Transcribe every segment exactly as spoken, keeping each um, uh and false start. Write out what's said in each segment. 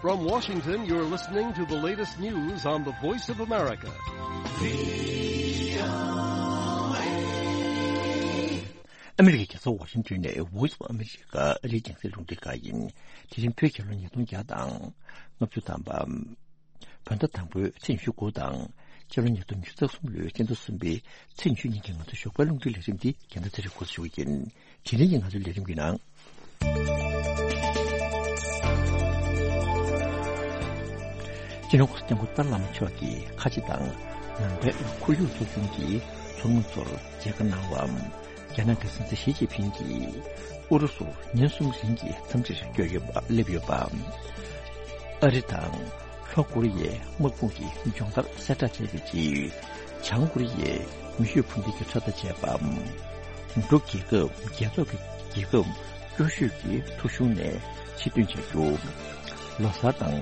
From Washington, you're listening to the latest news on the Voice of America. ཨ་མི་རི་ཀའི་རྒྱལ་ས་ཝ་ཤིང་ཏོན་ནས་Voice of America ཨ་རིའི་རྒྱང་སྲིང་རླུང་འཕྲིན་ཁང་ཡིན། དེ་རིང་བོད་རྒྱལ་ལོ་ཉིས་སྟོང་བརྒྱ་དང་ལྔ་བཅུ་ཐམ་པ། བོད་ཟླ་དང་པོའི་ཚེས་ཉི་ཤུ་དགུ་དང་ཕྱི་ལོ་ཉིས་སྟོང་ཉི་ཤུ་རྩ་གསུམ་ལོའི་སྤྱི་ཟླ་གསུམ་པའི་ཚེས་ཉི་ཤུ་ཉིན་གྱི་ང་ཚོའི་ཞོགས་པའི་རླུང་འཕྲིན་ལས་རིམ་འདི་རྒན་ཟླ་ཚེ་རིང་འགོ་འཛུགས་ཞུ་གི་ཡིན། དེ་རིང་གི་ང་ཚོའི་ལས་རིམ་གྱི་ནང་། སྤྱི་ནོར་༸གོང་ས་༸སྐྱབས་མགོན་ཏཱ་ལའི་བླ་མ་མཆོག་གིས་ཁ་ཆེ་དང་ནང་པའི་ཁོར་ཡུག་ཚོགས་ཆུང་གི་ཚོགས་མི་ཚོར་མཇལ་ཁ་གནང་བ། རྒྱ་ནག་གི་སྲིད་འཛིན་ཞི་ཅིན་ཕིང་གིས་ཨུ་རུ་སུར་ཉིན་གསུམ་རིང་གི་འཚམས་འདྲིར་བསྐྱོད་ཡོད་པ་སླེབས་ཡོད་པ། ཨ་རི་དང་ལྷོ་ཀོ་རི་ཡའི་དམག་དཔུང་གི་སྦྱོང་བརྡར་གསལ་བསྒྲགས་བྱས་པའི་རྗེས། བྱང་ཀོ་རི་ཡས་མེ་ཤུགས་འཕུར་མདེལ་གྱི་ཁྲབ་མདའ་བྱས་པ། འབྲུག་རྒྱལ་ཁབ་རྒྱལ་ཚོགས་ཀྱི་རྒྱལ་ཁབ་སྐྱོ་ཤོས་ཀྱི་ཐོ་གཞུང་ནས་ཕྱིར་ཐོན་བྱ་རྒྱུ། ལོ་གསར་དང་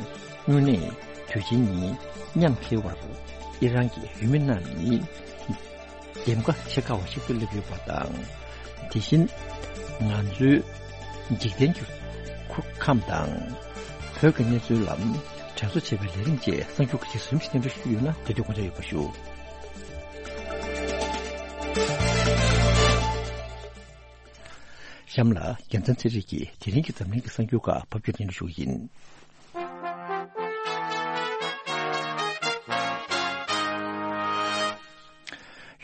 དངོས་གནས་དུས་ཆེན་གཉིས་མཉམ་འཁེལ་བར་ཨི་རན་གྱི་ཡུལ་མི་རྣམས་ནི་འདེམས་ཀ་བྱེད་དཀའ་བ་ཞིག་ཏུ་སླེབས་ཡོད་པ་དང་། དེ་བཞིན་ང་ཚོའི་འཇིག་རྟེན་གྱི་ཁུར་ཁམས་དང་བོད་ཀྱི་གནས་ཚུལ་ལ་དྲན་གསོ་བྱེད་པའི་ལས་རིམ་བཅས་གསར་འགྱུར་ཁག་ཅིག་ཟུར་ཞིག་སྙན་སྒྲོན་ཞུ་རྒྱུ་ཡོད་ན་དེ་དུས་དགོངས་འཇགས་ཡོད་པ་ཞུ། གཤམ་ལ་རྒྱལ་མཚན་ཚེ་རིང་གིས་དེ་རིང་གི་འཛམ་གླིང་གི་གསར་འགྱུར་ཁག་ཕབ་སྒྱུར་སྙན་སྒྲོན་ཞུ་གི་ཡིན།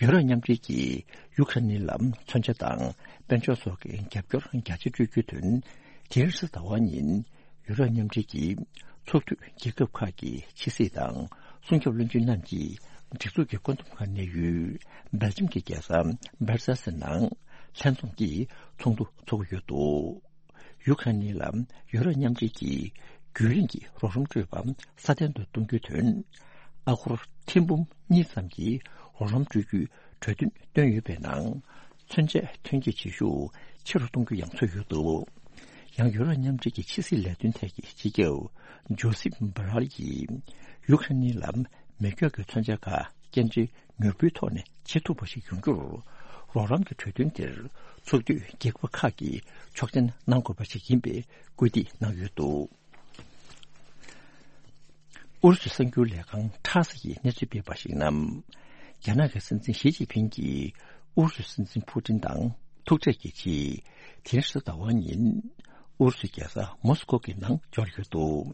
ཡུ་རོབ་མཉམ་འབྲེལ་གྱིས་ཡུ་ཁ་རེན་ལ་མཚོན་ཆ་དང་དཔལ་འབྱོར་སོགས་ཀྱི་རྒྱབ་སྐྱོར་རྒྱ་ཆེ་སྤྲོད་རྒྱུའི་དོན། དེ་རིང་རེས་གཟའ་ཟླ་བ་ཉིན་ཡུ་རོབ་མཉམ་འབྲེལ་གྱི་ཚོགས་འཐུས་རྒྱལ་ཁབ་ཁག་གི་ཕྱི་སྲིད་དང་སྲུང་སྐྱོབ་བློན་ཆེན་རྣམས་ཀྱིས་སྒྲིག་འཛུགས་ཀྱི་བཀོད་འདོམས་ཁང་གནས་ཡུལ་སྦེལ་ཇམ་གྱི་རྒྱལ་ས་སྦར་སེལ་སི་ནང་ལྷན་འཛོམས་ཀྱིས་ཚོགས་འདུ་འཚོགས་ཀྱི་ཡོད་འདུག་ཡུ་ཁ་རེན་ལ་ཡུ་རོབ་མཉམ་འབྲེལ་གྱིས་རྒྱུན་རིང་གི་རོགས་རམ་སྤྲོད་པ་སྲ་བརྟན་དུ་གཏོང་རྒྱུའི་དོན། ཨ་སྒོར་ཐེར་འབུམ་གཉིས་ཙམ་གྱི་རོགས་རམ་སྤྲོད་རྒྱུའི་གྲོས་མཐུན་བཏོན་ཡོད་པའི་ནང་། མཚོན་ཆའི་ཐོན་སྐྱེད་བྱེད་ཤུགས་ཆེ་རུ་གཏོང་རྒྱུ་ཡང་ཚོད་ཡོད་འདུག་ཡང་ཡུ་རོབ་མཉམ་འབྲེལ་གྱི་ཕྱི་སྲིད་ལས་དོན་ཐད་ཀྱི་སྤྱི་ཁྱབ་ཇོ་སིབ་བྷ་རལ་ཡིས་ཡུ་ཁ་རེན་ལ་མེ་སྒྱོགས་ཀྱི་མཚོན་ཆ་ཁག་སྐྱེལ་འདྲེན་མྱུར་པོའི་ཐོག་ནས་བྱེད་ཐུབ་པ་ཞིག་ཡོང་རྒྱུར། རོགས་རམ་གྱི་གྲོས་མཐུན་དེར་ཚོགས་འཐུས་རྒྱལ་ཁབ་ཁག་གིས་ཆོག་མཆན་གནང་དགོས་པ་ཞིག་ཡིན་པའི་སྐུལ་འདེད་གནང་ཡོད་འདུག་ཨུ་རུ་སུའི་གསར་འགྱུར་ལས་ཁང་ཊཱ་སི་ཡིས་གནས་ཚུལ་སྤེལ་བར་གཞིགས་ན། རྒྱ་ནག་གི་སྲིད་འཛིན་ཞི་ཅིན་ཕིང་གིས་ཨུ་རུ་སུའི་སྲིད་འཛིན་ཕུ་ཏིན་དང་ཐུག་འཕྲད་ཀྱི་རྗེས། དེ་རིང་རེས་གཟའ་ཟླ་བ་ཉིན་ཨུ་རུ་སུའི་རྒྱལ་ས་མོ་སི་ཀོ་གི་ནང་འབྱོར་ཡོད་འདུག་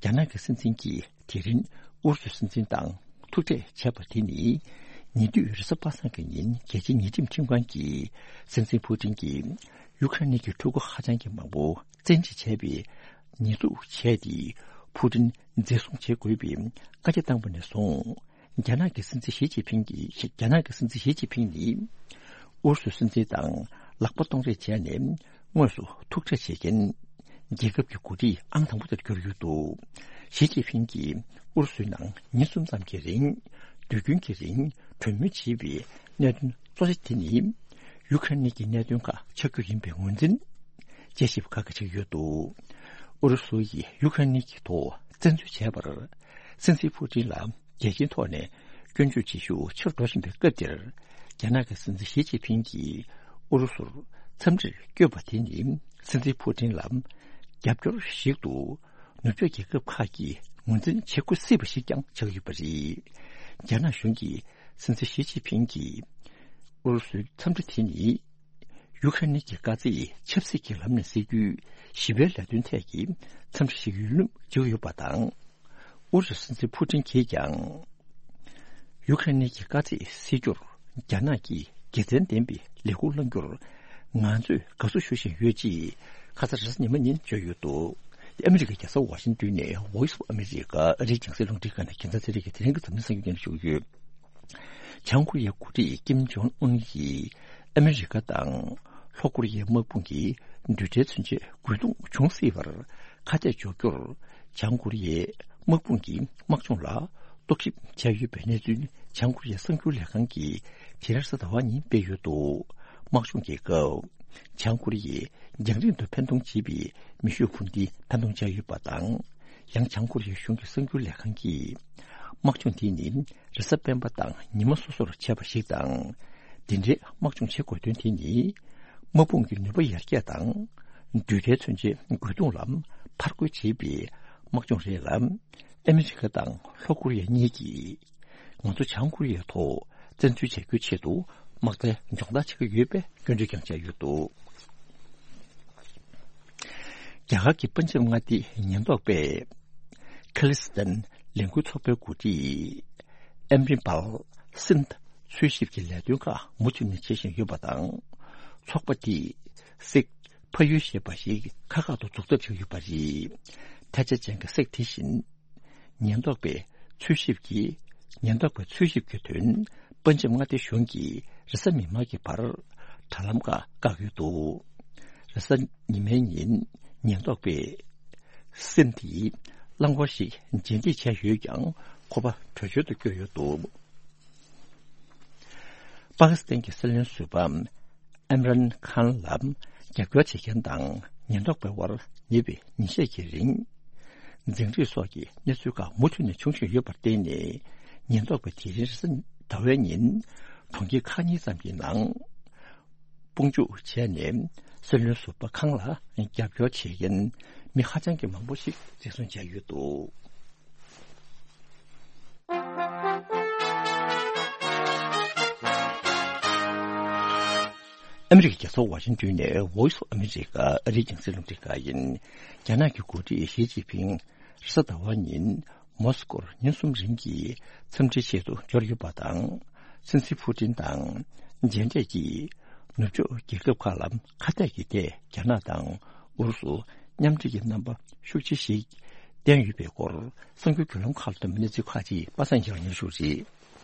རྒྱ་ནག་གི་སྲིད་འཛིན་གྱིས་དེ་རིང་ཨུ་རུ་སུའི་སྲིད་འཛིན་དང་ཐུག་འཕྲད་བྱས་པ་དེ་ནི་ཉེ་དུས་རེས་གཟའ་པ་སངས་ཀྱི་ཉིན་རྒྱལ་སྤྱིའི་ཉེས་ཁྲིམས་ཁྲིམས་ཁང་གིས་སྲིད་འཛིན་ཕུ་ཏིན་གྱིས་ཡུ་ཁ་རེན་གྱི་ཕྲུ་གུ་ཧ་ཅང་གི་མང་པོ་བཙན་ཁྲིད་བྱས་པའི་ཉེས་འཛུགས་བྱས་ཏེ་ཕུ་ཏིན་འཛིན་བཟུང་བྱེད་དགོས་པའི་བཀའ་རྒྱ་བཏང་པ་ནས་བཟུང་། རྒྱ་ནག་གི་སྲིད་འཛིན་ཞི་ཅིན་ཕིང་གིས་རྒྱ་ནག་གི་སྲིད་འཛིན་ཞི་ཅིན་ཕིང་ནི་ཨུ་རུ་སུའི་སྲིད་འཛིན་དང་ལག་པ་གཏོང་རེས་བྱས་ནས་དངོས་སུ་ཐུག་འཕྲད་བྱེད་མཁན་རྒྱལ་ཁབ་ཀྱི་འགོ་ཁྲིད་ཨང་དང་པོ་དེར་གྱུར་ཡོད་འདུག་ཞི་ཅིན་ཕིང་གིས་ཨུ་རུ་སུའི་ནང་ཉིན་གསུམ་ཙམ་གྱི་རིང་དུས་རྒྱུན་གྱི་རིང་གྲོས་མོལ་བྱེད་པའི་གནད་དོན་གཙོ་ཆེ་དེ་ནི་ཡུ་ཁ་རེན་གྱི་གནད་དོན་ཁག་ཆགས་རྒྱུ་ཡིན་པའི་ངོས་འཛིན་དཔྱད་ཞིབ་ཁག་གིས་བྱེད་ཀྱི་ཡོད་འདུག་ཨུ་རུ་སུ་ཡིས་ཡུ་ཁ་རེན་གྱི་ཐོག་བཙན་འཛུལ་བྱས་པར། སྲིད་འཛིན་ཕུ་ཏིན་ལ་རྒྱལ་སྤྱིའི་ཐོག་ནས་སྐྱོན་བརྗོད་བྱེད་ཤུགས་ཆེ་རུ་འགྲོ་བཞིན་པའི་སྐབས་འདིར། རྒྱ་ནག་གི་སྲིད་འཛིན་ཞི་ཅིན་ཕིང་གིས་ཨུ་རུ་སུར་འཚམས་འདྲིར་བསྐྱོད་པ་དེ་ནི་སྲིད་འཛིན་ཕུ་ཏིན་ལ་རྒྱབ་སྐྱོར་ཞིག་ཏུ་ནུབ་ཕྱོགས་རྒྱལ་ཁབ་ཁག་གིས་ངོས་འཛིན་བྱེད་དགོས་སྲིད་པ་ཞིག་ཀྱང་ཆགས་ཡོད་པ་རེད། རྒྱ་ནག་གཞུང་གིས་སྲིད་འཛིན་ཞི་ཅིན་ཕིང་གིས་ཨུ་རུ་སུའི་འཚམས་འདྲི་དེ་ནི། ཡུ་ཁ་རེན་གྱི་དཀའ་ཚེགས་ཆབ་སྲིད་ཀྱི་ལམ་ནས་སེལ་རྒྱུའི་ཞི་བའི་ལས་དོན་ཐད་ཀྱི་འཚམས་འདྲི་ཞིག་ཡིན་ལུགས་བརྗོད་ཡོད་པ་དང་། ཨུ་རུ་སུའི་སྲིད་འཛིན་ཕུ་ཏིན་གྱིས་ཀྱང་། ཡུ་ཁ་རེན་གྱི་དཀའ་ཚེགས་སེལ་རྒྱུར་རྒྱ་ནག་གིས་དགེ་མཚན་ལྡན་པའི་ལས་འགུལ་བསླང་རྒྱུར་ང་ཚོས་དགའ་བསུ་ཞུ་བཞིན་ཡོད་ཅེས་ཁ་ས་རེས་གཟའ་ཉི་མ་ཉིན་བརྗོད་ཡོད་འདུག་ཨ་མི་རི་ཀའི་རྒྱལ་ས་ཝ་ཤིང་ཏོན་ནས་Voice of America ཨ་རིའི་རྒྱང་སྲིང་རླུང་འཕྲིན་ཁང་ནས་རྒྱལ་མཚན་ཚེ་རིང་གིས་དེ་རིང་གི་འཛམ་གླིང་གསར་འགྱུར་སྙན་སྒྲོན་ཞུ་གི་ཡོད། བྱང་ཀོ་རི་ཡའི་འགོ་ཁྲིད་ཀིམ་ཇོང་ཨུན་གྱིས་ཨ་མི་རི་ཀ་དང་ལྷོ་ཀོ་རི་ཡའི་དམག་དཔུང་གིས་རྡུལ་ཕྲན་མཚོན་ཆའི་རྒོལ་རྡུང་འབྱུང་སྲིད་པར་ཁ་གཏད་གཅོག་རྒྱུར། བྱང་ཀོ་རི་ཡའི་དམག་དཔུང་གིས་དམག་སྦྱོང་ལ་རྟོག་ཞིབ་བྱས་ཡོད་པའི་གནས་ཚུལ་བྱང་ཀོ་རི་ཡའི་གསར་འགྱུར་ལས་ཁང་གིས་དེ་རིང་རེས་གཟའ་ཟླ་བ་ཉིན་སྤེལ་ཡོད་འདུག་དམག་སྦྱོང་གི་སྐབས། བྱང་ཀོ་རི་ཡས་རྒྱང་རིང་དུ་འཕེན་གཏོང་བྱེད་པའི་མེ་ཤུགས་འཕུར་མདེལ་འཕེན་གཏོང་བྱས་ཡོད་པ་དང་། ཡང་བྱང་ཀོ་རི་ཡའི་གཞུང་གི་གསར་འགྱུར་ལས་ཁང་གིས། དམག་སྦྱོང་དེ་ནི་རེས་གཟའ་སྤེན་པ་དང་ཉི་མ་སོ་སོར་བྱས་པ་ཞིག་དང་། འདི་འདྲའི་དམག་སྦྱོང་བྱེད་དགོས་དོན་དེ་ནི། དམག་དཔུང་གི་ནུས་པ་ཡར་རྒྱས་དང་། རྡུལ་ཕྲན་མཚོན་ཆའི་རྒོལ་རྡུང་ལ་ཕར་རྒོལ་བྱེད་པའི། དམག་སྦྱོང་རེད་ལ། ཨ་མི་རི་ཀ་དང་ལྷོ་ཀོ་རི་ཡ་གཉིས་ཀྱིས་ང་ཚོ་བྱང་ཀོ་རི་ཡའི་ཐོག་བཙན་འཛུལ་བྱ་རྒྱུའི་ཆེད་དུ་དམག་རྩལ་སྦྱོང་བརྡར་བྱེད་ཀྱི་ཡོད་པའི་སྐྱོན་བརྗོད་ཀྱང་བྱས་ཡོད་འདུག་རྒྱ་གར་གྱི་པན་ཇབ་མངའ་སྡེའི་ཉེན་རྟོག་པས་ཁ་ལི་སི་ཐན་ལས་འགུལ་ཚོགས་པའི་འགོ་ཁྲིད་ཨམ་རིན་པལ་སིན་འཚོལ་ཞིབ་ཀྱི་ལས་དོན་ཁག་མུ་མཐུད་ནས་བྱེད་བཞིན་ཡོད་པ་དང་། ཚོགས་པ་དེས་སིག་ཕ་ཡུལ་ཞེས་པ་ཞིག་ཁག་ཁག་ཏུ་འཛུགས་ཐབས་བྱས་ཡོད་པ་རེད། ཐལ་ཆ་ཅན་གྱི་སིག་དེ་བཞིན་ཉེན་རྟོག་པའི་འཚོལ་ཞིབ་ཀྱི་ཉེན་རྟོག་པའི་འཚོལ་ཞིབ་ཀྱི་དོན་པན་ཇབ་མངའ་སྡེ་གཞུང་གིས་རེས་གཟའ་མིག་དམར་གྱི་བར་དྲ་ལམ་ཁག་བཀག་ཡོད་འདུག་རེས་གཟའ་ཉི་མའི་ཉིན་ཉེན་རྟོག་པས་སིན་དེའི་རླངས་འཁོར་ཞིག་རྗེས་འདེད་བྱས་ཡོད་ཀྱང་ཁོ་པ་བྲོས་བྱོལ་དུ་བསྐྱོད་ཡོད་འདུག་པ་ཀི་སི་ཐན་གྱི་སྲིད་བློན་ཟུར་པ་ཨིམ་རན་ཁཱན་ལ་རྒྱབ་སྐྱོར་བྱེད་མཁན་དང་ཉེན་རྟོག་པའི་དབར་ཉེ་བའི་ཉིན་ཤས་ཀྱི་རིང་། འཛིང་རེས་སོགས་ཀྱི་གནས་ཚུལ་ཁག་མུ་མཐུད་ནས་འབྱུང་བཞིན་ཡོད་པར་བརྟེན་ནས། ཉེན་རྟོག་པས་དེ་རིང་རེས་གཟའ་ཟླ་བའི་ཉིན་གྲོང་ཁྱེར་ཁག་གཉིས་ཙམ་གྱི་ནང་དཔུང་འཇུག་བྱས་ནས། སྲིད་བློན་ཟུར་པ་ཁཱན་ལ་རྒྱབ་སྐྱོར་བྱེད་མཁན་མི་ཧ་ཅང་གི་མང་པོ་ཞིག་འཛིན་བཟུང་བྱས་ཡོད་འདུག་ཨ་མི་རི་ཀའི་རྒྱལ་ས་ཝ་ཤིང་ཏོན་ནས་Voice of America ཨ་རིའི་རྒྱང་སྲིང་རླུང་འཕྲིན་ཁང་ཡིན། རྒྱ་ནག་གི་འགོ་ཁྲིད་ཞི་ཅིན་ཕིང་རེས་གཟའ་ཟླ་བ་ཉིན་མོ་སི་ཀོར་ཉིན་གསུམ་རིང་གི་འཚམས་འདྲིའི་ཆེད་དུ་འབྱོར་ཡོད་པ་དང་། སྲིད་འཛིན་ཕུ་ཏིན་དང་མཇལ་འཕྲད་ཀྱིས་ནུབ་ཕྱོགས་རྒྱལ་ཁབ་ཁག་ལ་ཁ་གཏད་ཀྱི་ཐད་རྒྱ་ནག་དང་ཨུ་རུ་སུ་མཉམ་འབྲེལ་གྱི་རྣམ་པ་ཤུགས་ཆེ་ཞིག་བསྟན་ཡོད་པའི་སྐོར་གསར་འགྱུར་བརྒྱུད་ལམ་ཁག་ལ་བཏོན་པའི་གནས་ཚུལ་ཁག་ཅིག་པ་སངས་སྐྱིད་ལ་སྙན་ཞུ་རེད།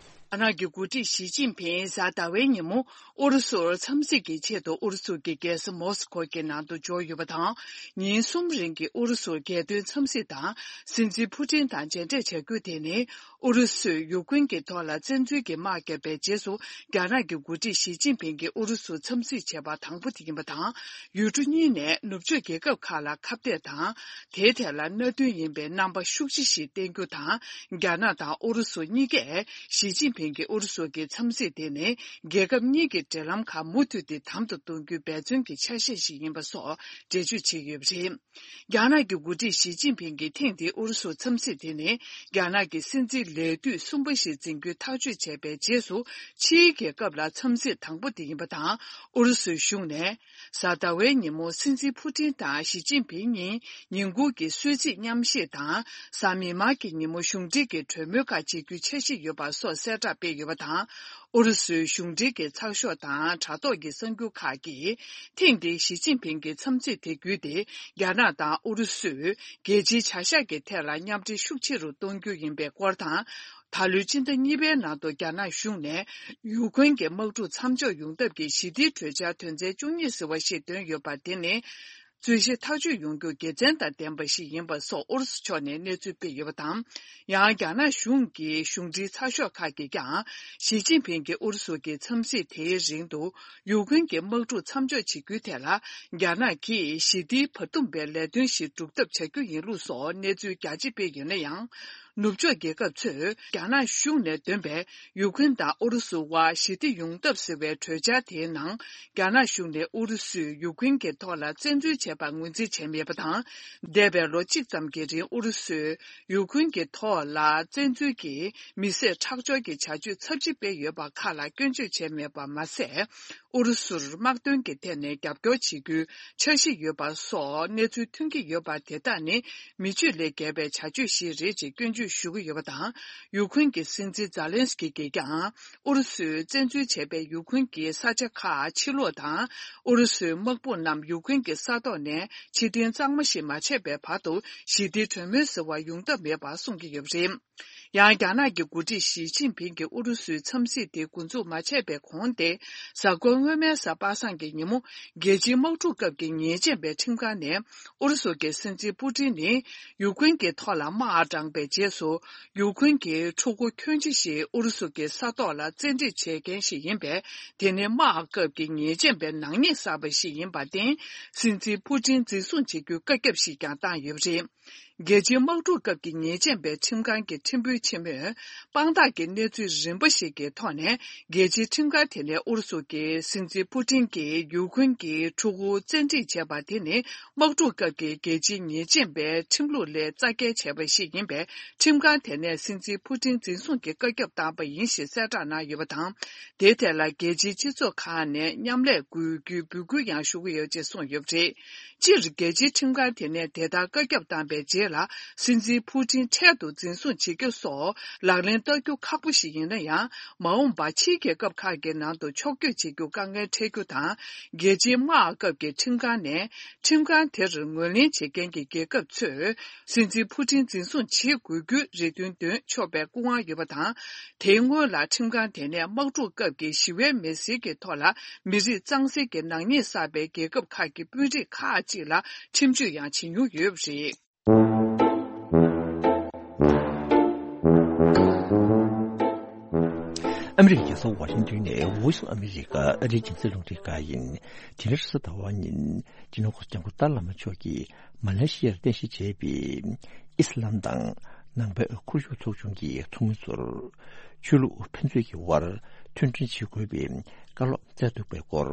རྒྱ་ནག་གི་འགོ་ཁྲིད་ཞི་ཅིན་ཕིང་གཟའ་ཟླ་བའི་ཉིན་མོ་ཨུ་རུ་སུར་འཚམས་གཟིགས་ཀྱི་ཆེད་དུ་ཨུ་རུ་སུ་གྱི་རྒྱལ་ས་མོ་སི་ཁོ་གི་ནང་དུ་འབྱོར་ཡོད་པ་དང་། ཉིན་གསུམ་རིང་གི་ཨུ་རུ་སུར་རྒྱལ་དོན་འཚམས་གཟིགས་དང་། སྲིད་འཛིན་ཕུ་ཏིན་དང་མཇལ་འཕྲད་བྱ་རྒྱུ་དེ་ནི། ཨུ་རུ་སུས་ཡུཀ་རེན་གྱི་ཐོག་ལ་བཙན་འཛུལ་གྱི་དམག་བརྒྱབ་པའི་རྗེས་སུ། རྒྱ་ནག་གི་འགོ་ཁྲིད་ཞི་ཅིན་ཕིང་གིས་ཨུ་རུ་སུ་འཚམས་གཟིགས་བྱས་པ་དང་པོ་དེ་ཡིན་པ་དང་། ཡུལ་གྲུ་གཉིས་ནས་ནུབ་ཕྱོགས་རྒྱལ་ཁབ་ཁག་ལ་ཁ་གཏད་དང་། དེའི་ཐད་ལ་གནད་དོན་ཡིན་པའི་རྣམ་པ་ཤུགས་ཆེ་ཞིག་བསྟན་རྒྱུ་དང་། རྒྱ་ནག་དང་ཨུ་རུ་སུ་གཉིས་ཀས་ཞི་ཅིན་ཕིང་གིས་ཨུ་རུ་སུ་གྱི་འཚམས་གཟིགས་དེ་ནི། རྒྱལ་ཁབ་གཉིས་ཀྱི་འབྲེལ་ལམ་ཁག་མུ་མཐུད་དེ་དམ་དུ་གཏོང་རྒྱུའི་འབད་བརྩོན་གྱི་ཆ་ཤས་ཤིག་ཡིན་པ་སོགས་འགྲེལ་བརྗོད་བྱས་ཡོད་པ་རེད། རྒྱ་ནག་གི་འགོ་ཁྲིད་ཞི་ཅིན་ཕིང་གིས་ཐེངས་འདིའི་ཨུ་རུ་སུ་འཚམས་གཟིགས་དེ་ནི། རྒྱ་ནག་གི་སྲིད་འཛིན་ལས་དུས་གསུམ་པ་ཞིག་འཛིན་རྒྱུའི་ཐག་གཅོད་བྱས་པའི་རྗེས་སུ། ཕྱིའི་རྒྱལ་ཁབ་ལ་འཚམས་གཟིགས་དང་པོ་དེ་ཡིན་པ་དང་། ཨུ་རུ་སུའི་གཞུང་ནས། གཟའ་ཟླ་བའི་ཉིན་མོ་སྲིད་འཛིན་ཕུ་ཏིན་དང་ཞི་ཅིན་ཕིང་གཉིས་ཉིན་གུང་གི་གསོལ་ཚིགས་མཉམ་བཞེས་དང་། གཟའ་མིག་དམར་གྱི་ཉིན་མོ་གཞུང་འབྲེལ་གྱི་གྲོས་མོལ་ཁག་བྱེད་རྒྱུའི་འཆར་གཞི་ཡོད་པ་སོགས་གསལ་བསྒྲགས་སྤེལ་ཡོད་པ་དང་། ཨུ་རུ་སུའི་གཞུང་འབྲེལ་གྱི་ཚགས་ཤོག་དང་དྲ་ཐོག་གི་གསར་འགྱུར་ཁག་གིས། ཐེངས་འདིའི་ཞི་ཅིན་ཕིང་གི་འཚམས་གཟིགས་དེ་བརྒྱུད་དེ། རྒྱ་ནག་དང་ཨུ་རུ་སུས་རྒྱལ་སྤྱིའི་བྱ་གཞག་གི་ཐད་ལ་མཉམ་འབྲེལ་ཤུགས་ཆེ་རུ་གཏོང་རྒྱུ་ཡིན་པའི་སྐོར་དང་། ད་ལོའི་སྤྱི་ཟླ་གཉིས་པའི་ནང་དུ་རྒྱ་ནག་གཞུང་ནས་ཡུཀ་རེན་གྱི་དམག་འཁྲུག་མཚམས་འཇོག་ཡོང་ཐབས་ཀྱི་ཞི་བདེའི་གྲོས་འཆར་དོན་ཚན་བཅུ་གཉིས་ཟེར་བ་ཞིག་འདོན་ཡོད་པ་དེ་ནི། རྩོད་གཞི་ཐག་གཅོད་ཡོང་རྒྱུ་དགེ་མཚན་དང་ལྡན་པ་ཞིག་ཡིན་པ་སོགས་ཨུ་རུ་སུ་ཕྱོགས་ནས་གནས་ཚུལ་སྤེལ་ཡོད་པ་དང་། ཡང་རྒྱ་ནག་གཞུང་གི་གཞུང་འབྲེལ་ཚགས་ཤོག་ཁག་གིས་ཀྱང་། ཞི་ཅིན་ཕིང་གི་ཨུ་རུ་སུ་གྱི་འཚམས་གཟིགས་དེའི་རིང་དུ། ཡུཀ་རེན་གྱི་དམག་འཁྲུག་མཚམས་འཇོག་བྱེད་རྒྱུའི་ཐད་ལ། རྒྱ་ནག་གིས་ཞི་བདེའི་བར་འདུམ་པའི་ལས་དོན་ཞིག་སྒྲུབ་ཐབས་བྱ་རྒྱུ་ཡིན་ལུགས་སོགས་གནས་ཚུལ་རྒྱ་ཆེ་སྤེལ་ཡོད་ན་ཡང་། ནུབ་ཕྱོགས་རྒྱལ་ཁབ་ཚོས་རྒྱ་ནག་གཞུང་ནས་འདོན་པའི་ཡུཀ་རེན་དང་ཨུ་རུ་སུ་དབར་ཞི་བདེ་ཡོང་ཐབས་ཟེར་བའི་གྲོས་འཆར་དེའི་ནང་། རྒྱ་ནག་གཞུང་ནས་ཨུ་རུ་སུས་ཡུཀ་རེན་གྱི་ཐོག་ལ་བཙན་འཛུལ་བྱས་པར་ངོས་འཛིན་བྱས་མེད་པ་དང་། འདས་པའི་ལོ་གཅིག་ཙམ་གྱི་རིང་ཨུ་རུ་སུས་ཡུཀ་རེན་གྱི་ཐོག་ལ་བཙན་འཛུལ་གྱིས་མི་བསད་ཁྲག་སྦྱོར་གྱི་བྱ་སྤྱོད་ཚབས་ཆེ་སྤེལ་ཡོད་པ་ཁག་ལ་སྐྱོན་བརྗོད་བྱས་མེད་པ་མ་ཟད། ཨུ་རུ་སུར་དམག་དོན་གྱི་ཐད་ནས་རྒྱབ་སྐྱོར་བྱེད་རྒྱུའི་འཆར་གཞི་ཡོད་པ་སོགས་གནས་ཚུལ་ཐོན་གྱི་ཡོད་པ་དེ་དག་ནི་མི་ཆོས་ལས་བརྒལ་བའི་བྱ་སྤྱོད་ཞིག་རེད་ཅེས་སྐྱོན་བརྗོད་ཞུ་གི་ཡོད་པ་དང་། ཡུཀ་རེན་གྱི་སྲིད་འཛིན་ཛཱ་ལན་སི་ཀི་གིས་ཀྱང་ཨུ་རུ་སུས་བཙན་འཛུལ་བྱས་པའི་ཡུཀ་རེན་གྱི་ས་ཆ་ཁག་ཕྱིར་སློག་དང་། ཨུ་རུ་སུའི་དམག་དཔུང་རྣམས་ཡུཀ་རེན་གྱི་ས་ཐོག་ནས་ཕྱིར་འཐེན་གཙང་མ་ཞིག་མ་བྱས་པའི་བར་དུ་ཞི་བདེའི་གྲོས་མོལ་ཟེར་བ་ཡོང་ཐབས་མེད་པ་གསུང་གི་ཡོད་པ་རེད། ཡང་རྒྱ་ནག་གི་འགོ་ཁྲིད་ཞི་ཅིན་ཕིང་གིས་ཨུ་རུ་སུའི་འཚམས་གཟིགས་དེ་འགོ་འཛུགས་མ་བྱས་པའི་གོང་དེ། གཟའ་འཁོར་སྔོན་མའི་གཟའ་པ་སངས་ཀྱི་ཉིན་མོ། རྒྱལ་སྤྱིའི་དམག་འཁྲུག་སྐབས་ཀྱི་ཉེས་ཅན་པའི་ཁྲིམས་ཁང་ནས། ཨུ་རུ་སུ་གྱི་སྲིད་འཛིན་པུ་ཏིན་ནི། ཡུཀ་རེན་གྱི་ཐོག་ལ་དམག་དྲངས་པའི་རྗེས་སུ། ཡུཀ་རེན་གྱི་ཕྲུ་གུ་ཁྱོན་ཆེ་ཞིག་ཨུ་རུ་སུ་གྱི་ས་ཐོག་ལ་བཙན་ཁྲིད་བྱེད་མཁན་ཞིག་ཡིན་པས། དེ་ནི་དམག་སྐབས་ཀྱི་ཉེས་ཅན་པའི་ནག་ཉེས་བསགས་པ་ཞིག་ཡིན་པར་བརྟེན། སྲིད་འཛིན་པུ་ཏིན་འཛིན་བཟུང་བྱེད་རྒྱུའི་བཀའ་ཁྱབ་ཞིག་ཀྱང་བཏང་ཡོད་པ་རེད། རྒྱལ་སྤྱིའི་དམག་འཁྲུག་སྐབས་ཀྱི་ཉེས་ཅན་པའི་ཁྲིམས་ཁང་གི་ཁྲིམས་དཔོན་ཆེན་མོས། དཔང་རྟགས་ཀྱི་གནས་ཚུལ་རིམ་པ་ཞིག་གི་ཐོག་ནས། རྒྱལ་སྤྱིའི་ཁྲིམས་ཁང་དེ་ནས་ཨུ་རུ་སུ་གི་སྲིད་འཛིན་ཕུ་ཏིན་གྱིས་ཡུ་ཁུན་གྱི་ཕྲུ་གུ་བཙན་ཁྲིད་བྱས་པ་དེ་ནི། དམག་འཁྲུག་སྐབས་ཀྱི་རྒྱལ་སྤྱིའི་ཉེས་ཅན་པའི་ཁྲིམས་ལུགས་ལས་རྩ་འགལ་བྱས་པ་ཞིག་ཡིན་པས། ཁྲིམས་ཁང་དེ་ནས་སྲིད་འཛིན་ཕུ་ཏིན་འཛིན་བཟུང་གི་བཀའ་ཁྱབ་བཏང་པ་ཡིན་ཞེས་གསལ་བསྒྲགས་གནང་ཡོད་པ་དང་། དེའི་ཐད་ལ་རྒྱལ་སྤྱིའི་སྤྱི་ཚོགས་ཁག་ནས་མཉམ་ལས་དགོས་རྒྱུའི་འབོད་སྐུལ་ཡང་ཞུ་གི་ཡོད་ཅེས་གསུངས་ཡོད་པ་རེད། སྤྱིར་རྒྱལ་སྤྱིའི་ཁྲིམས་ཁང་དེ་ནས་དེ་ལྟར་བཀའ་ཁྱབ་བཏང་པའི་རྗེས་ལ། སྲིད་འཛིན་ཕུ་ཏིན་འཕྲལ་དུ་འཛིན་བཟུང་བྱེད་རྒྱུ་སོགས་ལག་ལེན་བསྟར་རྒྱུ་ཁག་པོ་ཞིག་ཡིན་ན་ཡང་། མ་འོངས་པར་ཕྱིའི་རྒྱལ་ཁབ་ཁག་གི་ནང་དུ་ཕྱོགས་བསྐྱོད་བྱེད་རྒྱུ་དཀའ་ངལ་འཕྲད་རྒྱུ་དང་། རྒྱལ་སྤྱིའི་དམག་སྐབས་ཀྱི་ཁྲིམས་ཁང་ནས་ཁྲིམས་ཁང་དེར་ངོས་ལེན་བྱེད་མཁན་གྱི་རྒྱལ་ཁབ་ཚོས་སྲིད་འཛིན་ཕུ་ཏིན་འཛིན་བཟུང་བྱེད་དགོས་རྒྱུའི་རེ་འདུན་འདོན་ཆོག་པའི་སྐུ་དབང་ཡོད་པ་དང་། དེའི་སྔོན་ལ་ཁྲིམས་ཁང་དེ་ནས་དམག་འཁྲུག་སྐབས་ཀྱི་ཞི་བའི་མེ་སྲེག་གི་ཐོག་ལ་མི་རིགས་གཙང་སེལ་གྱི་ནག་ཉེས་བསགས་པའི་རྒྱལ་ཁབ་ཁག་གི་དཔོན་རིགས་ཁག་ཅིག་ལ་ཁྲིམས་གཅོད་ཡང་བྱེད་མྱོང་ཡོད་པ་རེད། ཨ་མི་རི་ཀའི་རྒྱལ་ས་ཝ་ཤིང་ཏོན་ནས་Voice of America ཨ་རིའི་རྒྱང་སྲིང་རླུང་འཕྲིན་ཁང་ཡིན། དེ་རིང་རེས་གཟའ་ཟླ་བ་ཉིན། སྤྱི་ནོར་༧གོང་ས་༧སྐྱབས་མགོན་ཏཱ་ལའི་བླ་མ་མཆོག་གིས་མ་ལེ་ཤི་ཡར་རྟེན་གཞི་བྱས་པའི་ཨི་སི་ལམ་དང་ནང་པའི་ཁོར་ཡུག་ཚོགས་ཆུང་གི་ཚོགས་མི་ཚོར་ཆོས་ལུགས་ཕན་ཚུན་གྱི་དབར་མཐུན་སྒྲིལ་བྱེད་དགོས་པའི་བཀའ་སློབ་སྩལ་འདུག་པའི་སྐོར།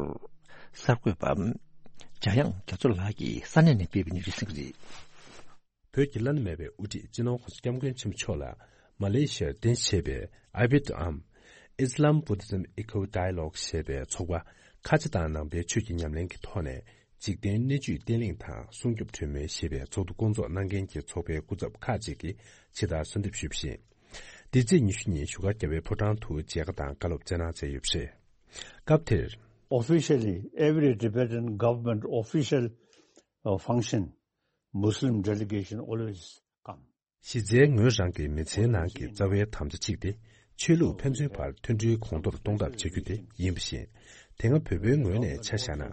གསར་འགོད་པ་འཇམ་དབྱངས་རྒྱ་མཚོ་ལགས་ཀྱིས་ས་གནས་ནས་སྤེལ་བའི་གནས་ཚུལ་གསན་གྱི་རེད། བོད་ཀྱི་བླ་ན་མེད་པའི་དབུ་ཁྲིད་སྤྱི་ནོར་༧གོང་ས་༧སྐྱབས་མགོན་ཆེན་པོ་མཆོག་ལ་མ་ལེ་ཤི་ཡར་རྟེན་གཞི་བྱས་པའི་ཨ་བྷི་ཏའམ། Islam Buddhism Eco Dialogue ཞེས་པའི་ཚོགས་པ། ཁ་ཆེ་དང་ནང་པའི་ཆོས་ཀྱི་ཉམས་ལེན་གྱི་ཐོག་ནས་འཇིག་རྟེན་གནས་བཅུའི་བརྟན་ལྷིང་དང་སྲུང་སྐྱོབ་གྲོས་མོལ་ཞེས་པའི་ཚོགས་འདུ་བསྐོང་ཚོགས་གནང་མཁན་གྱི་ཚོགས་པའི་སྐུ་ཚབ་ཁག་ཅིག་གིས་ཇི་ལྟར་གསོལ་འདེབས་ཞུས་པ་བཞིན། འདི་ཚེས་ཉི་ཤུ་ཉིན་བཞུགས་སྒར་རྒྱལ་བའི་ཕོ་བྲང་དུ་མཇལ་ཁ་དང་བཀའ་སློབ་སྩལ་གནང་མཛད་ཡོད་པ་རེད། སྐབས་དེར། Officially, every Tibetan government official, uh, function, Muslim delegation always come. གཞི་རྩའི་ངོས་རང་གི་མི་ཚེའི་ནང་གི་རྩ་བའི་དམ་བཅའ་གཅིག་དེ། ཆོས་ལུགས་ཕན་ཚུན་བར་མཐུན་སྒྲིལ་གོང་མཐོར་གཏོང་ཐབས་བྱ་རྒྱུ་དེ་ཡིན་པ་བཞིན། དེ་སྔ་བོད་པའི་ངོས་ནས་ཆ་བཞག་ན།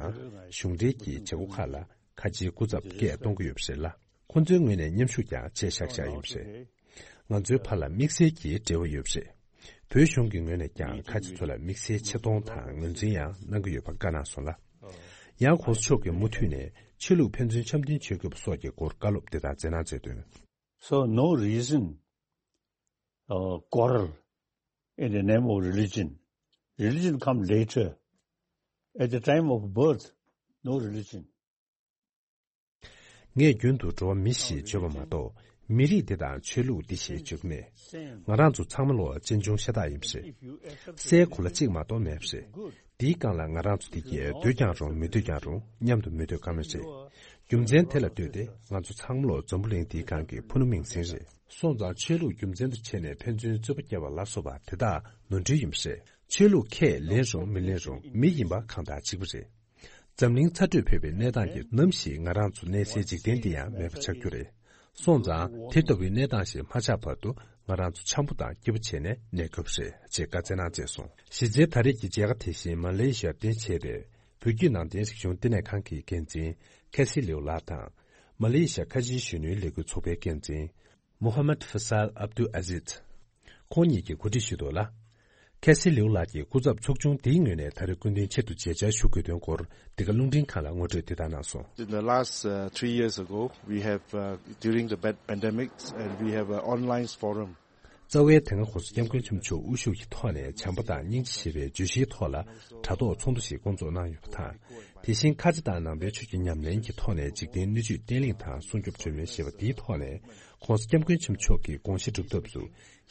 གཞུང་འབྲེལ་གྱི་བྱེད་སྒོ་ཁག་ལ་ཁ་ཆེའི་སྐུ་ཚབ་སྐད་གཏོང་གི་ཡོད་པ་རེད་ལ། ཁོང་ཚོའི་ངོས་ནས་མཉམ་ཞུགས་ཀྱང་བྱས་བཞག་བཞག་ཡིན་པ་རེད། ང་ཚོའི་བར་ལ་དམིགས་བསལ་གྱི་འབྲེལ་བ་ཡོད་པ་རེད། བོད་གཞུང་གི་ངོས་ནས་ཀྱང་ཁ་ཆེ་ཚོ་ལ་དམིགས་བསལ་ཆེ་མཐོང་དང་ངོས་འཛིན་ཡང་གནང་གི་ཡོད་པ་བཀའ་གནང་སོང་ལ། ཡང་༧གོང་ས་མཆོག་གིས་མུ་མཐུད་ནས་ཆོས་ལུགས་ཕན་ཚུན་འཆམ་མཐུན་བྱེད་དགོས་པ་སོགས་ཀྱི་སྐོར་བཀའ་སློབ་དེ་ལྟར་མཛད་གནང་མཛད་དོན། So no reason, uh, quarrel in the name of religion. Religion come later. At the time of birth, no religion. ངས་རྒྱུན་དུ་འགྲོ་བ་མི་ཞེས་བརྗོད་པ་མ་གཏོགས། མི་རིགས་འདི་དང་ཆོས་ལུགས་འདི་ཞེས་བརྗོད་ཀྱི་མེད། ང་རང་ཚོ་ཚང་མ་ལོ་གཅེན་གཅུང་ཤ་སྟག་ཡིན་པ་རེད། སའི་གོ་ལ་གཅིག་མ་གཏོགས་མེད་པ་རེད། འདིའི་སྒང་ལ་ང་རང་ཚོ་འདི་གས་སྡོད་ཀྱང་རུང་མི་སྡོད་ཀྱང་རུང་མཉམ་དུ་མི་སྡོད་ཀ་མེད་རེད། རྒྱུ་མཚན་དེ་ལ་ལྟོས་ཏེ་ང་ཚོ་ཚང་མ་ལོ་འཛམ་བུ་གླིང་འདིའི་སྒང་གི་ཕུ་ནུ་མིང་སྲིང་རེད། སོང་ཙང་ཆོས་ལུགས་རྒྱུ་མཚན་དུ་བྱས་ནས་ཕན་ཚུན་རྩོད་པ་བརྒྱབ་པ་ལ་སོགས་པ་དེ་དག་ནོར་འཁྲུལ་ཡིན་པ་རེད། ཆོས་ལུགས་ཁས་ལེན་རུང་མི་ལེན་རུང་མི་ཡིན་པ་གང་དག་གཅིག་པ་རེད། འཛམ་གླིང་ཚ་དྲོད་འཕེལ་བའི་གནས་སྟངས་ཀྱིས་ནམ་ཞིག་ང་རང་ཚོ་གནས་སའི་འཇིག་རྟེན་འདི་ཡང་མེད་པ་ཆགས་རྒྱུ་རེད། སོང་ཙང་དེ་ལྟ་བུའི་གནས་སྟངས་ཤིག་མ་ཆགས་བར་དུ་ང་རང་ཚོ་འཆམ་པོ་དང་སྐྱིད་པོ་བྱས་ནས་གནས་དགོས་པ་རེད་ཅེས་བཀའ་སྩལ་གནང་མཛད་སོང་། གཞི་རྩའི་ད་རེས་ཀྱི་མཇལ་ཁ་དེ་བཞིན་མ་ལེ་ཤི་ཡར་རྟེན་བྱས་པའི་བོད་བརྒྱུད་ནང་བསྟན་རིག་གཞུང་བསྟི་གནས་ཁང་གི་འགན་འཛིན་ཁེ་སི་ལེའུ་ལགས་དང་། མ་ལེ་ཤི་ཡ་ཁ་ཆེའི་གཞོན་ནུའི་ལས་འགུལ་ཚོགས་པའི་འགན་འཛིན། Muhammad Faisal Abdul Aziz། ཁོང་ཉིད་ཀྱིས་གོ་སྒྲིག་ཞུས་འདུག་ལ། ཁེ་སི་ལིའུ་ལགས་ཀྱིས་སྐུ་ཚབ་ཚོགས་ཆུང་འདིའི་ངོས་ནས་ད་རེས་སྐུ་མདུན་ཆེད་དུ་མཇལ་བཅར་ཞུ་དགོས་དོན་སྐོར་འདི་ག་རླུང་འཕྲིན་ཁང་ལ་ངོ་སྤྲོད་འདི་ལྟར་གནང་སོང་། In the last, uh, three years ago, we have, uh, during the pand- pandemic, and we have an online forum. རྩ་བའི་དེ་སྔ་༧གོང་ས་༧སྐྱབས་མགོན་ཆེན་པོ་མཆོག་དབུ་བཞུགས་ཀྱི་ཐོག་ནས་བྱམས་པ་དང་སྙིང་རྗེ་ཞེས་པའི་བརྗོད་གཞིའི་ཐོག་ལ་དྲ་ཐོག་ཚོགས་འདུ་ཞིག་བསྐོང་ཚོགས་གནང་ཡོད་པ་དང་། དེ་བཞིན་ཁ་ཆེ་དང་ནང་པའི་ཆོས་ཀྱི་ཉམས་ལེན་གྱི་ཐོག་ནས་འཇིག་རྟེན་སྣོད་བཅུད་བརྟན་ལྷིང་དང་སྲུང་སྐྱོབ་གྲོས་མོལ་ཞེས་པ་འདིའི་ཐོག་ནས་༧གོང་ས་༧སྐྱབས་མགོན་ཆེན་པོ་མཆོག་གི་དགོངས་གཞི་སྒྲུབ་ཐབས་སུ་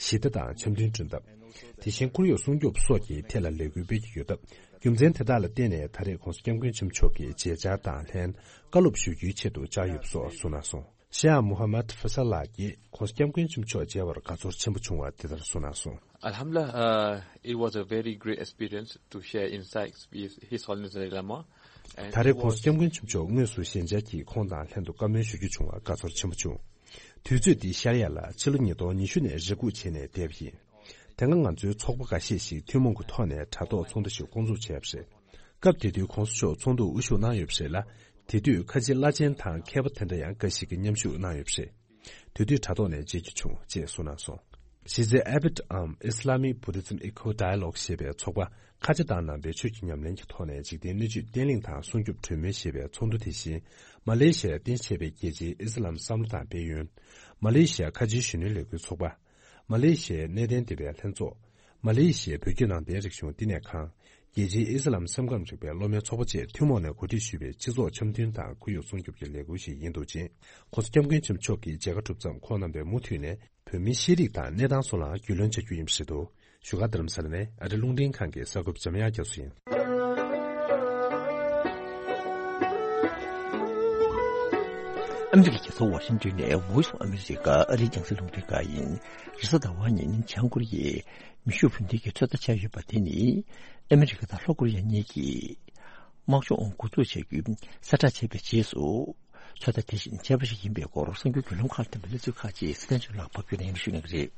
ཞི་བདེ་དང་འཆམ་མཐུན་བསྐྲུན་ཐབས། དེ་བཞིན་ཁོར་ཡུག་སྲུང་སྐྱོབ་སོགས་ཀྱི་ཐད་ལ་ལས་འགུལ་སྤེལ་གྱི་ཡོད་སྟབས། རྒྱུ་མཚན་དེ་དག་ལ་བརྟེན་ནས་ད་རེས་༧གོང་ས་༧སྐྱབས་མགོན་ཆེན་པོ་མཆོག་གི་མཇལ་བཅར་དང་ལྷན་བཀའ་སློབ་ཞུ་རྒྱུའི་ཆེད་དུ་བཅར་ཡོད་པ་སོགས་གསུངས་གནང་སོང་། ཤེ་ཡག་མུ་ཧམ་མད་ཧྥི་ས་ལགས་ཀྱིས་༧གོང་ས་༧སྐྱབས་མགོན་ཆེན་པོ་མཆོག་མཇལ་བར་དགའ་ཚོར་ཆེན་པོ་བྱུང་བ་འདི་ལྟར་གསུངས་གནང་སོང་། Alhamdulillah, uh, it was a very great experience to share insights with His Holiness Dalai Lama. And ད་རེས་༧གོང་ས་༧སྐྱབས་མགོན་ཆེན་པོ་མཆོག་དངོས་སུ་ཞལ་མཇལ་གྱིས་ཁོང་དང་ལྷན་དུ་བཀའ་མོལ་ཞུ་རྒྱུ་བྱུང་བར་དགའ་ཚོར་ཆེན་པོ་བྱུང་། དུས་ཚོད་འདི་ཤར་ཡ་ལ་ཕྱི་ལོ་ཉིས་སྟོང་ཉི་ཤུ་ནས་རེ་སྒུག་བྱས་ནས་བསྡད་པ་ཡིན། དེ་སྔ་ང་ཚོའི་ཚོགས་པ་འགའ་ཤས་ཤིག་ཐུན་མོང་གི་ཐོག་ནས་དྲ་ཐོག་ཚོགས་འདུ་ཞིག་བསྐོང་ཚོགས་བྱས་པ་རེད། སྐབས་དེ་དུས་༧གོང་ས་མཆོག་ཚོགས་འདུར་དབུ་བཞུགས་གནང་ཡོད་པ་རེད་ལ། དེ་དུས་ཁ་ཆེ་བླ་ཆེན་དང་མཁས་པ་དེ་འདྲ་ཡང་འགའ་ཞིག་གིས་མཉམ་ཞུགས་གནང་ཡོད་པ་རེད། དེ་དུས་དྲ་ཐོག་ནས་མཇལ་རྒྱུ་བྱུང་ཅེས་གསུངས་གནང་སོང་། གཞི་རྩའི་ཨ་བྷི་ཏའམ་Islamic Buddhism Eco Dialogue ཞེས་པའི་ཚོགས་པ་ ཁ་ཆེ་ཏང་ནང་བེད་སྤྱོད་ཀྱི་ཉམས་ལེན་གྱི་ཐོག་ནས་འཇིག་རྟེན་སྣོད་བཅུད་བརྟན་ལྷིང་དང་སྲུང་སྐྱོབ་གྲོས་མོལ་ཞེས་པའི་ཚོགས་འདུ་དེ་བཞིན། མ་ལེ་ཤི་ཡའི་རྟེན་གཞི་བྱས་པའི་རྒྱལ་སྤྱིའི་ཨི་སི་ལམ་བསམ་བློ་དང་དཔལ་ཡོན། མ་ལེ་ཤི་ཡ་ཁ་ཆེའི་གཞོན་ནུའི་ལས་འགུལ་ཚོགས་པ། མ་ལེ་ཤི་ཡའི་གནས་བརྟན་སྡེ་པའི་ལྷན་ཚོགས། མ་ལེ་ཤི་ཡའི་བོད་བརྒྱུད་ནང་བསྟན་རིག་གཞུང་བསྟི་གནས་ཁང་། རྒྱལ་སྤྱིའི་ཨི་སི་ལམ་སེམས་ཁམས་རིག་པའི་སློབ་མའི་ཚོགས་པ་བཅས་ཐུན་མོང་ནས་གོ་སྒྲིག་ཞུས་པའི་སྤྱི་ཚོགས་འཆམ་མཐུན་དང་ཁོར་ཡུག་སྲུང་སྐྱོབ་ཀྱི་ལས་འགུལ་ཞིག་ཡིན་འདུག་ཅིང་། ྋགོང་ས་ྋསྐྱབས་མགོན་ཆེན་པོ་མཆོག་གིས་མཇལ་ཁ་གྲུབ་མཚམས་ཁོང་རྣམ་པས་མུ་མཐུད་ནས་བོད་མིའི་ཤེས་རིག་དང་གནས་སྟངས་སོགས་ལའང་རྒྱུས་ལོན་བྱ་རྒྱུ་ཡིན་པ་རེད་འདུག་བཞུགས་སྒར་རྡ་རམ་ས་ལ་ནས་ཨ་རི་རླུང་འཕྲིན་ཁང་གི་གསར་འགོད་པ་འཇམ་དབྱངས་རྒྱ་མཚོ་ཡིན། ཨ་མི་རི་ཀའི་རྒྱལ་ས་ཝ་ཤིང་ཏོན་ནས་Voice of America ཨ་རིའི་རྒྱང་སྲིང་རླུང་འཕྲིན་ཁང་ཡིན། རེས་གཟའ་ཟླ་བ་ཉིན་བྱང་ཀོ་རི་ཡས་མེ་ཤུགས་འཕུར་མདེལ་གྱི་ཚོད་ལྟ་བྱས་ཡོད་པ་དེ་ནི། ཨ་མི་རི་ཀ་དང་ལྷོ་ཀོ་རི་ཡ་གཉིས་ཀྱིས་དམག་སྦྱོང་འགོ་འཛུགས་བྱ་རྒྱུའི་གསལ་བསྒྲགས་བྱས་པའི་རྗེས་སུ། ཚོད་ལྟ་དེ་བཞིན་བྱས་པ་ཞིག་ཡིན་པའི་སྐོར་གསར་འགྱུར་བརྒྱུད་ལམ་ཁག་ལ་ཐོན་པའི་གནས་ཚུལ་ཁག་ཅིག་སྲིད་བརྟན་ཚོས་ལག་ཕབ་བསྒྱུར་ནས་སྙན་སྒྲོན་ཞུ་གནང་གི་རེད།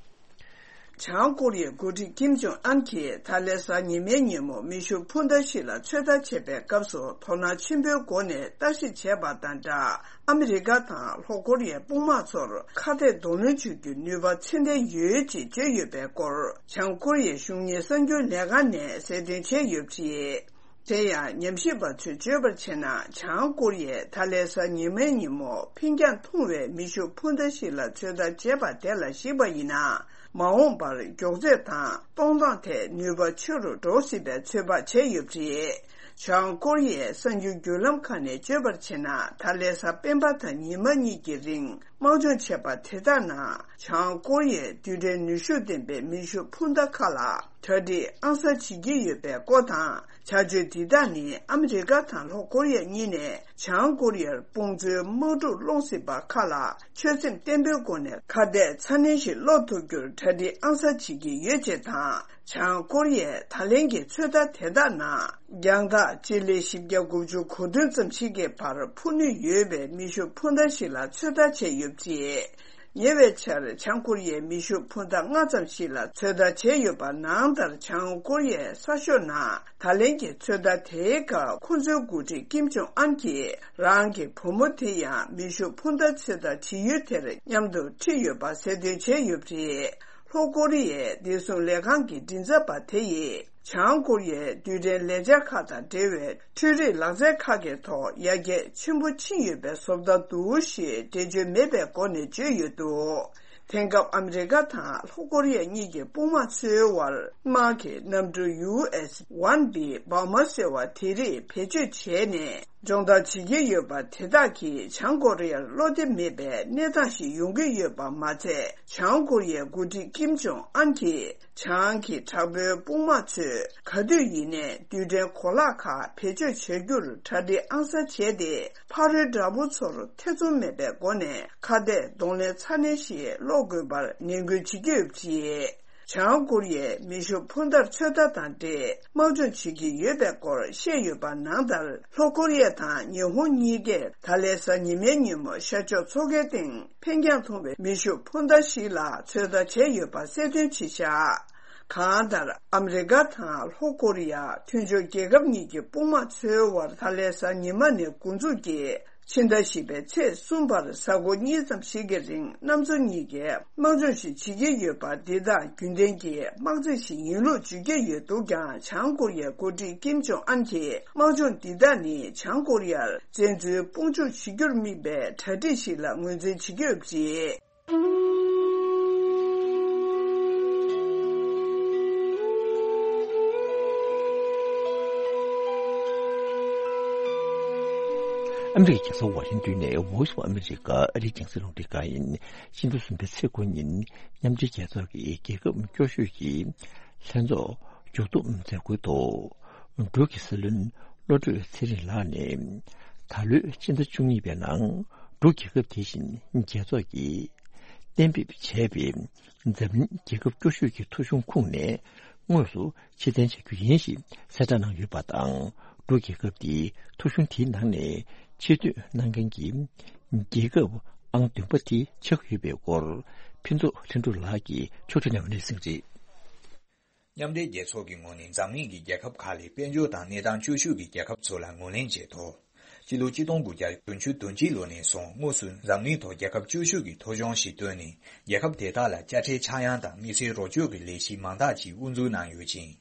བྱང་ཀོ་རི་ཡའི་འགོ་ཁྲིད་ཀིམ་ཇོང་ཨན་གྱིས་ད་ལན་གཟའ་ཉི་མའི་ཉིན་མོ་མེ་ཤུགས་འཕུར་མདའ་ཞིག་ལ་ཚོད་ལྟ་བྱེད་པའི་སྐབས་སུ་དོ་སྣང་ཆེན་པོའི་སྒོ་ནས་ལྟ་ཞིབ་བྱས་པ་དང་སྦྲགས། ཨ་མི་རི་ཀ་དང་ལྷོ་ཀོ་རི་ཡའི་དཔུང་དམག་ཚོར་ཁ་གཏད་གདོང་ལེན་བྱེད་རྒྱུའི་ནུས་པ་ཚད་ལྡན་ཡོད་ཅེས་བརྗོད་ཡོད་པའི་སྐོར། བྱང་ཀོ་རི་ཡའི་གཞུང་གཉེར་གསར་འགྱུར་ལས་ཁང་ནས་གསལ་སྟོན་བྱས་ཡོད་པ་རེད། དེ་ཡང་ཉམས་ཞིབ་པ་ཚོས་བརྗོད་པར་བྱས་ན། བྱང་ཀོ་རི་ཡས་ད་ལན་གཟའ་ཉི་མའི་ཉིན་མོ་འཕེན་རྒྱང་ཐུང་བའི་མེ་ཤུགས་འཕུར་མདའ་ཞིག་ལ་ཚོད་ལྟ་བྱས་པ་དེ་ལ་གཞིགས་པ་ཡིན་ན། མ་འོངས་པར་མགྱོགས་ཚད་དང་གཏོང་སྟངས་ཐད་ནུས་པ་ཆེ་རུ་འགྲོ་སྲིད་པའི་ཚོད་དཔག་བྱས་ཡོད་པ་རེད། བྱང་ཀོ་རི་ཡའི་གསར་འགྱུར་བརྒྱུད་ལམ་ཁག་ནས་བརྗོད་པར་བྱས་ན། ད་ལན་གཟའ་སྤེན་པ་དང་ཉི་མ་གཉིས་ཀྱི་རིང་དམག་སྦྱོང་བྱས་པ་དེ་དག་ནང་། བྱང་ཀོ་རི་ཡས་རྡུལ་ཕྲན་ནུས་ཤུགས་ལྡན་པའི་མེ་ཤུགས་འཕུར་མདའ་ཁག་ལ་གྲ་སྒྲིག་ཨང་གསར་བྱེད་ཀྱི་ཡོད་པའི་སྐོར་དང་། བྱ་སྤྱོད་འདི་དག་ནི་ཨ་མི་རི་ཀ་དང་ལྷོ་ཀོ་རི་ཡ་གཉིས་ནས་བྱང་ཀོ་རི་ཡར་དཔུང་མཚོན་དམག་འཁྲུག་སློང་སྲིད་པ་ཁག་ལ་ཆོད་སེམས་བརྟན་པོའི་སྒོ་ནས་ཁ་གཏད་ཚ་ནན་ཞིག་སློག་ཐུབ་རྒྱུར་གྲ་སྒྲིག་ཨང་གསར་བྱེད་ཀྱི་ཡོད་ཅེས་དང་། བྱང་ཀོ་རི་ཡས་ད་ལན་གྱི་ཚོད་ལྟ་དེ་དག་ནང་། རྒྱང་ཐག་སྤྱི་ལེ་བཞི་བརྒྱ་དགུ་བཅུ་གོ་བདུན་ཙམ་ཞིག་གི་བར་འཕུར་ནུས་ཡོད་པའི་མེ་ཤུགས་འཕུར་མདའ་ཞིག་ལ་ཚོད་ལྟ་བྱས་ཡོད་པ་རེད། ཉེ་བའི་ཆར་བྱང་ཀོ་རི་ཡས་མེ་ཤུགས་འཕུར་མདའ་ལྔ་ཙམ་ཞིག་ལ་ཚོད་ལྟ་བྱས་ཡོད་པ་ནང་ལྟར། བྱང་ཀོ་རི་ཡའི་གསར་ཤོག་ནང་ད་ལན་གྱི་ཚོད་ལྟ་དེའི་སྐབས་ཁོ་ཚོའི་འགོ་ཁྲིད་ཀིམ་ཇོང་ཨན་གྱིས་རང་གི་བུ་མོ་དེ་ཡང་མེ་ཤུགས་འཕུར་མདའ་ཚོད་ལྟ་བྱེད་ཡུལ་དེར་མཉམ་དུ་ཁྲིད་ཡོད་པ་གསལ་སྟོན་བྱས་ཡོད་པ་རེད། ལྷོ་ཀོ་རི་ཡའི་བདེ་སྲུང་ལས་ཁང་གི་མགྲིན་ཚབ་པ་དེ་ཡིས། བྱང་ཀོ་རི་ཡའི་རྡུལ་ཕྲན་ལས་འཆར་ཁག་དང་འབྲེལ་བའི་འཕྲུལ་རིག་ལག་རྩལ་ཁག་གི་ཐོག་ཡར་རྒྱས་ཆེན་པོ་ཕྱིན་ཡོད་པའི་བཟོ་ལྟ་འདུག་ཞེས་འགྲེལ་བརྗོད་མེད་པའི་སྒོ་ནས་བརྗོད་ཡོད་འདུག་དེང་སྐབས་ཨ་མི་རི་ཀ་དང་ལྷོ་ཀོ་རི་ཡ་གཉིས་ཀྱི་དཔུང་དམག་ཚོའི་དབར་དམག་གི་གནམ་གྲུ་ཡུ་ཨེས་ཝན་བི་བྷ་མར་ཟེར་བ་དེ་རིགས་བེད་སྤྱོད་བྱས་ནས། སྦྱོང་བརྡར་བྱེད་ཀྱི་ཡོད་པ་དེ་དག་གིས་བྱང་ཀོ་རི་ཡར་བློ་བདེ་མེད་པའི་གནས་སྟངས་ཤིག་ཡོང་གི་ཡོད་པ་མ་ཚད། བྱང་ཀོ་རི་ཡའི་འགོ་ཁྲིད་ཀིམ་ཇོང་ཨན་གྱིས་བྱང་གི་དྲག་པོའི་དཔུང་དམག་ཚོས་ག་དུས་ཡིན་ནའི་རྡུལ་ཕྲན་གོ་ལག་ཁག་བེད་སྤྱོད་བྱ་རྒྱུར་གྲ་སྒྲིག་ཨང་གསར་བྱས་ཏེ། ཕ་རོལ་དགྲ་བོ་ཚོར་ཐེ་ཚོམ་མེད་པའི་སྒོ་ནས་ཁ་གཏད་གདོང་ལེན་ཚ་ནན་ཞིག་སློག་དགོས་པར་ནན་སྐུལ་བྱེད་ཀྱི་ཡོད་པ་རེད། བྱང་ཀོ་རི་ཡས་མེ་ཤུགས་འཕུར་མདའ་ཚོད་ལྟ་དང་འབྲེལ་དམག་སྦྱོང་བྱེད་ཀྱི་ཡོད་པའི་སྐོར་བཤད་ཡོད་པ་ནང་ལྟར། ལྷོ་ཀོ་རི་ཡ་དང་ཉི་ཧོང་གཉིས་ཀས་ད་ལན་གཟའ་ཉི་མའི་ཉིན་མོ་ཤར་ཕྱོགས་མཚོ་ཁའི་སྟེང་འཕེན་རྒྱང་ཐུང་བའི་མེ་ཤུགས་འཕུར་མདའ་ཞིག་ལ་ཚོད་ལྟ་བྱས་ཡོད་པ་གསལ་སྟོན་བྱས་བཞག་གང་ལྟར། ཨ་མི་རི་ཀ་དང་ལྷོ་ཀོ་རི་ཡ་མཐུན་ཕྱོགས་རྒྱལ་ཁབ་གཉིས་ཀྱི་དཔུང་དམག་ཚོའི་དབར་ད་ལན་གཟའ་ཉི་མ་ནས་འགོ་འཛུགས་ཀྱིས། ཕྱི་ཟླ་བཞི་པའི་ཚེས་གསུམ་བར་གཟའ་འཁོར་གཉིས་ཙམ་ཞིག་གི་རིང་གནམ་མཚོ་གཉིས་ཀས་དམག་སྦྱོང་ཞིག་བྱེད་ཀྱི་ཡོད་པ་འདི་དག་རྒྱུན་ལྡན་གྱི་དམག་རྩེད་ཞིག་ཡིན་ལུགས་བརྗོད་ཀྱི་ཡོད་འདུག་ཀྱང་། བྱང་ཀོ་རི་ཡའི་འགོ་ཁྲིད་ཀིམ་ཇོང་ཨན་གྱིས་དམག་སྦྱོང་འདི་དག་ནི་བྱང་ཀོ་རི་ཡར་བཙན་འཛུལ་དཔུང་འཇུག་བྱེད་རྒྱུར་དམིགས་པའི་གྲ་སྒྲིག་ཞིག་ལ་ངོས་འཛིན་བྱེད་ཀྱི་ཡོད་པ་རེད། ཨ་མི་རི་ཀའི་རྒྱལ་ས་ཝ་ཤིང་ཏོན་ནས་Voice of America ཨ་རིའི་རྒྱང་སྲིང་རླུང་འཕྲིན་ཁང་ཡིན། སྤྱི་ཟླ་གསུམ་པའི་ཚེས་དགུ་ཉིན་མཉམ་འབྲེལ་རྒྱལ་ཚོགས་ཀྱི་རྒྱལ་ཁབ་སྐྱོ་ཤོས་ཀྱི་ལྷན་ཚོགས་མཇུག་བསྡོམས་མཛད་སྒོའི་ཐོག་འབྲུག་གི་སྲིད་བློན་བློ་གྲོས་ཚེ་རིང་ལགས་ནས། ད་ལོའི་སྤྱི་ཟླ་བཅུ་གཉིས་པའི་ནང་འབྲུག་རྒྱལ་ཁབ་དེ་བཞིན་རྒྱལ་ཚོགས་ཀྱིས་གཏན་འབེབས་བྱས་པའི་འཛམ་གླིང་རྒྱལ་ཁབ་སྐྱོ་ཤོས་ཀྱི་ཐོ་གཞུང་ཁུངས་ནས་དངོས་སུ་ཕྱིར་འཐེན་བྱ་རྒྱུ་ཡིན་ཞེས་གསལ་བསྒྲགས་གནང་ཡོད་པ་དང་། འབྲུག་རྒྱལ་ཁབ་དེའི་ཐོ་གཞུང་དེའི་ནང་ནས་ཆེ་བསྟོད་གནང་མཁན་གྱི་རྒྱལ་ཁབ་ཨང་བདུན་པ་དེ་ཆགས་ཡོད་པའི་སྐོར་ཕུན་ཚོགས་ལྷུན་གྲུབ་ལགས་ཀྱིས་ཕྱོགས་སྒྲིག་གནང་བའི་གནས་ཚུལ་རེད། མཉམ་འབྲེལ་རྒྱལ་ཚོགས་ཀྱི་ངོས་ནས་འཛམ་གླིང་གི་རྒྱལ་ཁབ་ཁག་ལས་དཔལ་འབྱོར་དང་གནས་སྟངས་སྐྱོ་ཤོས་ཀྱི་རྒྱལ་ཁབ་ཚོ་ལ་ངོས་ལེན་བྱས་ཐོག་སྤྱི་ལོ་ཆིག་སྟོང་དགུ་བརྒྱ་བདུན་ཅུ་དོན་གཅིག་ལོ་ནས་བཟུང་དངོས་སུ་འཛམ་གླིང་ཐོག་རྒྱལ་ཁབ་སྐྱོ་ཤོས་ཀྱི་ཐོ་གཞུང་ཞིག་བཏོན་ནས། རྒྱལ་ཁབ་དེ་དག་ལ་དཔྱ་ཁྲལ་ཆག་ཡང་དང་དམིགས་བསལ་རོགས་སྐྱོར་གྱི་ལས་གཞི་མང་དག་ཅིག་དབུ་འཛུགས་གནང་ཡོད་ཅིང་།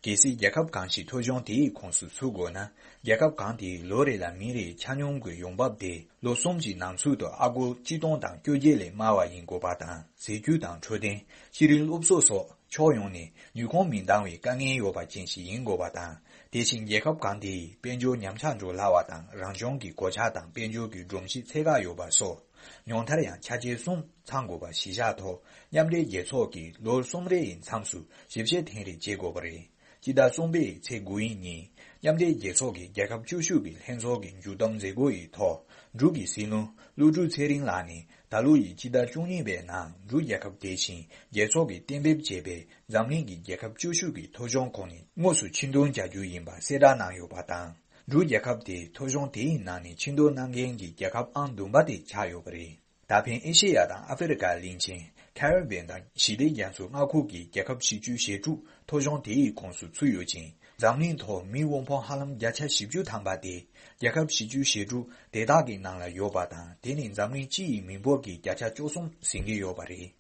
གལ་སྲིད་རྒྱལ་ཁབ་གང་ཞིག་ཐོ་གཞུང་དེའི་ཁོངས་སུ་ཚུད་དགོས་ན། རྒྱལ་ཁབ་གང་དེའི་ལོ་རེ་ལ་མི་རེའི་ཆ་སྙོམས་ཀྱི་ཡོང་འབབ་དེ་ལོ་གསུམ་གྱི་ནང་ཚུད་དུ་ཨ་སྒོར་ཆིག་སྟོང་དང་བཅོ་བརྒྱད་ལས་དམའ་བ་ཡིན་དགོས་པ་དང་། ཟས་བཅུད་དང་འཕྲོད་བསྟེན། ཤེས་རིག་སློབ་གསོ་སོགས་ཕྱོགས་ཡོངས་ནས་ནུས་ཁུངས་མི་འདང་བའི་དཀའ་ངལ་ཡོད་པ་ཅན་ཞིག་ཡིན་དགོས་པ་དང་། དེ་བཞིན་རྒྱལ་ཁབ་གང་དེའི་དཔལ་འབྱོར་ཉམས་ཆག་འགྲོ་སླ་བ་དང་། རང་བྱུང་གི་གོད་ཆག་དང་དཔལ་འབྱོར་གྱི་སྒྲོམ་གཞི་ཚད་བཀག་ཡོད་པ་སོགས། ཉུང་མཐར་ཡང་ཆ་རྐྱེན་གསུམ་ཚང་དགོས་པ་གཞིར་བཞག་ཐོག་མཉམ་འབྲེལ་རྒྱལ་ཚོགས་ཀྱིས་ལོ་གསུམ་རེའི་མཚམས་སུ་ཞིབ་བཤེར་ཐེངས་རེ་བྱེད་དགོས་པ་རེད། སྤྱི་ཟླ་གསུམ་པའི་ཚེས་དགུ་ཡི་ཉིན། མཉམ་འབྲེལ་རྒྱལ་ཚོགས་ཀྱི་རྒྱལ་ཁབ་བཅུ་བཞི་གི་ལྷན་ཚོགས་ཀྱི་མཇུག་བསྡོམས་མཛད་སྒོ་ཡི་ཐོག་འབྲུག་གི་སྲིད་བློན་ཀླུ་སྒྲུབ་ཚེ་རིང་ལགས་ནས། ད་ལོ་ཡི་སྤྱི་ཟླ་བཅུ་གཉིས་པའི་ནང་འབྲུག་རྒྱལ་ཁབ་དེ་བཞིན་རྒྱལ་ཚོགས་ཀྱིས་གཏན་འབེབས་བྱས་པའི་འཛམ་གླིང་གི་རྒྱལ་ཁབ་བཅུ་བཞི་གི་ཐོ་གཞུང་ཁོངས་ནས་དངོས་སུ་ཕྱིར་འདོན་བྱ་རྒྱུ་ཡིན་པ་གསལ་བསྒྲགས་གནང་ཡོད་པ་དང་། འབྲུག་རྒྱལ་ཁབ་དེ་ཐོ་གཞུང་དེའི་ནང་ནས་ཕྱིར་འདོན་གནང་མཁན་གྱི་རྒྱལ་ཁབ་ཨང་བདུན་པ་དེ་ཆགས་ཡོད་པ་རེད། ད་ཕན་ཨེ་ཤེ་ཡ་དང་ཨ་ཧྥེ་རི་ཀ་གླིང་ཆེན། ཁ་རི་བྷེན་དང་ཞི་བདེ་རྒྱ་མཚོ་མངའ་ཁུལ་གྱི་རྒྱལ་ཁབ་བཞི་བཅུ་ཞེ་དྲུག་ཐོ་གཞུང་དེའི་ཁོངས་སུ་ཚུད་ཡོད་ཅིང་། འཛམ་གླིང་ཐོག་མིའི་དབུལ་ཕོངས་ཧ་ལམ་བརྒྱ་ཆ་བཞི་བཅུ་ཐམ་པ་དེ་རྒྱལ་ཁབ་བཞི་བཅུ་ཞེ་དྲུག་དེ་དག་གི་ནང་ལ་ཡོད་པ་དང་། དེ་ནི་འཛམ་གླིང་སྤྱི་ཡི་མི་འབོར་གྱི་བརྒྱ་ཆ་བཅུ་གསུམ་ཟིན་གྱི་ཡོད་པ་རེད།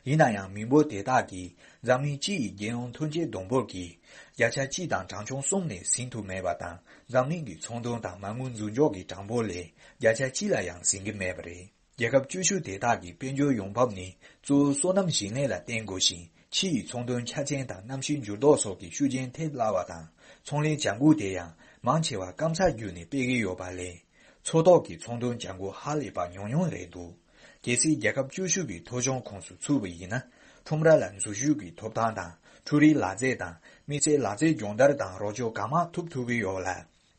ཡིན་ན་ཡང་། མི་འབོར་དེ་དག་གིས་འཛམ་གླིང་སྤྱི་ཡི་རྒྱལ་ཡོངས་ཐོན་སྐྱེད་བསྡོམས་འབོར་གྱི་བརྒྱ་ཆ་གཅིག་དང་གྲངས་ཆུང་གསུམ་ལས་ཟིན་ཐུབ་མེད་པ་དང་། འཛམ་གླིང་གི་ཚོང་དོན་དང་མ་དངུལ་འཛུགས་འཇོག་གི་གྲངས་འབོར་ལས་བརྒྱ་ཆ་གཅིག་ལ་ཡང་ཟིན་གྱི་མེད་པ་རེད། རྒྱལ་ཁབ་བཅུ་བཞི་དེ་དག་གི་དཔལ་འབྱོར་ཡོང་འབབ་ནི་གཙོ་བོ་སོ་ནམ་ཞིང་ལས་ལ་བརྟེན་དགོས་ཤིང་། ཕྱི་ཡི་ཚོང་དོན་ཆ་རྐྱེན་དང་གནམ་གཤིས་འགྱུར་ལྡོག་སོགས་ཀྱི་ཤུགས་རྐྱེན་ཐེབས་སླ་བ་དང་། ཚོང་ལས་བྱ་འགུལ་དེ་ཡང་མང་ཆེ་བ་སྐམ་ས་བརྒྱུད་ནས་སྤེལ་གྱི་ཡོད་པ་ལས། མཚོ་ཐོག་གི་ཚོང་དོན་བྱ་འགུལ་ཧ་ལས་པ་ཉུང་ཉུང་རེད་འདུག་གལ་སྲིད་རྒྱལ་ཁབ་བཅུ་བཞི་གི་ཐོ་གཞུང་ཁོངས་སུ་ཚུད་པ་ཡིན་ན། ཁྲོམ་ར་ལ་འཛུལ་ཞུགས་ཀྱི་ཐོབ་ཐང་དང་། འཕྲུལ་རིག་ལག་རྩལ་དང་། དམིགས་བསལ་ལག་རྩལ་སྦྱོང་བརྡར་དང་རོགས་སྐྱོར་གང་མང་ཐོབ་ཐུབ་ཀྱི་ཡོད་ལ།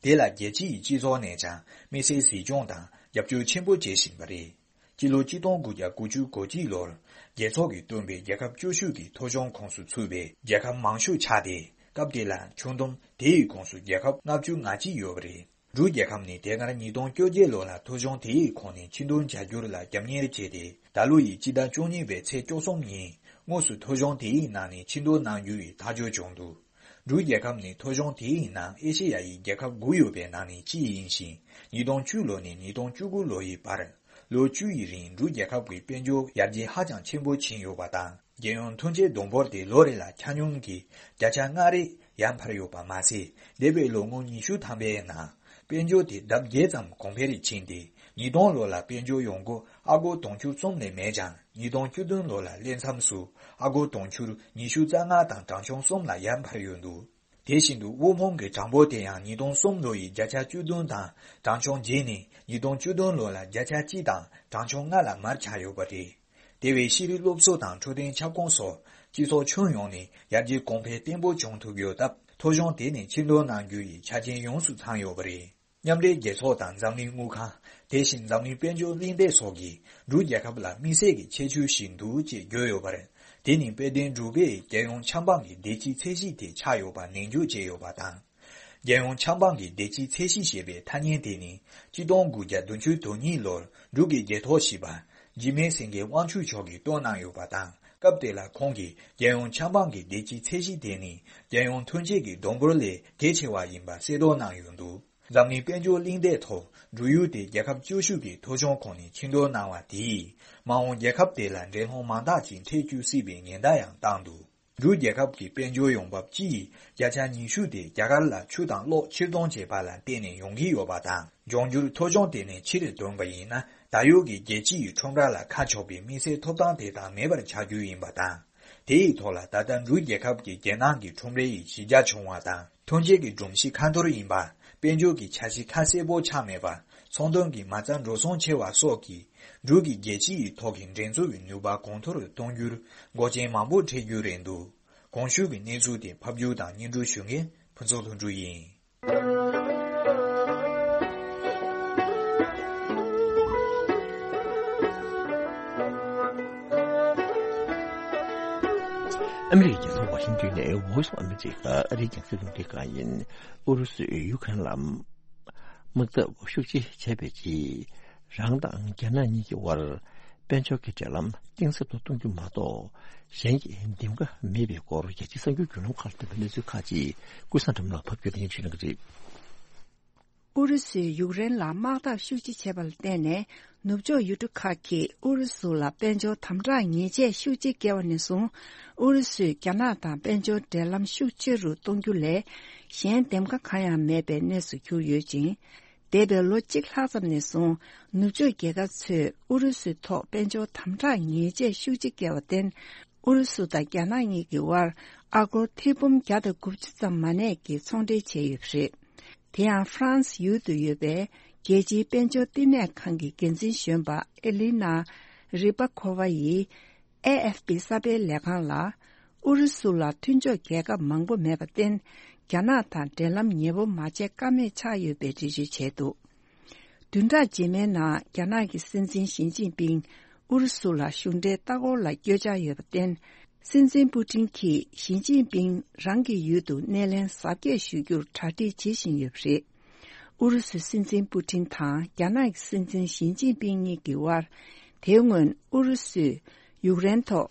དེ་ལ་རྒྱལ་སྤྱི་ཡི་སྤྱི་ཚོགས་ནས་ཀྱང་དམིགས་བསལ་གཟིགས་སྐྱོང་དང་རྒྱབ་སྐྱོར་ཆེན་པོ་བྱེད་བཞིན་པ་རེད། སྤྱི་ལོ་གཅིག་སྟོང་དགུ་བརྒྱ་དགུ་བཅུ་གོ་གཅིག་ལོར། རྒྱལ་ཚོགས་ཀྱིས་བཏོན་པའི་རྒྱལ་ཁབ་བཅུ་བཞི་གི་ཐོ་གཞུང་ཁོངས་སུ་ཚུད་པའི་རྒྱལ་ཁབ་མང་ཤོས་ཆགས་ཏེ། སྐབས་དེ་ལ་ཁྱོན་བསྡོམས་དེའི་ཁོངས་སུ་རྒྱལ་ཁབ་ལྔ་བཅུ་ང་གཅིག་ཡོད་པ་རེད། འབྲུག་རྒྱལ་ཁབ་ནི་དེ་སྔར་ཉིས་སྟོང་བཅོ་བརྒྱད་ལོ་ལ་ཐོ་གཞུང་དེའི་ཁོངས་ནས་ཕྱིར་འདོན་བྱ་རྒྱུར་ལ་རྒྱབ་གཉེར་བྱས་ཏེ། ད་ལོ་ཡི་སྤྱི་ཟླ་བཅུ་གཉིས་པའི་ཚེས་བཅུ་གསུམ་ཉིན་དངོས་སུ་ཐོ་གཞུང་དེའི་ནང་ནས་ཕྱིར་འདོན་གནང་རྒྱུ་ཡི་ཐག་གཅོད་བྱུང་འདུག་འབྲུག་རྒྱལ་ཁབ་ནི་ཐོ་གཞུང་དེའི་ནང་ཨེ་ཤེ་ཡ་ཡི་རྒྱལ་ཁབ་དགུ་ཡོད་པའི་ནང་ནས་གཅིག་ཡིན་ཞིང་། ཉིས་སྟོང་བཅུ་ལོ་ནས་ཉིས་སྟོང་བཅུ་དགུ་ལོ་ཡི་བར། ལོ་བཅུ་ཡི་རིང་འབྲུག་རྒྱལ་ཁབ་ཀྱི་དཔལ་འབྱོར་ཡར་རྒྱས་ཧ་ཅང་ཆེན་པོ་ཕྱིན་ཡོད་པ་དང་། རྒྱལ་ཡོངས་ཐོན་སྐྱེད་བསྡོམས་འབོར་དེ་ལོ་རེ་ལ་ཆ་སྙོམས་ཀྱིས་བརྒྱ་ཆ་ལྔ་རེ་ཡར་འཕར་ཡོད་པ་མ་ཟད། འདས་པའི་ལོ་ངོ་ཉི་ཤུ་ཐམ་པའི་ནང་དཔལ་འབྱོར་དེ་ལྡབ་བརྒྱད་ཙམ་གོང་འཕེལ་ཕྱིན་ཏེ། ཉིས་སྟོང་ལོ་ལ་དཔལ་འབྱོར་ཡོང་སྒོ་ཨ་སྒོར་དུང་ཕྱུར་གསུམ་ལས་མེད་ཀྱང་། ཉིས་སྟོང་བཅུ་བདུན་ལོ་ལ་སླེབས་མཚམས་སུ་ཨ་སྒོར་དུང་ཕྱུར་ཉི་ཤུ་རྩ་ལྔ་དང་གྲངས་ཆུང་གསུམ་ལ་ཡར་འཕར་ཡོད་འདུག་དེ་བཞིན་དུ་དབུལ་ཕོངས་ཀྱི་གྲངས་འབོར་དེ་ཡང་ཉིས་སྟོང་གསུམ་ལོ་ཡི་བརྒྱ་ཆ་བཅུ་བདུན་དང་གྲངས་ཆུང་བརྒྱད་ནས་ཉིས་སྟོང་བཅུ་བདུན་ལོ་ལ་བརྒྱ་ཆ་གཅིག་དང་གྲངས་ཆུང་ལྔ་ལ་མར་ཆག་ཡོད་པ་རེད། དེ་བས་ཤེས་རིག་སློབ་གསོ་དང་འཕྲོད་བསྟེན་ཁྱབ་ཁོངས་སོགས་སྤྱི་ཚོགས་ཁྱོན་ཡོངས་ནས་ཡར་རྒྱས་གོང་འཕེལ་བརྟན་པོ་བྱུང་ཐུབ་ཡོད་སྟབས། ཐོ་གཞུང་དེ་ནས་ཕྱིར་འདོན་གནང་རྒྱུ་ཡི་ཆ་རྐྱེན་ཡོངས་སུ་ཚང་ཡོད་པ་རེད། མཉམ་འབྲེལ་རྒྱལ་ཚོགས་དང་འཛམ་གླིང་དངུལ་ཁང་། དེ་བཞིན་འཛམ་གླིང་དཔལ་འབྱོར་གླེང་སྟེགས་སོགས་ཀྱིས་འབྲུག་རྒྱལ་ཁབ་ལ་དམིགས་བསལ་གྱི་ཁྱད་ཆོས་ཤིག་འདུག་ཅེས་བརྗོད་ཡོད་པར། དེ་ནི་དཔལ་ལྡན་འབྲུག་པས་རྒྱལ་ཡོངས་ཆབ་འབངས་ཀྱི་བདེ་སྐྱིད་ཚད་གཞི་དེ་ཆགས་ཡོད་པ་ནན་བརྗོད་བྱས་ཡོད་པ་དང་། རྒྱལ་ཡོངས་ཆབ་འབངས་ཀྱི་བདེ་སྐྱིད་ཚད་གཞི་ཞེས་པའི་ཐ་སྙད་དེ་ནི་གཅིག་སྟོང་དགུ་བརྒྱ་བདུན་ཅུ་དོན་གཉིས་ལོར་འབྲུག་གི་རྒྱལ་ཐོག་བཞི་པ་འཇིགས་མེད་སེང་གེ་དབང་ཕྱུག་མཆོག་གིས་བཏོན་གནང་ཡོད་པ་དང་། སྐབས་དེ་ལ་ཁོང་གིས་རྒྱལ་ཡོངས་ཆབ་འབངས་ཀྱི་བདེ་སྐྱིད་ཚད་གཞི་དེ་ནི་རྒྱལ་ཡོངས་ཐོན་སྐྱེད་ཀྱི་བསྡོམས་འབོར་ལས་གལ་ཆེ་བ་ཡིན་པ་གསལ་རྟོགས་གནང་ཡོད་འདུག་འཛམ་གླིང་དཔལ་འབྱོར་གླེང་སྟེགས་ཐོག་འབྲུག་ཡུལ་དེ་རྒྱལ་ཁབ་བཅུ་བཞི་གི་ཐོ་གཞུང་ཁོངས་ནས་ཕྱིར་འདོན་གནང་བ་དེས། མ་འོངས་རྒྱལ་ཁབ་དེ་ལ་འགྲན་སློང་མང་དག་ཅིག་འཕྲད་བཅུག་སྲིད་པའི་ཉེན་བརྡ་ཡང་བཏང་འདུག་འབྲུག་རྒྱལ་ཁབ་ཀྱི་དཔལ་འབྱོར་ཡོང་འབབ་སྤྱི་ཡི་བརྒྱ་ཆ་ཉི་ཤུ་དེ་རྒྱ་གར་ལ་ཆུ་དང་གློག་ཕྱིར་གཏོང་བྱས་པ་ལ་བརྟེན་ནས་ཡོང་གི་ཡོད་པ་དང་། འབྱུང་འགྱུར་ཐོ་གཞུང་དེ་ནས་ཕྱིར་འདོན་པ་ཡིན་ན། ད་ཡོད་ཀྱི་རྒྱལ་སྤྱི་ཡི་ཁྲོམ་ར་ལ་ཁ་ཕྱོགས་པའི་དམིགས་བསལ་ཐོབ་ཐང་དེ་དག་མེད་པར་ཆགས་རྒྱུ་ཡིན་པ་དང་། དེ་ཡི་ཐོག་ལ་ད་ལྟ་འབྲུག་རྒྱལ་ཁབ་ཀྱི་རྒྱལ་ནང་གི་ཁྲོམ་རའི་གཞི་རྒྱ་ཆུང་བ་དང་། ཐོན་སྐྱེད་ཀྱི་སྒྲོམ་གཞི་ཁ་ཐོར་ཡིན་པ། དཔལ་འབྱོར་གྱི་འཆར་གཞི་ཁ་གསལ་པོ་ཆགས་མེད་པ། ཚོང་དོན་གྱི་མ་རྩ་འགྲོ་སོང་ཆེ་བ་སོགས་ཀྱིས་འབྲུག་གི་རྒྱལ་སྤྱི་ཡི་ཐོག་གི་འགྲན་རྩོད་ཀྱི་ནུས་པ་གོང་མཐོར་གཏོང་རྒྱུར་འགོག་རྐྱེན་མང་པོ་འཕྲད་རྒྱུ་རེད་འདུག་གོང་ཞུས་ཀྱི་གནས་ཚུལ་དེ་ཕབ་སྒྱུར་དང་སྙན་སྒྲོན་ཞུ་མཁན་ཕུན་ཚོགས་ལྷུན་གྲུབ་ཡིན། ཨ་མི་རི་ཀའི་རྒྱལ་ས་ཝ་ཤིང་ཏོན་ནས་Voice of America ཨ་རིའི་རྒྱང་སྲིང་རླུང་འཕྲིན་ཁང་ཡིན། ཨུ་རུ་སུས་ཡུ་ཁ་རེན་ལ་དམག་འཐབ་ཤུགས་ཆེ་བྱས་པའི་རྗེས། རང་དང་རྒྱ་ནག་གཉིས་ཀྱི་དབར་དཔལ་འབྱོར་གྱི་འབྲེལ་ལམ་གཏིང་ཟབ་ཏུ་གཏོང་རྒྱུ་མ་གཏོགས། གཞན་གྱི་འདེམས་ཀ་མེད་པའི་སྐོར། རྒྱལ་སྤྱིའི་གསར་འགྱུར་བརྒྱུད་ལམ་ཁག་ལ་ཐོན་པའི་གནས་ཚུལ་ཁག་ཅིག་ཀུན་བཟང་སྒྲོལ་མ་ལགས་ཕབ་སྒྱུར་དང་སྙན་ཞུ་གནང་གི་རེད། ཨུ་རུ་སུས་ཡུཀ་རེན་ལ་དམག་འཐབ་ཤུགས་ཆེ་བྱས་པ་ལ་བརྟེན་ནས། ནུབ་ཕྱོགས་ཡུལ་གྲུ་ཁག་གིས་ཨུ་རུ་སུ་ལ་དཔལ་འབྱོར་དམ་དྲག་ཉེས་ཆད་ཤུགས་ཆེ་བཀལ་བ་ནས་བཟུང་། ཨུ་རུ་སུས་རྒྱ་ནག་དང་དཔལ་འབྱོར་འབྲེལ་ལམ་ཤུགས་ཆེ་རུ་གཏོང་རྒྱུ་ལས། གཞན་འདེམས་ཁ་གང་ཡང་མེད་པའི་གནས་སུ་གྱུར་ཡོད་ཅིང་། འདས་པའི་ལོ་གཅིག་ལྷག་ཙམ་ནས་བཟུང་། ནུབ་ཕྱོགས་རྒྱལ་ཁབ་ཚོས་ཨུ་རུ་སུའི་ཐོག་དཔལ་འབྱོར་དམ་དྲག་ཉེས་ཆད་ཤུགས་ཆེ་བཀལ་བར་བརྟེན། ཨུ་རུ་སུ་དང་རྒྱ་ནག་གཉིས་ཀྱི་དབར་ཨ་སྒོར་ཐེར་འབུམ་བརྒྱ་དང་དགུ་བཅུ་ཙམ་མ་གནས་ཀྱི་ཚོང་འབྲེལ་བྱས་ཡོད་པ་རེད། དེ་ཡང་ཧྥ་རན་སི་ཡུལ་དུ་ཡོད་པའི་རྒྱལ་སྤྱིའི་དཔལ་འབྱོར་བསྟི་གནས་ཁང་གི་འགན་འཛིན་གཞོན་པ་ཨེ་ལི་ན་རི་པ་ཁོ་ཝ་ཡིས། ཨེ་ཨེཕ་པི་གསར་སྤེལ་ལས་ཁང་ལ། ཨུ་རུ་སུ་ལ་མཐུན་ཕྱོགས་རྒྱལ་ཁབ་མང་པོ་མེད་པར་བརྟེན། རྒྱ་ནག་དང་འབྲེལ་ལམ་ཉེ་པོ་མ་བྱེད་ཀ་མེད་ཆགས་ཡོད་པའི་འགྲེལ་བརྗོད་བྱས་འདུག་བདུན་ཕྲག་རྗེས་མའི་ནང་རྒྱ་ནག་གི་སྲིད་འཛིན་ཞི་ཅིན་ཕིང་ཨུ་རུ་སུ་ལ་གཞུང་འབྲེལ་ལྟ་སྐོར་ལ་བསྐྱོད་འཆར་ཡོད་པར་བརྟེན། སྲིད་འཛིན་པུ་ཏིན་གྱིས་ཞི་ཅིན་ཕིང་རང་གི་ཡུལ་དུ་སྣེ་ལེན་གཟབ་རྒྱས་ཞུ་རྒྱུར་གྲ་སྒྲིག་བྱེད་བཞིན་ཡོད་པ་རེད། ཨུ་རུ་སུའི་སྲིད་འཛིན་པུ་ཏིན་དང་རྒྱ་ནག་གི་སྲིད་འཛིན་ཞི་ཅིན་ཕིང་གཉིས་ཀྱི་དབར། དེའི་སྔོན་ཨུ་རུ་སུས་ཡུཀ་རེན་ཐོག་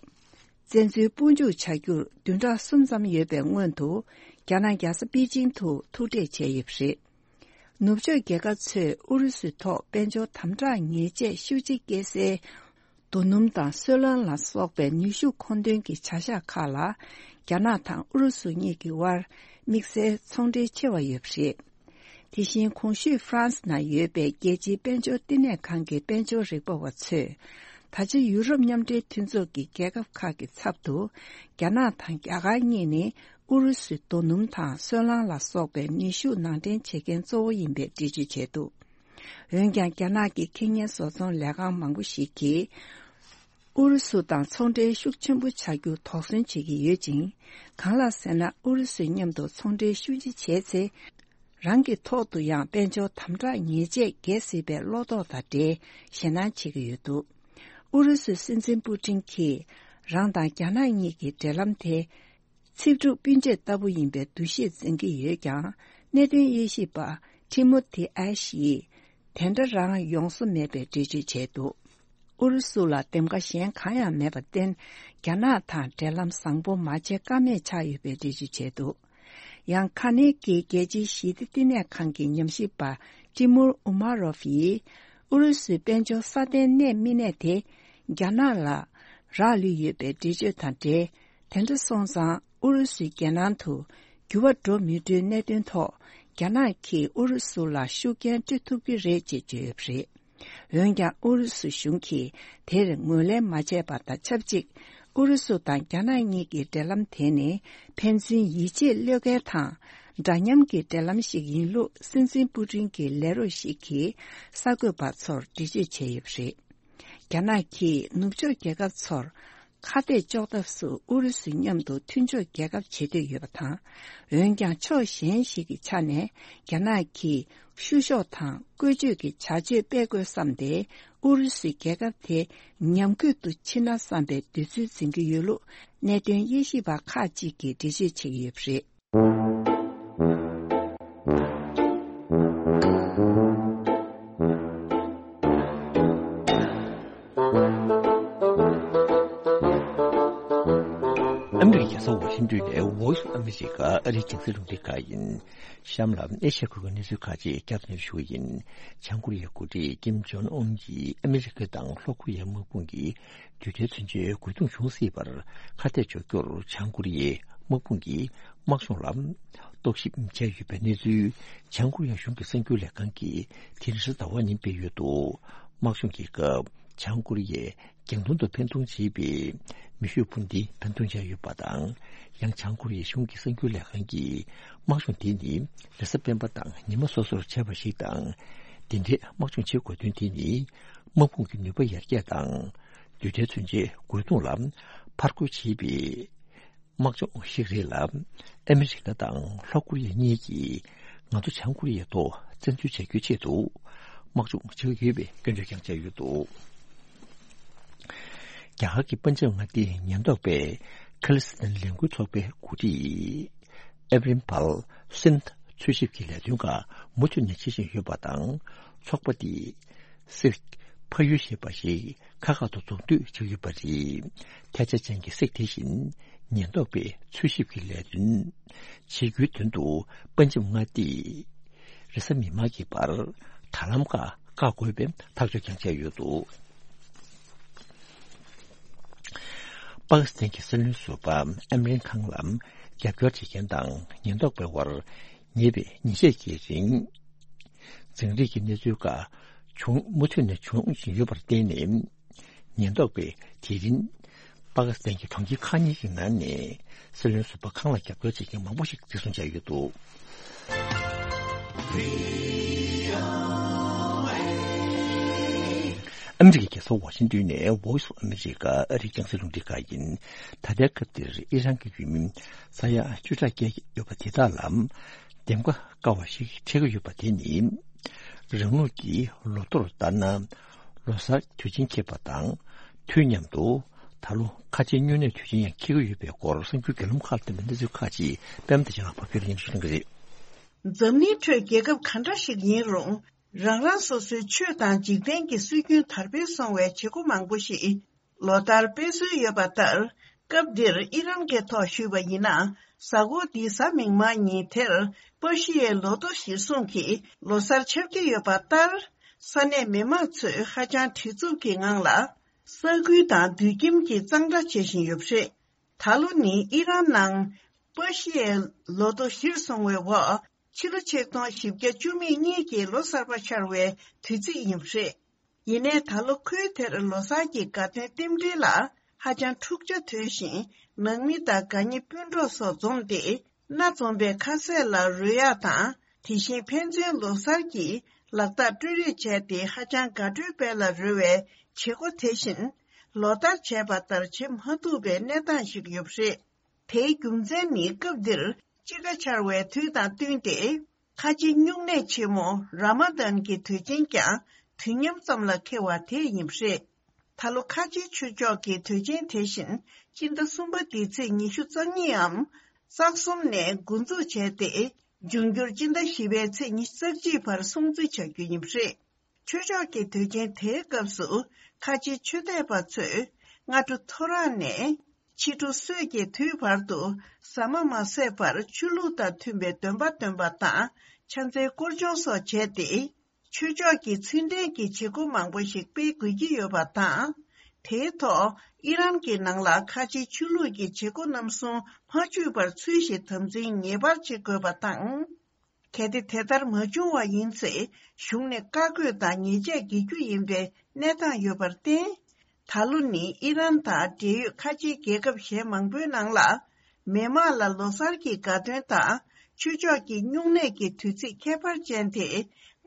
བཙན་འཛུལ་དཔུང་འཇུག་བྱ་རྒྱུར་བདུན་ཕྲག་གསུམ་ཙམ་ཡོད་པའི་སྔོན་དུ། རྒྱ་ནག་རྒྱལ་ས་པེ་ཅིང་དུ་ཐུག་འཕྲད་བྱས་ཡོད་པ་རེད། ནུབ་ཕྱོགས་རྒྱལ་ཁབ་ཚོས་ཨུ་རུ་སུའི་ཐོག་དཔལ་འབྱོར་དམ་དྲག་ཉེས་ཆད་ཤུགས་ཆེ་བཀལ་སའི་རྡོ་སྣུམ་དང་སོལ་རླངས་ལ་སོགས་པའི་ནུས་ཤུགས་མཁོ་འདོན་གྱི་བྱ་གཞག་ཁག་ལ། རྒྱ་ནག་དང་ཨུ་རུ་སུ་གཉིས་ཀྱི་དབར་དམིགས་བསལ་ཚོང་འབྲེལ་ཆེ་བ་ཡོད་པ་རེད། དེ་བཞིན་གོང་ཞུས་ཧྥ་རན་སི་ནང་ཡོད་པའི་རྒྱལ་སྤྱིའི་དཔལ་འབྱོར་བསྟི་གནས་ཁང་གི་དཔལ་འབྱོར་རིག་པ་བ་ཚོས། ད་ཆ་ཡུ་རོབ་མཉམ་འབྲེལ་མཐུན་ཚོགས་ཀྱི་རྒྱལ་ཁབ་ཁག་གི་ཚབ་ཏུ། རྒྱ་ནག་དང་རྒྱ་གར་གཉིས་ནི་ཨུ་རུ་སུའི་རྡོ་སྣུམ་དང་སོལ་རླངས་ལ་སོགས་པའི་ནུས་ཤུགས་ནང་འདྲེན་བྱེད་མཁན་གཙོ་བོ་ཡིན་པའི་འགྲེལ་བརྗོད་བྱས་འདུག་འོན་ཀྱང་། རྒྱ་ནག་གི་ཁེ་ཉེན་བཟོ་ཚོང་ལས་ཁང་མང་པོ་ཞིག་གིས། ཨུ་རུ་སུ་དང་ཚོང་འབྲེལ་ཤུགས་ཆེན་པོ་བྱ་རྒྱུ་དོགས་ཟོན་བྱེད་ཀྱི་ཡོད་ཅིང་། གང་ལགས་ཟེར་ན། ཨུ་རུ་སུའི་མཉམ་དུ་ཚོང་འབྲེལ་ཤུགས་ཆེ་བྱས་ཚེ། རང་གི་ཐོག་ཏུ་ཡང་དཔལ་འབྱོར་དམ་དྲག་ཉེས་ཆད་འགེལ་སྲིད་པའི་བློ་དོགས་དང་འབྲེལ་ཞེད་སྣང་བྱེད་ཀྱི་ཡོད་འདུག་ཨུ་རུ་སུའི་སྲིད་འཛིན་པུ་ཏིན་གྱིས། རང་དང་རྒྱ་ནག་གཉིས་ཀྱི་འབྲེལ་ལམ་དེ། ཚིག་གྲུབ་སྤུན་མཆེད་ལྟ་བུ་ཡིན་པའི་འདུ་ཤེས་འཛིན་གྱི་ཡོད་ཀྱང་། གནད་དོན་དབྱེ་ཞིབ་པ་ཊི་མོ་ཐི་ཨེ་ཤི་ཡིས། དེ་འདྲ་རང་ཡོང་བཟོ་མེད་པའི་འགྲེལ་བརྗོད་བྱས་འདུག་ཨུ་རུ་སུ་ལ་འདེམས་ཀ་གཞན་གང་ཡང་མེད་པར་བརྟེན། རྒྱ་ནག་དང་འབྲེལ་ལམ་བཟང་པོ་མ་བྱེད་ཀ་མེད་ཆགས་ཡོད་པའི་འགྲེལ་བརྗོད་བྱས་འདུག་ཡང་། ཁ་ནེ་གི་རྒྱལ་སྤྱིའི་ཞི་བདེ་བསྟི་གནས་ཁང་གི་ཉམས་ཞིབ་པ་ཊི་མུར་ཨུ་མ་རོབ་ཡིས། ཨུ་རུ་སུའི་དཔལ་འབྱོར་སྲ་བརྟན་གནས་མི་གནས་དེ། རྒྱ་ནག་ལ་རག་ལུས་ཡོད་པའི་འགྲེལ་བརྗོད་དང་འབྲེལ། དེ་འདྲ་སོང་ཙང་། ཨུ་རུ་སུའི་རྒྱལ་ནང་དུ་འགྱུར་བ་འགྲོ་མི་འགྲོའི་གནད་དོན་ཐོག་རྒྱ་ནག་གིས་ཨུ་རུ་སུ་ལ་ཤུགས་རྐྱེན་སྤྲོད་ཐུབ་ཀྱི་རེད་ཅེས་བརྗོད་ཡོད་པ་རེད། འོན་ཀྱང་། ཨུ་རུ་སུ་གཞུང་གིས་དེར་ངོས་ལེན་མ་བྱས་པ་དང་ཆབས་ཅིག་ཨུ་རུ་སུ་དང་རྒྱ་ནག་གཉིས་ཀྱི་འབྲེལ་ལམ་དེ་ནི་ཕན་ཚུན་ཡིད་ཆེས་བློས་འགེལ་དང་། འདྲ་མཉམ་གྱི་འབྲེལ་ལམ་ཞིག་ཡིན་ལུགས་སྲིད་འཛིན་པུ་ཏིན་གྱི་ལས་རོགས་ཤིག་གིས་གསར་འགོད་པ་ཚོར་འགྲེལ་བརྗོད་བྱས་ཡོད་པ་རེད། རྒྱ་ནག་གིས་ནུབ་ཕྱོགས་རྒྱལ་ཁབ་ཚོར་ཁ་གཏད་གཅོག་ཐབས་སུ་ཨུ་རུ་སུའི་མཉམ་དུ་མཐུན་ཕྱོགས་རྒྱལ་ཁབ་བྱེད་འདོད་ཡོད་པ་དང་། འོན་ཀྱང་། ཕྱོགས་གཞན་ཞིག་གི་ཆ་ནས་རྒྱ་ནག་གིས་བཤུ་གཞོག་དང་བཀོལ་སྤྱོད་ཀྱི་བྱ་སྤྱོད་སྤེལ་དགོས་བསམ་སྟེ། ཨུ་རུ་སུའི་རྒྱལ་ཁབ་དེ་ཉམས་རྒུད་དུ་ཕྱིན་ན་བསམ་པའི་འདོད་ཚུལ་འཛིན་གྱི་ཡོད་ལུགས་གནད་དོན་དབྱེ་ཞིབ་པ་ཁག་ཅིག་གིས་འགྲེལ་བརྗོད་བྱེད་ཀྱི་ཡོད་པ་རེད། ཨ་མི་རི་ཀའི་རྒྱལ་ས་ཝ་ཤིང་ཏོན་ནས་Voice of America ཨ་རིའི་རྒྱང་སྲིང་རླུང་འཕྲིན་ཁང་ཡིན། གཤམ་ལ་ཨེ་ཤ་ཡའི་ཁུལ་གྱི་གནས་ཚུལ་ཁག་ཅིག་བསྐྱར་དུ་སྙན་སྒྲོན་ཞུ་བ་ཡིན། བྱང་ཀོ་རི་ཡའི་འགོ་ཁྲིད་ཀིམ་ཇོང་ཨུན་གྱིས་ཨ་མི་རི་ཀ་དང་ལྷོ་ཀོ་རི་ཡའི་དམག་དཔུང་གིས་དུས་མཐའི་མཚོན་ཆའི་རྒོལ་རྡུང་བྱུང་སྲིད་པར་ཁ་གཏད་གཅོག་རྒྱུར། བྱང་ཀོ་རི་ཡའི་དམག་དཔུང་གིས་དམག་སྦྱོང་ལ་རྟོག་ཞིབ་བྱས་ཡོད་པའི་གནས་ཚུལ། བྱང་ཀོ་རི་ཡ་གཞུང་གི་གསར་འགྱུར་ལས་ཁང་གིས་དེ་རིང་གཟའ་ཟླ་བ་ཉིན་སྤེལ་ཡོད་འདུག་དམག་སྦྱོང་གི་སྐབས། བྱང་ཀོ་རི་ཡས་རྒྱང་མཐོང་དུ་འཕེན་གཏོང་བྱས་པའི་མེ་ཤུགས་འཕུར་མདེལ་འཕེན་གཏོང་བྱས་ཡོད་པ་དང་། ཡང་། བྱང་ཀོ་རི་ཡའི་གཞུང་གི་གསར་འགྱུར་ལས་ཁང་གིས། དམག་སྦྱོང་དེ་ནི་རེས་གཟའ་སྤེན་པ་དང་ཉི་མ་སོ་སོར་བྱས་པ་ཞིག་དང་། འདི་འདྲའི་དམག་སྦྱོང་བྱེད་དགོས་དོན་དེ་ནི། དམག་དཔུང་གི་ནུས་པ་ཡར་རྒྱས་དང་། དུས་མཐའི་མཚོན་ཆའི་རྒོལ་རྡུང་ལ་ཕར་རྒོལ་བྱེད་པའི་དམག་སྦྱོང་ཞིག་རེད་ལ། ཨ་མི་རི་ཀ་དང་ལྷོ་ཀོ་རི་ཡ་གཉིས་ཀྱིས་ང་ཚོ་བྱང་ཀོ་རི་ཡའི་ཐོག་བཙན་འཛུལ་བྱ་རྒྱུའི་ཆེད་དུ་དམག་སྦྱོང་བྱེད་ཀྱི་ཡོད་པའི་སྐྱོན་བརྗོད་ཀྱང་བྱས་ཡོད་འདུག་རྒྱ་གར་གྱི་པན་ཇབ་མངའ་སྡེའི་ཉེན་རྟོག་པས་ཁ་ལི་སི་ཐན་ལས་འགུལ་ཚོགས་པའི་འགོ་ཁྲིད་ཨེབ་རིམ་པལ་སིན་འཚོལ་ཞིབ་ཀྱི་ལས་དོན་ཁག་མུ་མཐུད་ནས་བྱེད་བཞིན་ཡོད་པ་དང་། ཚོགས་པ་འདིས་སིག་ཕ་ཡུལ་ཞེས་པ་ཞིག་ཁག་ཁག་ཏུ་འཛུགས་གཏོད་བྱེད་ཀྱི་ཡོད་པ་རེད། ཐལ་ཆ་ཅན་གྱི་སིག་དེ་བཞིན་ཉེན་རྟོག་པའི་འཚོལ་ཞིབ་ཀྱི་ལས་དོན་བྱེད་རྒྱུའི་དོན་དུ་པན་ཇབ་མངའ་སྡེའི་ རེས་གཟའ་མིག་དམར་གྱི་བར་དྲ་ལམ་ཁག་བཀག་དགོས་པའི་ཐག་གཅོད་ཀྱང་བྱས་ཡོད་འདུག། པ་ཀི་སི་ཐན་གྱི་སྲིད་བློན་ཟུར་པ་ཨེམ་རན་ཁང་ལ་རྒྱབ་སྐྱོར་བྱེད་མཁན་དང་ཉེན་རྟོག་པའི་དབར་ཉེ་བའི་ཉིན་ཤས་ཀྱི་རིང་། འཛིང་རེས་ཀྱི་གནས་ཚུལ་ཁག་བྱུང་མུ་མཐུད་ནས་བྱུང་བཞིན་ཡོད་པར་བརྟེན་ནས། ཉེན་རྟོག་པས་དེ་རིང་པ་ཀི་སི་ཐན་གྱི་གྲོང་ཁྱེར་ཁག་གཉིས་ཀྱི་ནང་ནས་སྲིད་བློན་ཟུར་པ་ཁང་ལ་རྒྱབ་སྐྱོར་བྱེད་མཁན་མང་པོ་ཞིག་འཛིན་བཟུང་བྱས་ཡོད་འདུག། ཨ་མི་རི་ཀའི་རྒྱལ་ས་ཝ་ཤིང་ཏོན་ནས་Voice of America ཨ་རིའི་རྒྱང་སྲིང་རླུང་འཕྲིན་ཁང་ཡིན། ད་ལྟའི་སྐབས་འདིར་ཨི་རན་གྱི་ཡུལ་མི་ས་ཡ་བཅུ་ཕྲག་བརྒལ་ཡོད་པ་དེ་དག་ལ་འདེམས་ཀ་དཀའ་བ་ཞིག་འཕྲད་ཀྱི་ཡོད་པ་དེ་ནི། རང་ལུགས་ཀྱི་ལོ་ཐོར་ལྟར་ན། ལོ་གསར་དུས་ཆེན་འཁེལ་བ་དང་། དུས་མཉམ་དུ་ད་ལོ་ཁ་ཆེའི་སྨྱུང་གནས་དུས་ཆེན་ཡང་འཁེལ་གྱི་ཡོད་པའི་སྐོར་གསར་འགྱུར་བརྒྱུད་ལམ་ཁག་ལ་བསྟན་པའི་གནས་ཚུལ་ཁག་ཅིག་པད་མ་བདེ་ཆེན་ལགས་ཕབ་སྒྱུར་སྙན་ཞུ་གནང་གི་རེད། འཛམ་གླིང་ཁྲོད་རྒྱལ་ཁབ་ག་འདྲ་ཞིག་ཡིན་རུང་། རང་རང་སོ་སོའི་ཆོས་དང་འཇིག་རྟེན་གྱི་སྲོལ་རྒྱུན་དར་སྤེལ་སོང་བའི་བྱེད་སྒོ་མང་པོ་ཞིག་ལོ་ལྟར་སྤེལ་སྲོལ་ཡོད་པ་ལྟར། སྐབས་འདིར་ཨི་རན་གྱི་ཐོག་ཞུས་པ་ཡིན་ན། གཟའ་འཁོར་འདིའི་གཟའ་མིག་དམར་ཉིན་དེར་པ་ཤི་ཡའི་ལོ་ཐོ་གཞིར་བཟུང་གིས་ལོ་གསར་འཆར་གྱི་ཡོད་པ་ལྟར། ས་གནས་མི་མང་ཚོས་ཧ་ཅང་བྲེལ་འཚུབ་ཀྱི་ངང་ལ། ས་ཁུལ་དང་དུད་ཁྱིམ་གྱི་གཙང་སྦྲ་བྱེད་བཞིན་ཡོད་པ་རེད། ད་ལོ་ནི་ཨི་རན་ནང་པ་ཤི་ཡའི་ལོ་ཐོ་གཞིར་བཟུང་བའི་འོག་ཕྱི་ལོ་ཆིག་སྟོང་བཞི་བརྒྱ་བཅུ་མེད་གཉིས་ཀྱི་ལོ་གསར་པ་འཆར་བའི་དུས་ཚིགས་ཡིན་པ་རེད། ཡིན་ནའི་ད་ལོ་ཁུལ་དེར་ལོ་གསར་གྱི་དགའ་སྟོན་རྟེན་འབྲེལ་ལ་ཧ་ཅང་འཁྲུག་ཆ་དོད་བཞིན། ནང་མི་དང་དགའ་ཉེ་སྤུན་གྲོགས་སོགས་འཛོམས་ཏེ། སྣ་འཛོམས་པའི་ཁ་ཟས་ལ་རོལ་ཡག་དང་། དེ་བཞིན་ཕན་ཚུན་ལོ་གསར་གྱི་ལག་རྟགས་སྤྲོད་རེས་བྱས་ཏེ། ཧ་ཅང་དགའ་སྤྲོའི་དཔལ་ལ་རོལ་བའི་བྱེད་སྒོ་དེ་བཞིན་ལོ་ལྟར་བྱས་པ་ལྟར་བྱེད་མ་ཐུབ་པའི་གནས་སྟངས་ཤིག་ཡོད་པ་རེད། དེའི་རྒྱུ་མཚན་ནི། སྐབས་འདིར་དཔྱིད་ཀ་འཆར་བའི་དུས་དང་བསྟུན་ཏེ། ཁ་ཆེའི་སྨྱུང་གནས་ཆེན་མོ་ར་མ་དན་གྱི་དུས་ཆེན་ཀྱང་དུས་མཉམ་ཙམ་ལ་འཁེལ་བ་དེ་ཡིན་པ་རེད། ད་ལོ་ཁ་ཆེའི་ཆོས་ཕྱོགས་ཀྱི་དུས་ཆེན་དེ་བཞིན་སྤྱི་ཟླ་གསུམ་པ་འདིའི་ཚེས་ཉི་ཤུ་རྩ་གཉིས་འམ་རྩ་གསུམ་ནས་འགོ་འཛུགས་བྱས་ཏེ། འབྱུང་འགྱུར་སྤྱི་ཟླ་བཞི་པའི་ཚེས་ཉི་ཤུ་རྩ་གཅིག་བར་སྲུང་བརྩི་བྱ་རྒྱུ་ཡིན་པ་རེད། ཆོས་ཕྱོགས་ཀྱི་དུས་ཆེན་དེའི་སྐབས་སུ། ཁ་ཆེའི་ཆོས་དད་པ་ཚོས་སྔ་དྲོ་ཐོ་རངས་ནས་ཕྱི་དྲོ་སྲོད་ཀྱི་དུས་བར་དུ་ཟ་མ་མ་ཟས་པར་ཆོས་ལུགས་དང་མཐུན་པའི་འདོན་པ་འདོན་པ་དང་། ཕྱག་འཚལ་སྐོར་སྦྱོང་སོགས་བྱས་ཏེ། ཆོས་ཕྱོགས་ཀྱི་ཚུལ་ལྡན་གྱི་བྱེད་སྒོ་མང་པོ་ཞིག་སྤེལ་དགོས་ཀྱི་ཡོད་པ་དང་། དེའི་ཐོག་ཨི་རན་གྱི་ནང་ལ་ཁ་ཆེའི་ཆོས་ལུགས་ཀྱི་བྱེད་སྒོ་རྣམ་གསུམ་མ་འཇུས་པར་ཚུལ་བཞིན་དམ་འཛིན་ངེས་པར་བྱེད་དགོས་པ་དང་། གལ་ཏེ་དེ་ལྟར་མ་བྱུང་བ་ཡིན་ཚེ། གཞུང་ནས་བཀའ་བཀོད་དང་ཉེས་ཆད་འགེལ་རྒྱུ་ཡིན་པའི་གནས་སྟངས་ཡོད་པར་བརྟེན། ད་ལོ་ནི་ཨི་རན་དང་འབྲེལ་ཡོད་ཁ་ཆེའི་རྒྱལ་ཁབ་གཞན་མང་པོའི་ནང་ལ། མི་མང་ལ་ལོ་གསར་གྱི་དགའ་སྟོན་དང་། ཆོས་ཕྱོགས་ཀྱི་སྨྱུང་གནས་ཀྱི་དུས་ཚིགས་ཁྱད་པར་ཅན་དེ།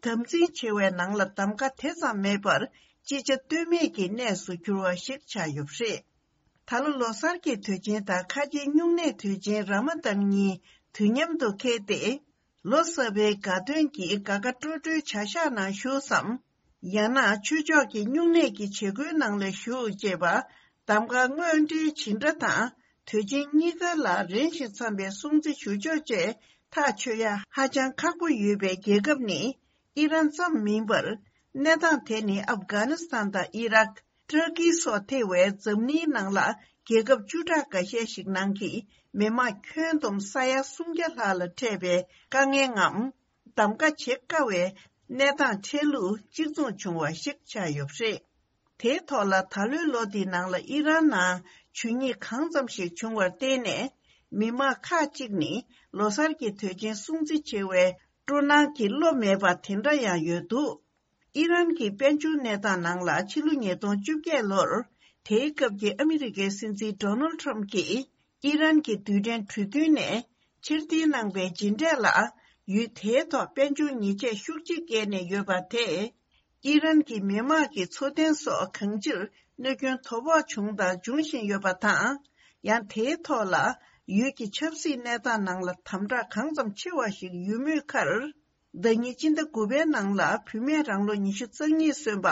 དམ་འཛིན་ཆེ་བའི་ནང་ལ་གདམ་ག་དེ་ཙམ་མེད་པར། ཅི་བྱ་གཏོལ་མེད་ཀྱི་གནས་སུ་གྱུར་བ་ཞིག་ཆགས་ཡོད་པ་རེད། ད་ལོ་ལོ་གསར་གྱི་དུས་ཆེན་དང་ཁ་ཆེའི་སྨྱུང་གནས་དུས་ཆེན་ར་མ་དན་གཉིས་དུས་མཉམ་དུ་འཁེལ་ཏེ། ལོ་གསར་པའི་དགའ་སྟོན་གྱི་དགའ་དགའ་སྤྲོ་སྤྲོའི་བྱ་གཞག་ནང་ཞུགས་སམ། ཡང་ན་ཆོས་ཕྱོགས་ཀྱི་སྨྱུང་གནས་ཀྱི་བྱེད་སྒོའི་ནང་ལ་ཞུགས་ཅེས་པ། གདམ་ག་དངོས་འབྲེལ་བྱེད་འདྲ་དང་། དུས་ཆེན་གཉིས་ཀ་ལ་རན་ཞིང་འཚམ་པའི་སྲུང་བརྩི་ཞུ་ཕྱོགས་བཅས་ཐག་ཆོད་ཡ་ཧ་ཅང་ཁག་པོ་ཡོད་པའི་རྒྱལ་ཁབ་ནི་ཨི་རན་ཙམ་མིན་པར། གནས་སྟངས་དེ་ནི་ཨབ་གྷ་ནི་སི་ཐན་དང་ཨི་རག་ཏུར་ཀི་སོགས་ཐེ་བའི་འཛམ་གླིང་ནང་ལ་རྒྱལ་ཁབ་བཅུ་ཕྲག་འགའ་ཤས་ཤིག་ནང་གི་མི་མང་ཁྱོན་བསྡོམས་ས་ཡ་སུམ་བརྒྱ་ལྷག་ལ་འཕྲད་པའི་དཀའ་ངལ་ངམ། གདམ་ག་བྱེད་དཀའ་བའི་གནས་སྟངས་འཕྲད་ལུགས་གཅིག་མཚུངས་བྱུང་བ་ཞིག་ཆགས་ཡོད་པ་རེད། དེའི་ཐོག་ལ་ད་ལོའི་ལོ་འདིའི་ནང་ལ་ཨི་རན་ནང་ཇུས་ཉེས་གང་ཙམ་ཞིག་བྱུང་བར་བརྟེན་ནས། མི་མང་ཁག་ཅིག་ནི་ལོ་གསར་གྱི་དུས་ཆེན་སྲུང་བརྩི་བྱེད་པའི་སྤྲོ་སྣང་གི་བློ་མེད་པ་དེ་འདྲ་ཡང་ཡོད་འདུག། ཨི་རན་གྱི་དཔལ་འབྱོར་གནས་སྟངས་ནང་ལ་ཕྱི་ལོ་ཉིས་སྟོང་བཅོ་བརྒྱད་ལོར་དེའི་སྐབས་ཀྱི་ཨ་མི་རི་ཀའི་སྲིད་འཛིན་ཌོ་ནལ་ཊམ་གྱིས་ཨི་རན་གྱི་རྡུལ་ཕྲན་གྲོས་མཐུན་ནས་ཕྱིར་འཐེན་གནང་པའི་རྗེས་འབྲས་ལ། ཡུལ་དེའི་ཐོག་དཔལ་འབྱོར་ཉེས་ཆད་ཤུགས་ཆེ་བཀལ་ནས་ཡོད་པ་དེས། ཨི་རན་གྱི་མི་དམངས་ཀྱི་འཚོ་རྟེན་སོགས་གང་ཅིར་གནོད་སྐྱོན་དོ་ཕོག་བྱུང་དང་འབྱུང་བཞིན་ཡོད་པ་དང་། ཡང་དེའི་ཐོག་ལ་ཡུལ་གྱི་ཆབ་སྲིད་གནས་སྟངས་ནང་ལ་དམ་དྲག་གང་ཙམ་ཆེ་བ་ཞིག་ཡོད་མུས་ཁར། ཟླ་ཉིན་སྤྱི་ཟླ་དགུ་པའི་ནང་ལ་བུད་མེད་རང་ལོ་ཉི་ཤུ་རྩ་གཉིས་སོན་པ་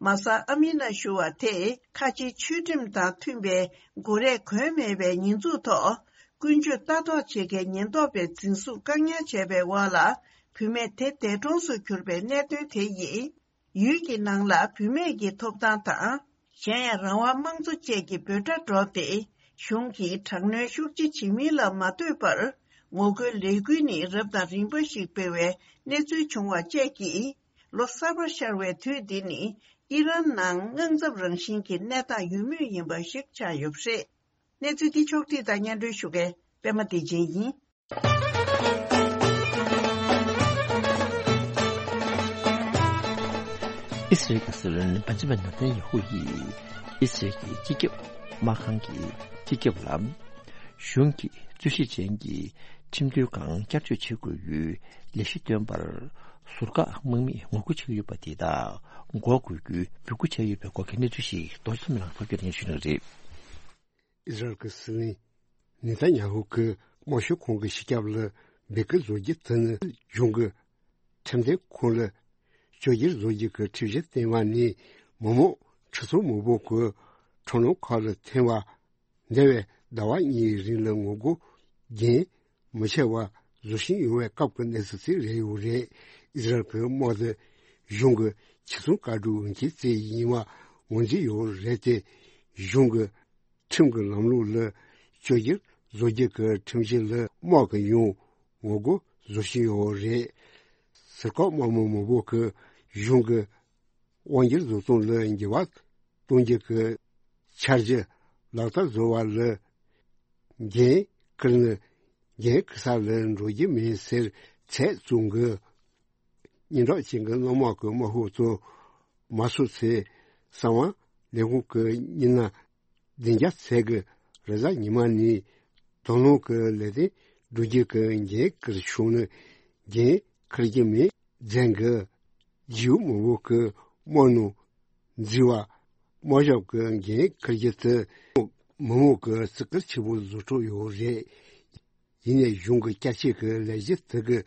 མ་ས་ཨ་མི་ན་ཞུ་བ་དེས་ཁ་ཆེའི་ཆོས་ཁྲིམས་དང་མཐུན་པའི་འགོ་རས་གོན་མེད་པའི་ཉེས་འཛུགས་ཐོག་ཀུན་སྤྱོད་ལྟ་རྟོག་བྱེད་མཁན་ཉེན་རྟོག་པས་འཛིན་བཟུང་བཀག་ཉར་བྱས་པའི་འོག་ལ་བུད་མེད་དེ་འདས་གྲོངས་སུ་གྱུར་པའི་གནད་དོན་དེ་ཡིས། ཡུལ་གྱི་ནང་ལ་བུད་མེད་ཀྱི་ཐོབ་ཐང་དང་། གཞན་ཡང་རང་དབང་དམངས་གཙོ་བཅས་ཀྱི་འབོད་སྒྲ་སྒྲོག་སྟེ། གཞུང་གིས་དྲག་གནོན་ཤུགས་ཆེ་བྱེད་མིན་ལ་མ་ལྟོས་པར། ངོ་རྒོལ་ལས་འགུལ་ནི་རབ་དང་རིམ་པ་ཞིག་སྤེལ་བའི་གནས་ཚུལ་བྱུང་བ་བཅས་ཀྱིས། ལོ་གསར་པ་ཤར་བའི་དུས་འདི་ནི་ཨི་རན་ནང་དངངས་འཚབ་རང་བཞིན་གྱི་གནས་སྟངས་ཡོད་མུས་ཡིན་པ་ཞིག་ཆགས་ཡོད་པ་རེད། གནས་ཚུལ་འདི་ཕྱོགས་བསྒྲིགས་དང་སྙན་སྒྲོན་ཞུ་མཁན་པད་མ་བདེ་ཆེན་ཡིན། ཨི་སི་རེལ་གྱི་སྲིད་བློན་བེན་ཇ་མིན་ནེ་ཐན་ཡ་ཧུ་ཡིས་ཨི་སི་རེལ་གྱི་སྤྱི་ཁྱབ་དམག་ཁང་གི་སྤྱི་ཁྱབ་ལ། གཞུང་གི་རྩོད་གཞི་ཅན་གྱི་ཁྲིམས་མཐུན་ཁང་བསྐྱར་བཅོས་བྱེད་དགོས་པའི་ལས་གཞི་བཏོན་པར་ཟུར་བཀག་དམག་མིས་ངོ་རྒོལ་བྱེད་ཀྱི་ཡོད་པ་དེ་དག་འགོག་དགོས་རྒྱུའི་འབོད་སྐུལ་བྱས་ཡོད་པའི་སྐོར་གྱི་གནས་ཚུལ་ཞིག་རྡོ་རྗེ་ཚེ་རིང་ལགས་ཕབ་སྒྱུར་སྙན་ཞུ་གནང་གི་རེད། ཨི་ཟི་རལ་གྱི་སྲིད་བློན་ནེ་ཐན་ཡ་ཧུ་གིས་དམར་ཤོག་ཁོང་གི་སྤྱི་ཁྱབ་ལ་འབོད་སྐུལ་བཟོ་རྒྱུ་དེ་ནི་གཞུང་གི་ཁྲིམས་དོན་ཁང་ལ་བཅོས་བསྒྱུར་བཟོ་རྒྱུ་གི་ཁྲིམས་གཞི་བཏོན་པ་ནས་མི་མང་ཁྲི་ཚོ་མང་པོ་གི་ཁྲོམ་ལམ་ཁག་ལ་ཐོན་པ། འདས་པའི་ཟླ་བ་གཉིས་རིང་ལ་ངོ་རྒོལ་རྒྱུན་མི་ཆད་པར་བཟོ་བཞིན་ཡོད་པའི་སྐབས་ཀྱི་གནས་ཚུལ་ཞིག་རེད་ཡོད་རེད། ཨི་ཟི་རལ་གྱི་དམག་དེ་གཞུང་གི་ཆེད་སྲུང་བཀའ་འཁྲོལ་འོས་འཁྱེར་བྱས་ཡིན་པ་ངོས་འཛིན་ཡོད་རེད་དེ། གཞུང་གི་ཁྲིམས་ཀྱི་ལམ་ལུགས་ལ་བཅོས་བསྒྱུར་བཟོ་རྒྱུ་གི་ཁྲིམས་གཞི་ལ་དམག་གིས་ཡང་ངོ་རྒོལ་བཟོ་བཞིན་ཡོད་རེད། ཟུར་བཀག་དམག་མི་མང་པོ་གིས་གཞུང་གི་དབང་སྒྱུར་བཟོ་སྟངས་ལ་འགྱུར་བ་གཏོང་རྒྱུ་གི་འཆར་གཞི་ལག་བསྟར་བཟོ་བ་ལ་འགན་འཁུར་ནས་འགན་འཁུར་ས་ལ་འགྲོ་རྒྱུ་མིན་ཟེར་ཚད་བཙོང་གི། སྙན་གྲགས་ཅན་གྱི་དངུལ་དམག་གི་དམག་ཤོག་ཚོ་མ་སོང་ཚེ་གསང་བ་ལས་ཁུངས་ཀྱི་མི་སྣ་བདུན་བརྒྱ་ཚད་ཀྱིས་རེས་གཟའ་ཉི་མ་ནས་དོ་སྣང་གི་ལས་དོན་བསྒྲུབ་རྒྱུ་གི་འགན་འཁུར་བྱུང་ནས་འགན་འཁུར་རྒྱུ་མེད་མཛད་གི། ཇིའུ་མི་བོ་གི་དམག་ནང་འཛུལ་བ། དམག་ཞབས་ཀྱི་འགན་འཁུར་རྒྱུ་དེ་མི་མང་གི་བརྩི་བཀུར་ཆེན་པོ་བཟོ་འཕྲོ་ཡོད་རེད། ཡིན་ནའི་གཞུང་གི་བསྐྱར་བཅོས་ཀྱི་ལས་གཞི་དེ་གི་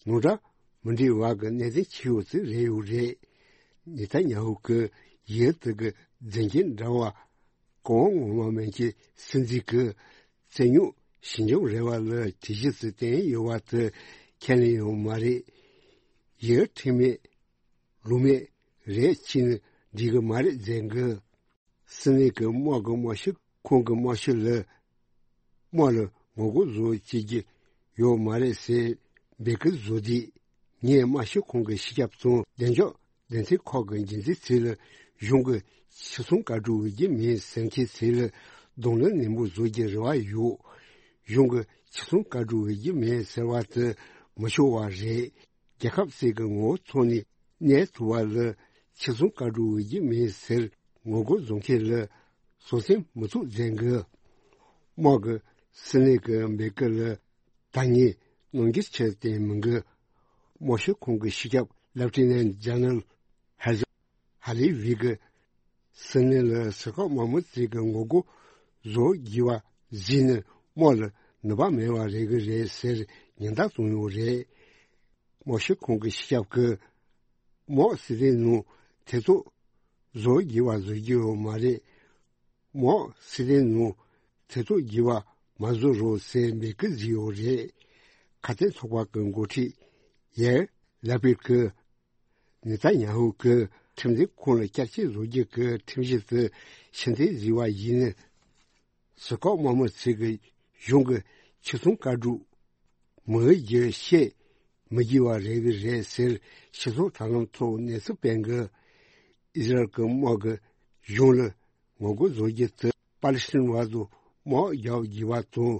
ནང་འདྲ་མི་འདྲ་བ་གི་གནད་དོན་ཆེ་ཡོད་ཚུལ་རེད་ཡོད་རེད། ནེ་ཐན་ཡ་ཧུ་གི་ཡུལ་དེ་གི་མཛད་འགན་འདྲ་བ་གང་ངོ་མ་མན་གྱི་སྲིད་འཛིན་གྱི་རྩོད་རྙོག་ཞི་འཇམ་རེ་བ་ལ་གྲོས་གཞི་ཚུལ་བསྟན་ཡོད་པ་དེ་ཁས་ལེན་ཡོད་མ་རེད། ཡུལ་ཁྲིམས་མེད་ལུགས་མེད་རེད་ཕྱིན་འགྲིག་གི་མ་རེད་མཛད་གི། སྲིད་བློན་གྱི་དམག་གི་དམག་སྤྱི་ཁོང་གི་དམག་སྤྱི་ལ་དམག་ལ་ངོ་རྒོལ་བཟོ་བྱེད་ཀྱི་ཡོད་མ་རེད་ཟེར་འབོད་སྐུལ་བཟོ་དུས། ངས་དམར་ཤོག་ཁོང་གི་སྤྱི་ཁྱབ་ཚོ་བདེ་འཇགས་སྡེ་ཚན་ཁག་གི་འགན་འཛིན་ཚོ་ལ་གཞུང་གི་ཆེད་སྲུང་བཀའ་འཁྲོལ་འོས་བསྡུ་མིན་ཟེར་མཁན་ཚོ་ལ་གདོང་ལེན་ནན་པོ་བཟོ་རྒྱུ་རེ་བ་ཡོད། གཞུང་གི་ཆེད་སྲུང་བཀའ་འཁྲོལ་འོས་བསྡུ་མིན་ཟེར་བ་དེ་མི་ཆོག་པ་རེད། རྒྱལ་ཁབ་ཅིག་གི་ངོ་བོ་ཐོག་ནས་གནས་ཐུབ་པ་ལ་ཆེད་སྲུང་བཀའ་འཁྲོལ་འོས་བསྡུ་མིན་ཟེར་ངོ་རྒོལ་བཟོ་མཁན་ལ་བཟོད་སེམས་མི་ཚུགས་མཛད་གི། དམག་གི་སྲིད་བློན་གྱི་འབོད་སྐུལ་ལ་ད་ངས་རྣམ་འགྱུར་ཆེར་བསྟན་མི་འདུག། དམར་ཤོག་ཁོང་གི་སྤྱི་ཁྱབ་ལེབ་ཊི་ནན་ཇེ་ནེ་རལ་ཧེ་ཛར་ཧ་ལི་ཝི་གིས་སྲིད་བློན་ལ་ཟུར་བཀག་དམག་མི་ཚོ་གི་ངོ་རྒོལ་བཟོ་དགོས་པ་གཟིགས་ནས་དམག་ལ་ནུས་པ་མེད་པ་རེད་གི་རེད་ཟེར་ཉེན་བརྡ་བཏང་ཡོད་རེད། དམར་ཤོག་ཁོང་གི་སྤྱི་ཁྱབ་ཀྱིས་དམག་སྲིད་དོན་ནང་ཐེ་གཏོགས་བཟོ་དགོས་པ་བཟོ་རྒྱུ་ཡོད་མ་རེད། དམག་སྲིད་དོན་ནང་ཐེ་གཏོགས་དགོས་པ་མ་བཟོ་རོགས་ཟེར་འབོད་སྐུལ་བྱས་ཡོད་རེད། ཁ་གཏད་ཚོགས་པ་གི་འགོ་ཁྲིད་ཡེར་ལ་པིད་ཀྱིས་ནེ་ཐན་ཡ་ཧུ་གིས་ཁྲིམས་འཛིན་ཁང་ལ་བསྐྱར་བཅོས་བཟོ་རྒྱུ་གི་ཁྲིམས་གཞི་དེ་ཕྱིར་འཐེན་བཟོས་པ་ཡིན་ན། ཟུར་བཀག་དམག་མི་ཚོས་ཀྱི་གཞུང་གི་ཆེད་སྲུང་བཀའ་འཁྲོལ་མི་འོས་བསྡུ་བྱེད་མི་དགོས་པ་རེད་གི་རེད་ཟེར་སྤྱི་ཚོགས་དྲ་ལམ་ཐོག་གནས་ཚུལ་སྤེལ་གི། ཨི་ཟི་རལ་གྱི་དམག་གིས་གཞུང་ལ་ངོ་རྒོལ་བཟོ་རྒྱུ་དེ་པ་ལི་སི་ཐན་བར་དུ་དམག་རྒྱག་དགོས་པ་དང་།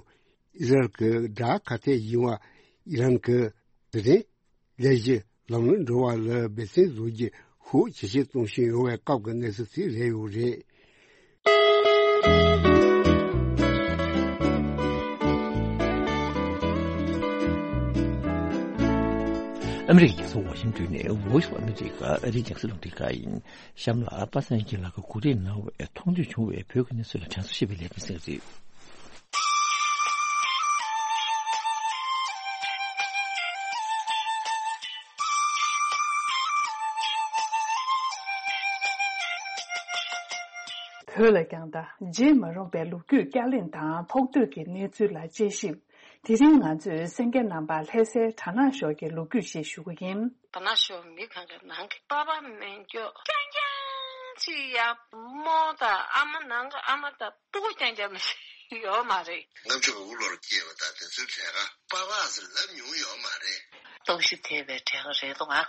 ཨི་ཟི་རལ་གྱི་དགྲ་ཁ་གཏད་ཡིན་པ་ཨི་རན་གྱི་དེ་རིང་ལས་གཞི་ལམ་ལྷོང་འགྲོ་བ་ལ་འབད་བརྩོན་བཟོ་རྒྱུ་ཤུགས་ཇེ་ཆེར་གཏོང་བཞིན་ཡོད་པའི་སྐབས་ཀྱི་གནས་ཚུལ་ཞིག་རེད་ཡོད་རེད། ཨ་མི་རི་ཀའི་རྒྱལ་ས་ཝ་ཤིང་ཏོན་ནས་Voice of America ཨ་རིའི་རྒྱང་སྲིང་རླུང་འཕྲིན་ཁང་ཡིན། གཤམ་ལ་པ་སངས་སྐྱིད་ལགས་ཀྱིས་གོ་སྒྲིག་གནང་བའི་མཐོང་ཐོས་བྱུང་བའི་བོད་ཀྱི་གནས་ཚུལ་ལ་དྲན་གསོ་ཞེས་པའི་ལས་རིམ་གསན་གྱི་རེད། བོད་ལ་རྒྱང་ལྟ་བརྗེད་མ་རུང་བའི་ལོ་རྒྱུས་བསྐྱར་གླེང་དང་ཐོག་གཏོད་ཀྱི་གནས་ཚུལ་ལ་དཔྱད་ཞིབ། དེ་རིང་ང་ཚོས་གསན་མཁན་རྣམ་པར་ལྷ་སའི་གྲ་ནང་ཞོལ་གྱི་ལོ་རྒྱུས་ཤིག་ཞུ་གི་ཡིན། གྲ་ནང་ཞོལ་མི་གང་ག་ནང་གི་པ་ཕ་མེད་སྐྱོ་རྐྱང་རྐྱང་ཅིག་ཡ། རྨོ་དང་ཨ་མ་ནང་གི་ཨ་མ་དང་སྤུ་གུ་རྐྱང་རྐྱང་མི་ཤེས། ཡོད་མ་རེད། ལྔ་བཅུ་ང་དགུ་ལོར་སྐྱེས་པ་དང་དེ་ཚོའི་གྲས་ཀ་པ་ཕག་ཟེར་ལབ་མྱོང་ཡོད་མ་རེད། རྟོག་ཞིབ་ཐེབས་པའི་གྲས་ཀ་རེད་འདུག་ཨ།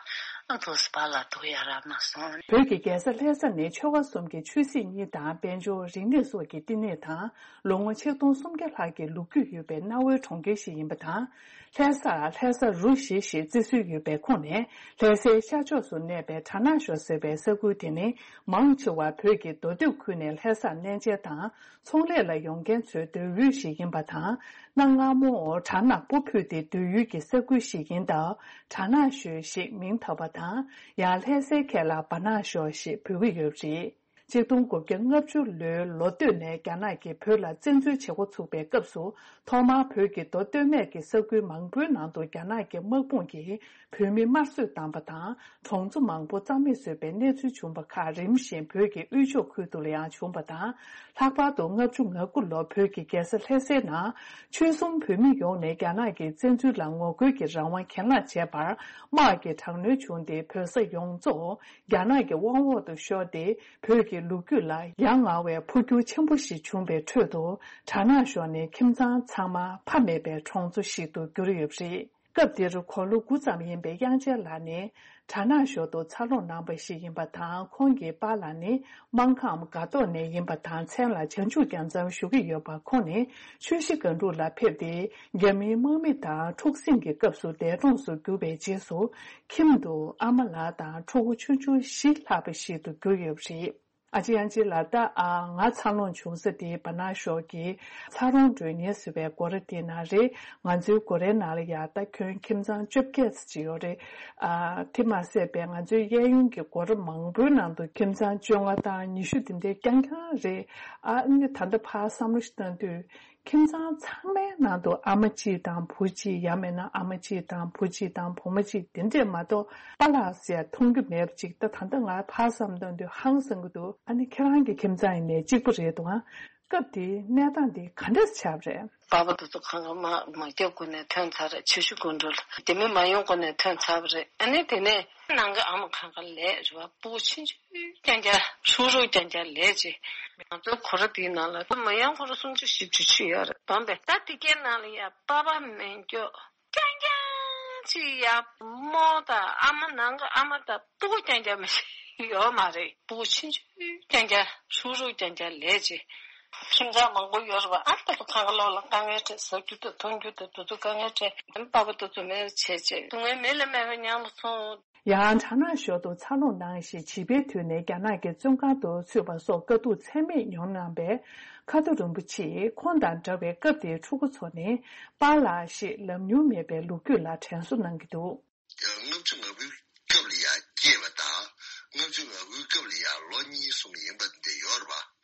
ཨ་དུ་སི་པ་ལ་དུ་ཡ་ར་མ་སོང་། བོད་ཀྱི་རྒྱལ་ས་ལྷ་ས་ནི་ཆོལ་ཁ་གསུམ་གྱི་ཆོས་སྲིད་གཉིས་དང་དཔལ་འབྱོར་རིག་གནས་སོགས་ཀྱི་བསྟི་གནས་དང་། ལོ་ངོ་ཆིག་སྟོང་སུམ་བརྒྱ་ལྷག་གི་ལོ་རྒྱུས་ཡོད་པའི་གནའ་བོའི་གྲོང་ཁྱེར་ཞིག་ཡིན་པ་དང་། ལྷ་ས། ལྷ་ས་རུ་བཞི་ཞེས་བརྩི་སྲོལ་ཡོད་པའི་ཁོངས་ནས། ལྷ་སའི་ཤར་ཕྱོགས་སུ་གནས་པའི་གྲ་ནང་ཞོ་ཟེར་བའི་ས་ཁུལ་དེ་ནི། མང་ཆེ་བ་བོད་ཀྱི་མདོ་སྟོད་ཁུལ་ནས་ལྷ་སར་གནས་མཇལ་དང་ཚོང་ལས་ལ་ཡོང་མཁན་ཚོའི་སྡོད་ཡུལ་ཞིག་ཡིན་པ་དང་། གནའ་སྔ་མོར་གྲ་ནང་སྤོ་ཕུལ་ཏེ་སྡོད་ཡུལ་གྱི་ས་ཁུལ་ཞིག་ཡིན་སྟབས། གྲ་ནང་ཞོ་ཞེས་མིང་བཏགས་པ་དང་། ཡང་ལྷ་སའི་ཁ་ལ་བ་ནང་ཞོ་ཞེས་འབོད་ཀྱི་ཡོད་པ་རེད། ཆིག་སྟོང་དགུ་བརྒྱ་ལྔ་བཅུ་ལོའི་ལོ་སྟོད་ནས་རྒྱ་ནག་གིས་བོད་ལ་བཙན་འཛུལ་བྱེད་འགོ་ཚུགས་པའི་སྐབས་སུ། ཐོག་མར་བོད་ཀྱི་མདོ་སྟོད་སྨད་ཀྱི་ས་ཁུལ་མང་པོའི་ནང་དུ་རྒྱ་ནག་གི་དམག་དཔུང་གིས་བོད་མི་དམར་གསོད་བཏང་པ་དང་། གྲོང་ཚོ་མང་པོ་རྩ་མེད་བཟོས་པའི་གནས་ཚུལ་བྱུང་བ་ཁག་རིམ་བཞིན་བོད་ཀྱི་དབུས་ཕྱོགས་ཁུལ་དུ་ཡང་བྱུང་བ་དང་། ལྷག་པར་དུ་ལྔ་བཅུ་ང་དགུ་ལོར་བོད་ཀྱི་རྒྱལ་ས་ལྷ་སའི་ནང་ཆོལ་གསུམ་བོད་མི་ཡོངས་ནས་རྒྱ་ནག་གི་བཙན་འཛུལ་ལ་ངོ་རྒོལ་གྱི་རང་དབང་གྱེན་ལངས་བྱས་པར་དམག་གི་དྲག་གནོན་བྱུང་སྟེ། བོད་ས་ཡོངས་རྫོགས་རྒྱ་ནག་གི་དབང་འོག་ཏུ་ཤོར་ཏེ། བོད་ཀྱི་ལོ་རྒྱུས་ལ་ཡ་ང་བའི་འཕོ་འགྱུར་ཆེན་པོ་ཞིག་བྱུང་བའི་ཁྲོད་དུ། གྲ་ནང་ཞོ་ནི་ཁྱིམ་ཚང་ཚང་མ་ཕ་མེད་པའི་གྲོང་ཚོ་ཞིག་ཏུ་གྱུར་ཡོད་པ་རེད། སྐབས་དེར་དགུང་ལོ་དགུ་ཙམ་ཡིན་པའི་དབྱངས་ཅན་ལགས་ནི། གྲ་ནང་ཞོ་དུ་འཚར་ལོངས་གནང་བ་ཞིག་ཡིན་པ་དང་། ཁོང་གི་པཱ་ལགས་ནི་སྨར་ཁམས་སྒ་ཏོག་ནས་ཡིན་པ་དང་། མཚན་ལ་བྱང་ཆུབ་རྒྱལ་མཚམས་ཞུ་གི་ཡོད་པ། ཁོང་ནི་ཆུ་བཞི་སྒང་དྲུག་ལ་ཕེབས་ཏེ། རྒྱ་མིའི་དམག་མི་དང་འཁྲུག་ཟིང་གི་སྐབས་སུ་འདས་གྲོངས་སུ་གྱུར་བའི་རྗེས་སུ། ཁྱིམ་དུ་ཨ་མ་ལགས་དང་ཕྲུ་གུ་ཆུང་ཆུང་བཞི་ལྷག་པ་ཞིག་ཏུ་གྱུར་ཡོད་པ་རེད། ཨ་ཅེ་ཨ་ཅེ་ལགས། ད་ཨ་ང་འཚར་ལོངས་བྱུང་ས་དེ་བ་ནང་ཞོ་གི་ཚ་རོང་མགྲོན་གཉེར་ཟེར་བའི་སྒོ་ར་དེ་ནང་རེད། ང་ཚོའི་སྒོ་རའི་ནང་ལ་ཡ། ད་ཁྱོད་ཁྱིམ་ཚང་བཅོ་བརྒྱད་ཙམ་ཅིག་ཡོད་རེད། ཨ་དེ་མ་ཟད་པའི་ང་ཚོའི་གཡས་གཡོན་གྱི་སྒོ་ར་མང་པོའི་ནང་དུ་ཁྱིམ་ཚང་བཅོ་ལྔ་དང་ཉི་ཤུ་དེ་འདྲའི་རྐྱང་རྐྱང་རེད། ཨ་ནི་ད་ལྟ་ཕར་བསམ་བློ་ཞིག་བཏང་དུས། ཁྱིམ་ཚང་ཚང་མའི་ནང་དུ་ཨ་མ་གཅིག་དང་བུ་གཅིག། ཡང་མིན་ན་ཨ་མ་གཅིག་དང་བུ་གཅིག་དང་བུ་མོ་གཅིག། དེ་འདྲས་མ་གཏོགས་པཱ་ལགས་ཟེར་མཐོང་རྒྱུ་མེད་པ་ཅིག། ད་ད་ལྟ་ང་ཕར་བསམ་བཏང་དུས་ཧང་སང་གི་འདུག། ཨ་ནི་ཁྱེད་རང་གི་ཁྱིམ་ཚང་ཡིན་ནའི་གཅིག་པ་རེད་འདུག་ཨ། སྐབས་དེའི་གནས་སྟངས་འདི་ག་འདྲས་ཆགས་པ་རེད། པཱ་ཕ་དེ་ཚོ་གང་ག་མ་མ་རྒྱབ་སྒོ་ནས་ཐོན་ཚར་རེད། ཆུ་ཤུར་སྒང་དྲུག་ལ་དེ་མི་མ་ཡོང་སྒོ་ནས་ཐོན་ཚར་བ་རེད། ཨ་ནི་དེ་ནས་ནང་གི་ཨ་མ་གང་ག་ལས་རེད་བ། སྤུ་གུ་ཆུང་ཆུང་རྐྱང་རྐྱང་ཧྲུག་ཧྲུག་རྐྱང་རྐྱང་ལས་ཅི། ང་ཚོའི་སྒོ་ར་དེའི་ནང་ལ་མི་ཡང་སྒོ་ར་སུམ་ཅུ་བཞི་བཅུ་ཅིག་ཡོད་རེད། བམ་པས་ད་དེ་གའི་ནང་ལ་ཡ་པ་ཕ་མེད་མཁན་རྐྱང་རྐྱང་ཅིག་ཡ། རྨོ་དང་ཨ་མ་ནང་གི་ཨ་མ་དང་སྤུ་གུ་རྐྱང་རྐྱང་མ་ཞིག་ཡོད་མ་རེད། སྤུ་གུ་ཆུང་ཆུང་རྐྱང་རྐྱང་ཧྲུག་ཧྲུག་རྐྱང་རྐྱང་ལས་ཅི། ཁྱིམ་ཚང་མང་པོ་ཡོད་རེད་བ། ཨ་ད་ལོ་གང་ག་ལོག་ལ་དཀའ་ངལ་འཕྲད། ཟ་རྒྱུ་དང་འཐུང་རྒྱུ་དང་དེ་ཚོ་དཀའ་ངལ་འཕྲད། ཨ་ནི་པ་ཕ་དེ་ཚོ་མེད་པ་བྱས་བྱས། སྡུག་བསྔལ་མི་ལ་མེད་པ་མྱངས་པ་སོང་། ཡང་གྲ་ནང་ཞོ་དུ་འཚར་ལོངས་གནང་ཞིང་། བྱིས་པའི་དུས་ནས་རྒྱ་ནག་གི་བཙོན་ཁང་དུ་ཚུད་པ་སོགས་དཀའ་སྡུག་ཚད་མེད་མྱོང་གནང་བའི་ཁ་ཐུ་རིན་པོ་ཆེས་ཁོང་དང་འདྲ་བའི་སྐབས་དེའི་ཕྲུ་གུ་ཚོ་ནི་པཱ་ལགས་ཞེས་ལབ་མྱོང་མེད་པའི་ལོ་རྒྱུས་ལ་དྲན་གསོ་གནང་གི་འདུག། ལྔ་བཅུ་ང་དགུའི་སྐབས་ལ་ཡ་སྐྱེས་པ་དང་། ལྔ་བཅུ་ང་དགུའི་སྐབས་ལ་ཡ་ལོ་གཉིས་གསུམ་ཡིན་པ་འདི་ཡོད་རེད་པ།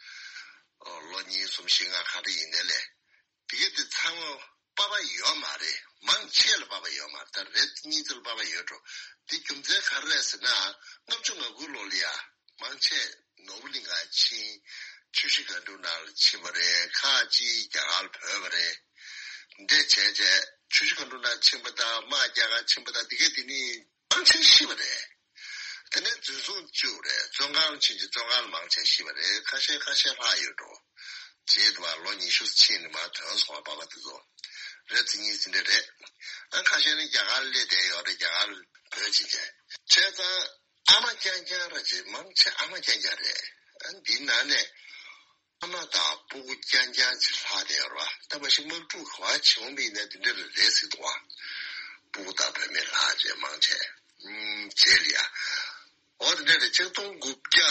ལོ་གཉིས་གསུམ་བཞི་ལྔ་ག་འདྲ་ཡིན་ནའི་ལས། དེ་གའི་དེ་ཚང་མ་པ་ཕ་ཡོད་མ་རེད། མང་ཆེ་ལ་པ་ཕ་ཡོད་མ་རེད། ད་རེ་གཉིས་ཙམ་ལ་པ་ཕ་ཡོད་འགྲོ། དེ་རྒྱུ་མཚན་ག་རེ་རེད་ཟེར་ན། ལྔ་བཅུ་ང་དགུ་ལོ་ལ་ཡ་མང་ཆེ་ནོར་བུ་གླིང་ག་ཕྱིན། ཆུ་བཞི་སྒང་དྲུག་ནང་ལ་ཕྱིན་པ་རེད། ཁག་ཅིག་རྒྱ་གར་ལ་བྲོས་པ་རེད། འདྲ་བྱས་བྱས་ཆུ་བཞི་སྒང་དྲུག་ནང་ཕྱིན་པ་དང་། དམག་རྒྱག་ག་ཕྱིན་པ་དང་། དེ་གའི་དེ་ནི་མང་ཆེ་ཤི་བ་རེད། དེ་ནས་འཛིན་བཟུང་བཅུག་རེད། བཙོན་ཁང་ཕྱིན་རྗེས་བཙོན་ཁང་ལ་མང་ཆེ་ཤི་བ་རེད། ཁ་ཤས་ཁ་ཤས་ལྷག་ཡོད་འགྲོ། རྗེས་དུ་བ་ལོ་ཉི་ཤུ་ཕྱིན་ནས་མར་ཐོན་སོང་བ། པ་ཕ་དེ་ཚོ་རེ་གཉིས་ཙམ་འདྲ་རེད། ཨ་ཁ་ཤས་ནི་རྒྱ་གར་ལ་སླེབས་བསྡད་ཡོད་རེད། རྒྱ་གར་ལ་བྲོས་ཕྱིན་བྱས། བྱས་ཙང་ཨ་མ་རྐྱང་རྐྱང་ར་ཅིག། མང་ཆེ་ཨ་མ་རྐྱང་རྐྱང་རེད། ཨ་འདིའི་ནང་ནས་ཨ་མ་དང་སྤུ་གུ་རྐྱང་རྐྱང་ཅིག་ལྷག་བསྡད་ཡོད་རེད་པ། ད་མ་གཞི་དམག་འཁྲུག་ག་པར་བྱུང་བ་ཡིན་ན་དེ་འདྲ་རེད་རེད་ཟེར་འདུག་པ། སྤུ་གུ་དང་བུད་མེད་ལྷག་བྱས་མང་ཆེ། ཨུམ་རྗེས་ལ་ཡ། འོ་དེ་འདྲ་རེད། ཆིག་སྟོང་དགུ་བརྒྱ་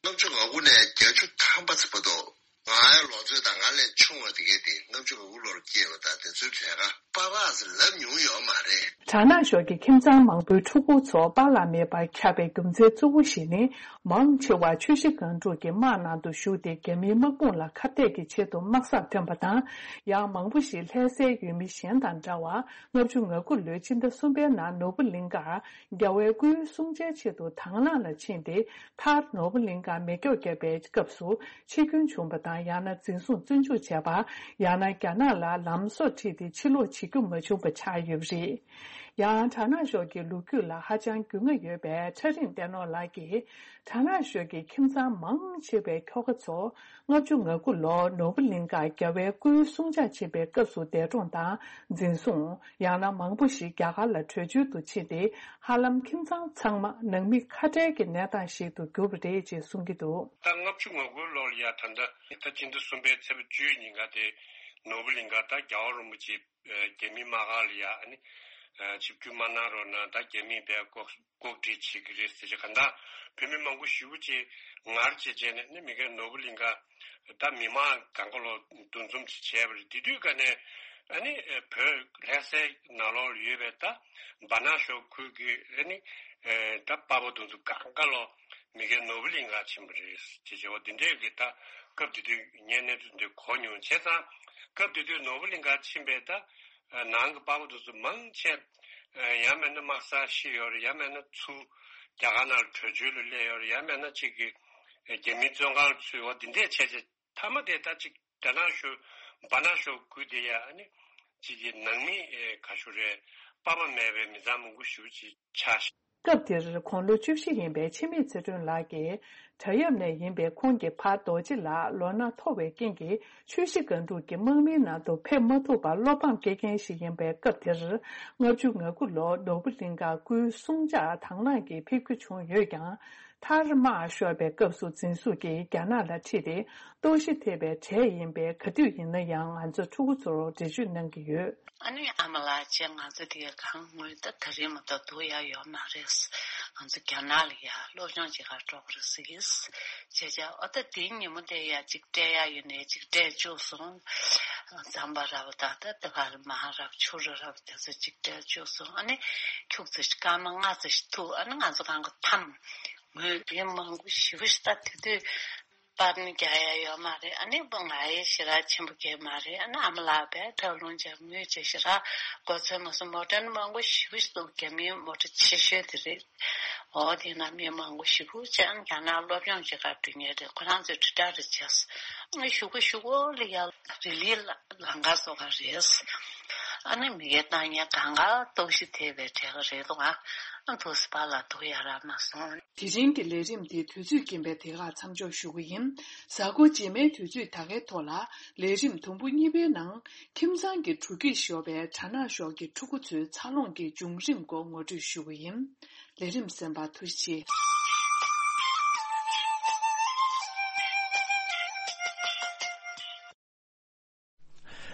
ལྔ་བཅུ་ང་དགུ་ནས་བརྒྱད་ཅུ་ཐམ་པ་ཙམ་བར་དུ། ང་ཡང་ལོ་ཚོད་དང་ང་ལས་ཆུང་བ་དེ་གའི་དེ་ལྔ་བཅུ་ང་དགུ་ལོར་སྐྱེས་པ་དང་དེ་ཚོའི་གྲས་ཀ་པ་ཕ་ཟེར་ལབ་མྱོང་ཡོད་མ་རེད། གྲ་ནང་ཞོ་གི་ཁྱིམ་ཚང་མང་པོའི་ཕྲུ་གུ་ཚོ་པཱ་ལགས་མེད་པར་ཁྱབ་པའི་རྒྱུ་མཚན་གཙོ་བོ་ཞིག་ནི། མང་ཆེ་བ་ཆུ་བཞི་སྒང་དྲུག་གི་དམག་ནང་དུ་ཞུགས་ཏེ། རྒྱ་མིའི་དམག་དཔུང་ལ་ཁ་གཏད་ཀྱི་ཆེད་དུ་དམག་སར་ཐོན་པ་དང་། ཡང་མང་པོ་ཞིག་ལྷ་སའི་ཡུལ་མི་གཞན་དང་འདྲ་བར། ལྔ་བཅུ་ང་དགུ་ལོའི་སྤྱི་ཟླ་གསུམ་པའི་ནང་ནོར་བུ་གླིང་ཁར་རྒྱལ་བའི་སྐུའི་གསུང་ཆོས་ཆེད་དུ་དྭང་བླངས་ལ་ཕྱིན་ཏེ། མཐར་ནོར་བུ་གླིང་ཁར་མེ་སྒྱོགས་བརྒྱབ་པའི་སྐབས་སུ་འཆི་སྐྱོན་བྱུང་བ་དང་། ཡང་ན་འཛིན་བཟུང་བཙོན་འཇུག་བྱས་པ། ཡང་ན་རྒྱ་ནག་ལ་ལམ་སྲོལ་ཁྲིད་དེ་ཕྱིར་ལོག་བྱེད་རྒྱུ་མ་བྱུང་བ་ཆགས་ཡོད་པ་རེད། ཡང་གྲ་ནང་ཤོག་གི་ལོ་རྒྱུས་ལ་ཧ་ཅང་རྒྱུས་མངའ་ཡོད་པའི་ཁྲ་རིང་བསྟན་ནོར་ལགས་ཀྱིས། གྲ་ནང་ཤོག་གི་ཁྱིམ་ཚང་མང་ཆེ་བའི་ཁྱོ་ག་ཚོ་ལྔ་བཅུ་ང་དགུ་ལོར་ནོར་བུ་གླིང་གར་རྒྱལ་བའི་སྐུའི་གསུང་བཅར་ཕྱིན་པའི་སྐབས་སུ་འདས་གྲོངས་དང་འཛིན་བཟུང་། ཡང་ན་མང་པོ་ཞིག་རྒྱ་གར་ལ་བྲོས་བྱོལ་དུ་ཕྱིན་ཏེ། ཧ་ལམ་ཁྱིམ་ཚང་ཚང་མ་ནང་མི་ཁ་བྲལ་གྱི་གནས་སྟངས་ཤིག་ཏུ་གྱུར་པ་རེད་ཅེས་གསུང་གི་འདུག། ད་ལྔ་བཅུ་ང་དགུ་ལོར་ཡ་ད་ལྟ་ད་སྤྱི་ཟླ་གསུམ་པའི་ཚེས་པ་བཅུའི་ཉིན་ཀ་དེ་ནོར་བུ་གླིང་ག་ད་རྒྱལ་བ་རིན་པོ་ཆེ་རྒྱ་མི་དམག་སྒར་ལ་ཡ་ཨ་ནི་ཆིབས་བསྒྱུར་མ་གནང་རོགས་གནང་། ད་རྒྱ་མིས་བས་ལྐོག་ལྐོག་འབྲེལ་བྱེད་ཀྱི་རེད་ཟེར་ཅིག་ག་ད་བོད་མི་མང་པོ་ཞེ་པོ་ཅིག་ངར་བྱེད་བྱས་ནས་ནི་མི་ཁའི་ནོར་བུ་གླིང་ག་ད་མི་མང་གང་ག་ལོ་འདུ་འཛོམས་ཅིག་བྱས་པ་རེད། དེ་དུས་ཀ་ནས་ཨ་ནི་བོད་ལྷ་སའི་ནང་ལོགས་ལ་ཡོད་པའི་ད་སྦ་ན་ཤོག་ཁུལ་གྱི་ཨ་ནི་ད་པ་ཕ་དེ་ཚོ་གང་ག་ལོ་མི་ཁའི་ནོར་བུ་གླིང་ག་ཕྱིན་པ་རེད་ཅེས་བྱས་པ་འདི་འདྲས་ཀྱི་ད་སྐབས་དེ་དུས་ངས་གནས་ཚུལ་འདི་གོ་མྱོང་། བྱས་ཙང་སྐབས་དེ་དུས་ནོར་བུ་གླིང་ག་ཕྱིན་པའི་ད་ནང་གི་པ་ཕ་དེ་ཚོ་མང་ཆེ་ཡང་མིན་ན་དམག་སར་ཤི་ཡོད་རེད། ཡང་མིན་ན་ཚུར་རྒྱ་གར་ནང་ལ་བྲོས་བྱོལ་ལ་སླེབས་ཡོད་རེད། ཡང་མིན་ན་གཅིག་གི་རྒྱ་མིའི་བཙོན་ཁང་ལ་ཚུད་ཡོད། འདི་འདྲས་བྱས་བྱས་མཐའ་མ་དེ་ད་གཅིག་རྒྱ་ནག་ཤོག་སྦ་ན་ཤོག་ཁུལ་དེ་ཡ་ཨ་ནི་གཅིག་གི་ནང་མི་ག་ཞུ་རེད། པ་ཕ་མེད་པའི་མི་ཚང་མང་པོ་ཞེ་པོ་ཅིག་ཆགས་ཤག། སྐབས་དེར་དགུང་ལོ་བཅུ་བཞི་ཡིན་པའི་འཆི་མེད་ཚེ་སྒྲོན་ལགས་ཀྱིས། བྲག་གཡབ་ནས་ཡིན་པའི་ཁོང་གི་ཕ་རྡོ་རྗེ་ལགས་ལོ་ན་མཐོ་བའི་རྐྱེན་གྱིས་ཆུ་བཞི་སྒང་དྲུག་གི་དམག་མིའི་ནང་དུ་ཕེབས་མ་ཐུབ་པར་བློ་ཕམ་སྐྱེ་མཁན་ཞིག་ཡིན་པའི་སྐབས་དེར། ལྔ་བཅུ་ང་དགུ་ལོར་ནོར་བུ་གླིང་ག་སྐུའི་གསུང་བཅར་དང་བླངས་ཀྱིས་ཕེབས་རྒྱུ་བྱུང་ཡོད་ཀྱང་། མཐར་དམག་ཤོར་བའི་སྐབས་སུ་འཛིན་བཟུང་གིས་རྒྱ་ནག་ལ་ཁྲིད་དེ་ལྟོགས་ཤི་ཐེབས་པའི་གྲས་ཡིན་པས། ག་དུས་ཡིན་ན་ཡང་ང་ཚོ་ཕྲུ་གུ་ཚོར་འགྲེལ་བརྗོད་གནང་གི་ཡོད། ཨ་ནི་ཨ་མ་ལགས་བཅས་ང་ཚོ་དེ་ག་ངོས་ད་ད་རེས་མ་གཏོགས་འདུག་ཡ་ཡོད་མ་རེད། ང་ཚོ་རྒྱ་ནག་ལ་ཡ་སློབ་སྦྱོང་བྱེད་གར་འགྲོ་གི་རེད་ཟེར་གི། བྱས་བྱས་ཨ་ད་དེའི་ཉིན་མོ་དེ་ཡ་ཅིག་སྤྲད་ཡ་ཡོད་ནས་ཅིག་སྤྲད་བཅུག་སོང་། རྫམ་པ་ར་བ་དང་ད་ད་ག་ལ་མ་རབས་ཆུ་ར་ར་བ་དེ་ཚོ་ཅིག་སྤྲད་བཅུག་སོང་། ཨ་ནི་ཁྱུག་ཙམ་ཞིག་སྐར་མ་ལྔ་ཙམ་ཞིག་ཐུག་ཨ་ནི་ང་ཚོ་གང་ག་འཐམ། ངོས་རིགས་མང་པོ་ཞེ་པོ་ཞིག་ད་དེ་དུས། པར་ནི་རྒྱག་ཡ་ཡོད་མ་རེད། ཨ་ནི་བུ་ང་ཡི་ཞེ་དྲག་ཆེན་པོ་གས་མ་རེད། ཨ་ནི་ཨ་མ་ལགས་པས་ཁྲག་རླུང་ཅན་ངུས་བྱས་ཞེ་དྲག་གོ་ཚོད་མ་སོང་། མོ་ཊ་ནི་མང་པོ་ཞེ་པོ་ཞིག་འདུག་རྒྱ་མིའི་མོ་ཊ་ཆེ་ཤོས་དེ་རེད། འོ་དེ་ན་མི་མང་པོ་ཞེ་པོ་ཅན་རྒྱ་ནག་སློབ་སྦྱོང་བྱེད་གར་འགྲོ་མཁན་རེད། ཁོ་རང་ཚོས་དྲིལ་བསྒྲགས་རེ་བྱས། ཨ་ཞུ་གི་ཞུ་གོ་ལ་ཡ་རི་ལི་ལ་ལང་ཀ་བཟོ་ག་རེད། ཨ་ནི་མི་ཡི་ཏང་ཡ་གང་ག་ལྟོགས་ཤི་ཐེབས་པའི་གྲས་ཀ་རེད་འདུག་ཨ་དུ་སི་པ་ལ་འདུག་ཡ་རག་མ་སོང་། དེ་རིང་གི་ལས་རིམ་དེ་དུས་ཚོད་རྐྱེན་པས་དེ་གར་མཚམས་འཇོག་ཞུ་གི་ཡིན། གཟའ་འཁོར་རྗེས་མའི་དུས་ཚོད་ད་གའི་ཐོག་ལ་ལས་རིམ་དུམ་བུ་གཉིས་པའི་ནང་ཁྱིམ་ཚང་གི་འགྲོ་སྐྱིད་ཤོར་བའི་གྲ་ནང་ཤོག་གི་ཕྲུ་གུ་ཚོའི་འཚར་ལོངས་ཀྱི་བྱུང་རིམ་སྐོར་ངོ་སྤྲོད་ཞུ་གི་ཡིན། ལས་རིམ་གསན་པར་ཐུགས་རྗེ་ཆེ།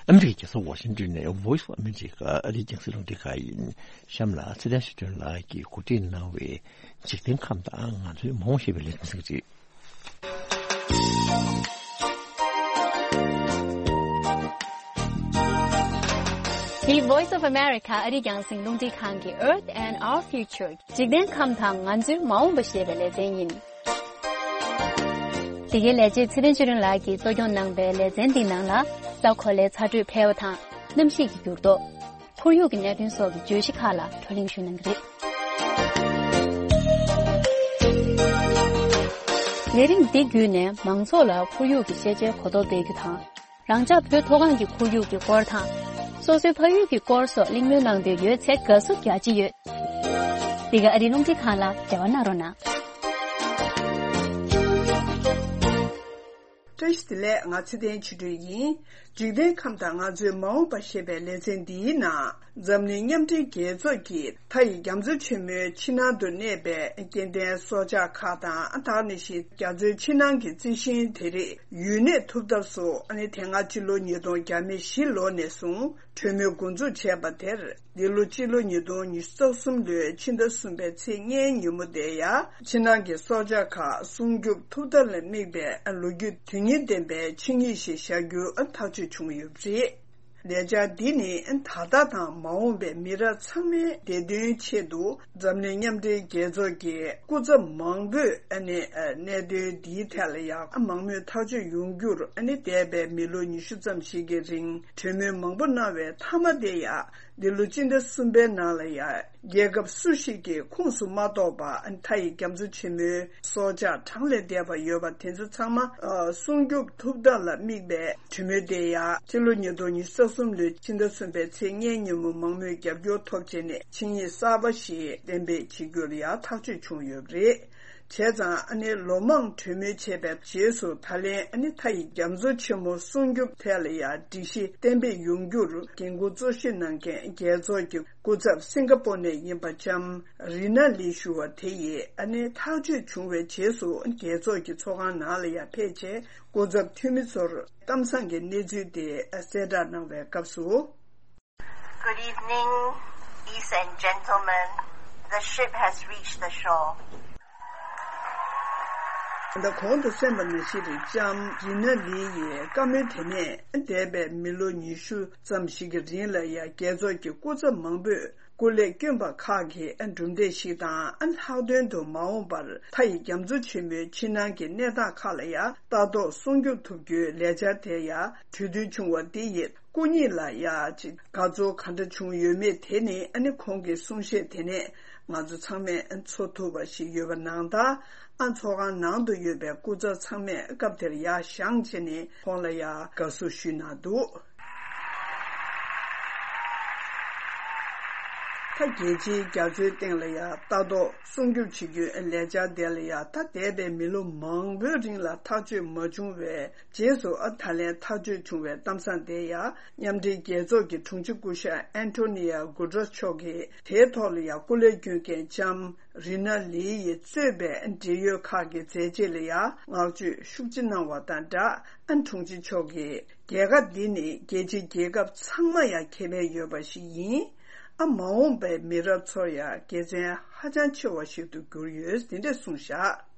ཨ་མི་རི་ཀའི་རྒྱལ་ས་ཝ་ཤིང་ཏོན་ནས་Voice of America ཨ་རིའི་རྒྱང་སྲིང་རླུང་འཕྲིན་ཁང་ཡིན། གཤམ་ལ་ཚེ་བརྟན་ཆོས་སྒྲོན་ལགས་ཀྱིས་གོ་སྒྲིག་གནང་བའི་འཇིག་རྟེན་ཁམས་དང་ང་ཚོའི་མ་འོངས་ཞེས་པའི་ལས་རིམ་གསན་གྱི་རེད། འདི་Voice of America ཨ་རིའི་རྒྱང་སྲིང་རླུང་འཕྲིན་ཁང་གི་Earth and Our Future འཇིག་རྟེན་ཁམས་དང་ང་ཚོའི་མ་འོངས་པ་ཞེས་པའི་ལེ་ཚན་ཡིན། འདི་གའི་ལས་བྱེད་ཚེ་བརྟན་ཆོས་སྒྲོན་ལགས་ཀྱིས་གཙོ་སྐྱོང་གནང་པའི་ལེ་ཚན་འདིའི་ནང་ལ། ས་གོ་ལའི་ཚ་དྲོད་འཕེལ་བ་དང་གནམ་གཤིས་ཀྱི་འགྱུར་ལྡོག་ཁོར་ཡུག་གི་གནད་དོན་སོགས་ཀྱི་བརྗོད་གཞི་ཁག་ལ་བགྲོ་གླེང་ཞུ་གནང་གི་རེད། ལས་རིམ་འདི་བརྒྱུད་ནས་མང་ཚོགས་ལ་ཁོར་ཡུག་གི་ཤེས་བྱའི་གོ་རྟོགས་སྤེལ་རྒྱུ་དང་། རང་ཅག་བོད་མཐོ་སྒང་གི་ཁོར་ཡུག་གི་སྐོར་དང་། སོ་སོའི་ཕ་ཡུལ་གྱི་སྐོར་སོགས་གླེང་མོལ་གནང་འདོད་ཡོད་ཚེ་དགའ་བསུ་རྒྱ་ཆེ་ཡོད། འདི་ག་ཨ་རིའི་རླུང་འཕྲིན་ཁང་ལ་འབྲེལ་བ་གནང་རོགས་གནང་། བཀྲ་ཤིས་བདེ་ལེགས། ང་ཚེ་བརྟན་ཆོས་སྒྲོན་ཡིན། འཇིག་རྟེན་ཁམས་དང་ང་ཚོའི་མ་འོངས་པ་ཞེས་པའི་ལེ་ཚན་འདིའི་ནང་། འཛམ་གླིང་མཉམ་འབྲེལ་རྒྱལ་ཚོགས་ཀྱི་མཐའ་ཡི་རྒྱ་མཚོ་ཆེན་མོའི་ཕྱི་ནང་དུ་གནས་པའི་སྐྱེ་ལྡན་སྲོག་ཆགས་ཁག་དང་། ད་ག་ནང་བཞིན་རྒྱ་མཚོའི་ཕྱི་ནང་གི་རྩི་ཤིང་དེ་རིགས་ཡུལ་གནས་ཐུབ་ཐབས་སུ། ཨ་ནི་དེ་སྔ་སྤྱི་ལོ་ཉིས་སྟོང་བརྒྱ་མེད་བཞི་ལོ་ནས་བཟུང་གྲོས་མོལ་འགོ་འཛུགས་བྱས་པ་དེར། འདི་ལོ་སྤྱི་ལོ་ཉིས་སྟོང་ཉི་ཤུ་རྩ་གསུམ་ལོའི་ཕྱི་ཟླ་གསུམ་པའི་ཚེས་ལྔའི་ཉིན་མོ་དེ་ཡང་། ཕྱི་ནང་གི་སྲོག་ཆགས་ཁག་སྲུང་སྐྱོབ་ཐུབ་ཐབས་ལ་དམིགས་པའི་ལོ་རྒྱུས་དོན་སྙིང་ལྡན་པའི་ཆིངས་ཡིག་ཞིག་བཞག་རྒྱུ་ཐག་གཅོད་བྱུང་ཡོད་པ་རེད། ལས་འཆར་འདི་ནི་ད་ལྟ་དང་མ་འོངས་པའི་མི་རབས་ཚང་མའི་བདེ་དོན་ཆེད་དུ། འཛམ་གླིང་མཉམ་འབྲེལ་རྒྱལ་ཚོགས་ཀྱི་སྐུ་ཚབ་མང་པོས་ཨ་ནི་གནད་དོན་འདིའི་ཐད་ལ་ཡང་མང་མོས་ཐག་གཅོད་ཡོང་རྒྱུར། ཨ་ནི་འདས་པའི་མི་ལོ་ཉི་ཤུ་ཙམ་ཞིག་གི་རིང་གྲོས་མོལ་མང་པོ་གནང་བའི་མཐའ་མ་དེ་ཡང་ འདི་ལོ་སྤྱི་ཟླ་གསུམ་པའི་ནང་ལ་ཡང་རྒྱལ་ཁབ་སུ་ཞིག་གི་ཁོངས་སུ་མ་གཏོགས་པ་མཐའ་ཡི་རྒྱ་མཚོ་ཆེན་མོའི་སྲོག་ཆགས་གྲངས་ལས་འདས་པ་ཡོད་པ་དེ་ཚོ་ཚང་མ་ཨ་སྲུང་སྐྱོབ་ཐུབ་ཐབས་ལ་དམིགས་པའི་གྲོས་མོལ་དེ་ཡང་སྤྱི་ལོ་ཉིས་སྟོང་ཉི་ཤུ་རྩ་གསུམ་ལོའི་ཕྱི་ཟླ་གསུམ་པའི་ཚེས་ལྔའི་ཉིན་མོ་མང་མོས་རྒྱབ་སྐྱོར་ཐོབ་བྱས་ནས་ཆིངས་ཡིག་གསར་པ་ཞིག་གཏན་འབེབས་བྱེད་རྒྱུ་ལ་ཡང་ཐག་གཅོད་བྱུང་ཡོད་པ་རེད། བྱས་ཙང་ཨ་ནི་ལོ་མང་གྲོས་མོལ་བྱས་པའི་རྗེས་སུ་ད་ལན་ཨ་ནི་མཐའ་ཡི་རྒྱ་མཚོ་ཆེན་མོ་སྲུང་སྐྱོབ་ཐད་ལ་ཡང་སྒྲིག་གཞི་གཏན་འབེབས་ཡོང་རྒྱུར་འགན་འཁུར་གཙོ་བཞེས་གནང་མཁན་རྒྱལ་ཚོགས་ཀྱི་སྐུ་ཚབ་སིང་ག་པོར་ནས་ཡིན་པ་ལྕམ་རི་ན་ལི་ཞུ་བ་དེ་ཡིས་ཨ་ནི་ཐག་གཅོད་བྱུང་བའི་རྗེས་སུ་རྒྱལ་ཚོགས་ཀྱི་ཚོགས་ཁང་ནང་ལ་ཡང་ཕེབས་རྗེས་སྐུ་ཚབ་འཐུས་མི་ཚོར་གཏམ་བཟང་གི་གནས་ཚུལ་དེ་གསལ་བསྒྲགས་གནང་བའི་སྐབས་སུ། Good evening, ladies and gentlemen. The ship has reached the shore. ད་གོང་དུ་གསན་པ་ནང་བཞིན་རེད། ལྕམ་རི་ན་ལི་ཡིས་བཀའ་མོལ་དེ་ནས་འདས་པའི་མི་ལོ་ཉི་ཤུ་ཙམ་ཞིག་གི་རིང་ལ་ཡང་རྒྱལ་ཚོགས་ཀྱི་སྐུ་ཚབ་མང་པོས་སྐུ་ལས་བསྐྱོན་པ་ཁག་གི་གྲུབ་འབྲས་ཤིག་དང་། ལྷག་དོན་དུ་མ་འོངས་པར་མཐའ་ཡི་རྒྱ་མཚོ་ཆེན་མོའི་ཕྱི་ནང་གི་གནས་སྟངས་ཁག་ལ་ཡང་ལྟ་རྟོག་སྲུང་སྐྱོབ་ཐུབ་རྒྱུའི་ལས་འཆར་དེ་ཡང་གྲོས་མཐུན་བྱུང་བ་འདི་ཡིས། སྐུ་ཉིད་ལ་ཡ་ཅིག་དགའ་ཚོར་ག་འདྲ་བྱུང་ཡོད་མེད་དེ་ནི་ཨ་ནི་ཁོང་གི་གསུང་བཤད་དེ་ནས་ང་ཚོ་ཚང་མས་ཨ་ཚོར་ཐུབ་པ་ཞིག་ཡོད་པ་ནང་ལྟར། ཨ་ཚོགས་ཁང་ནང་དུ་ཡོད་པའི་སྐུ་ཚབ་ཚང་མས་སྐབས་དེར་ཡར་བཞེངས་བྱས་ནས་ཁོང་ལ་ཡ་དགའ་བསུ་ཞུས་གནང་འདུག་ད་རྒྱལ་སྤྱིའི་རྒྱ་མཚོའི་སྟེང་ལ་ཡ་ལྟ་རྟོག་སྲུང་སྐྱོབ་བྱེད་རྒྱུའི་ལས་འཆར་དེ་ལ་ཡ་ད་འདས་པའི་མི་ལོ་མང་པོའི་རིང་ལ་ཐག་གཅོད་མ་བྱུང་བའི། རྗེས་སུ་ཨ་ད་ལན་ཐག་གཅོད་བྱུང་བའི་གཏམ་བཟང་དེ་ཡང་མཉམ་འབྲེལ་རྒྱལ་ཚོགས་ཀྱི་དྲུང་ཆེ་སྐུ་ཞབས་ཨན་ཐོ་ནི་ཡ་གུ་ཏྲེས་མཆོག་གིས་དེའི་ཐོག་ལ་ཡང་སྐུ་ལས་བསྐྱོན་མཁན་ལྕམ་རི་ན་ལི་ཡིས་གཙོས་པའི་འབྲེལ་ཡོད་ཁག་གི་མཛད་རྗེས་ལ་ཡང་བསྔགས་བརྗོད་ཤུགས་ཆེ་གནང་བ་དང་སྦྲགས། ཨ་དྲུང་ཆེ་མཆོག་གིས་རྒྱལ་ཁ་འདི་ནི་རྒྱལ་སྤྱིའི་རྒྱལ་ཁབ་ཚང་མ་ཡང་ཁེ་ཕན་ཡོད་པ་ཞིག་ཡིན། ཨ་མ་འོངས་པའི་མི་རབས་ཚོར་ཡང་དགེ་མཚན་ཧ་ཅང་ཆེ་བ་ཞིག་ཏུ་གྱུར་ཡོད། དེ་འདྲས་གསུངས་བཞག་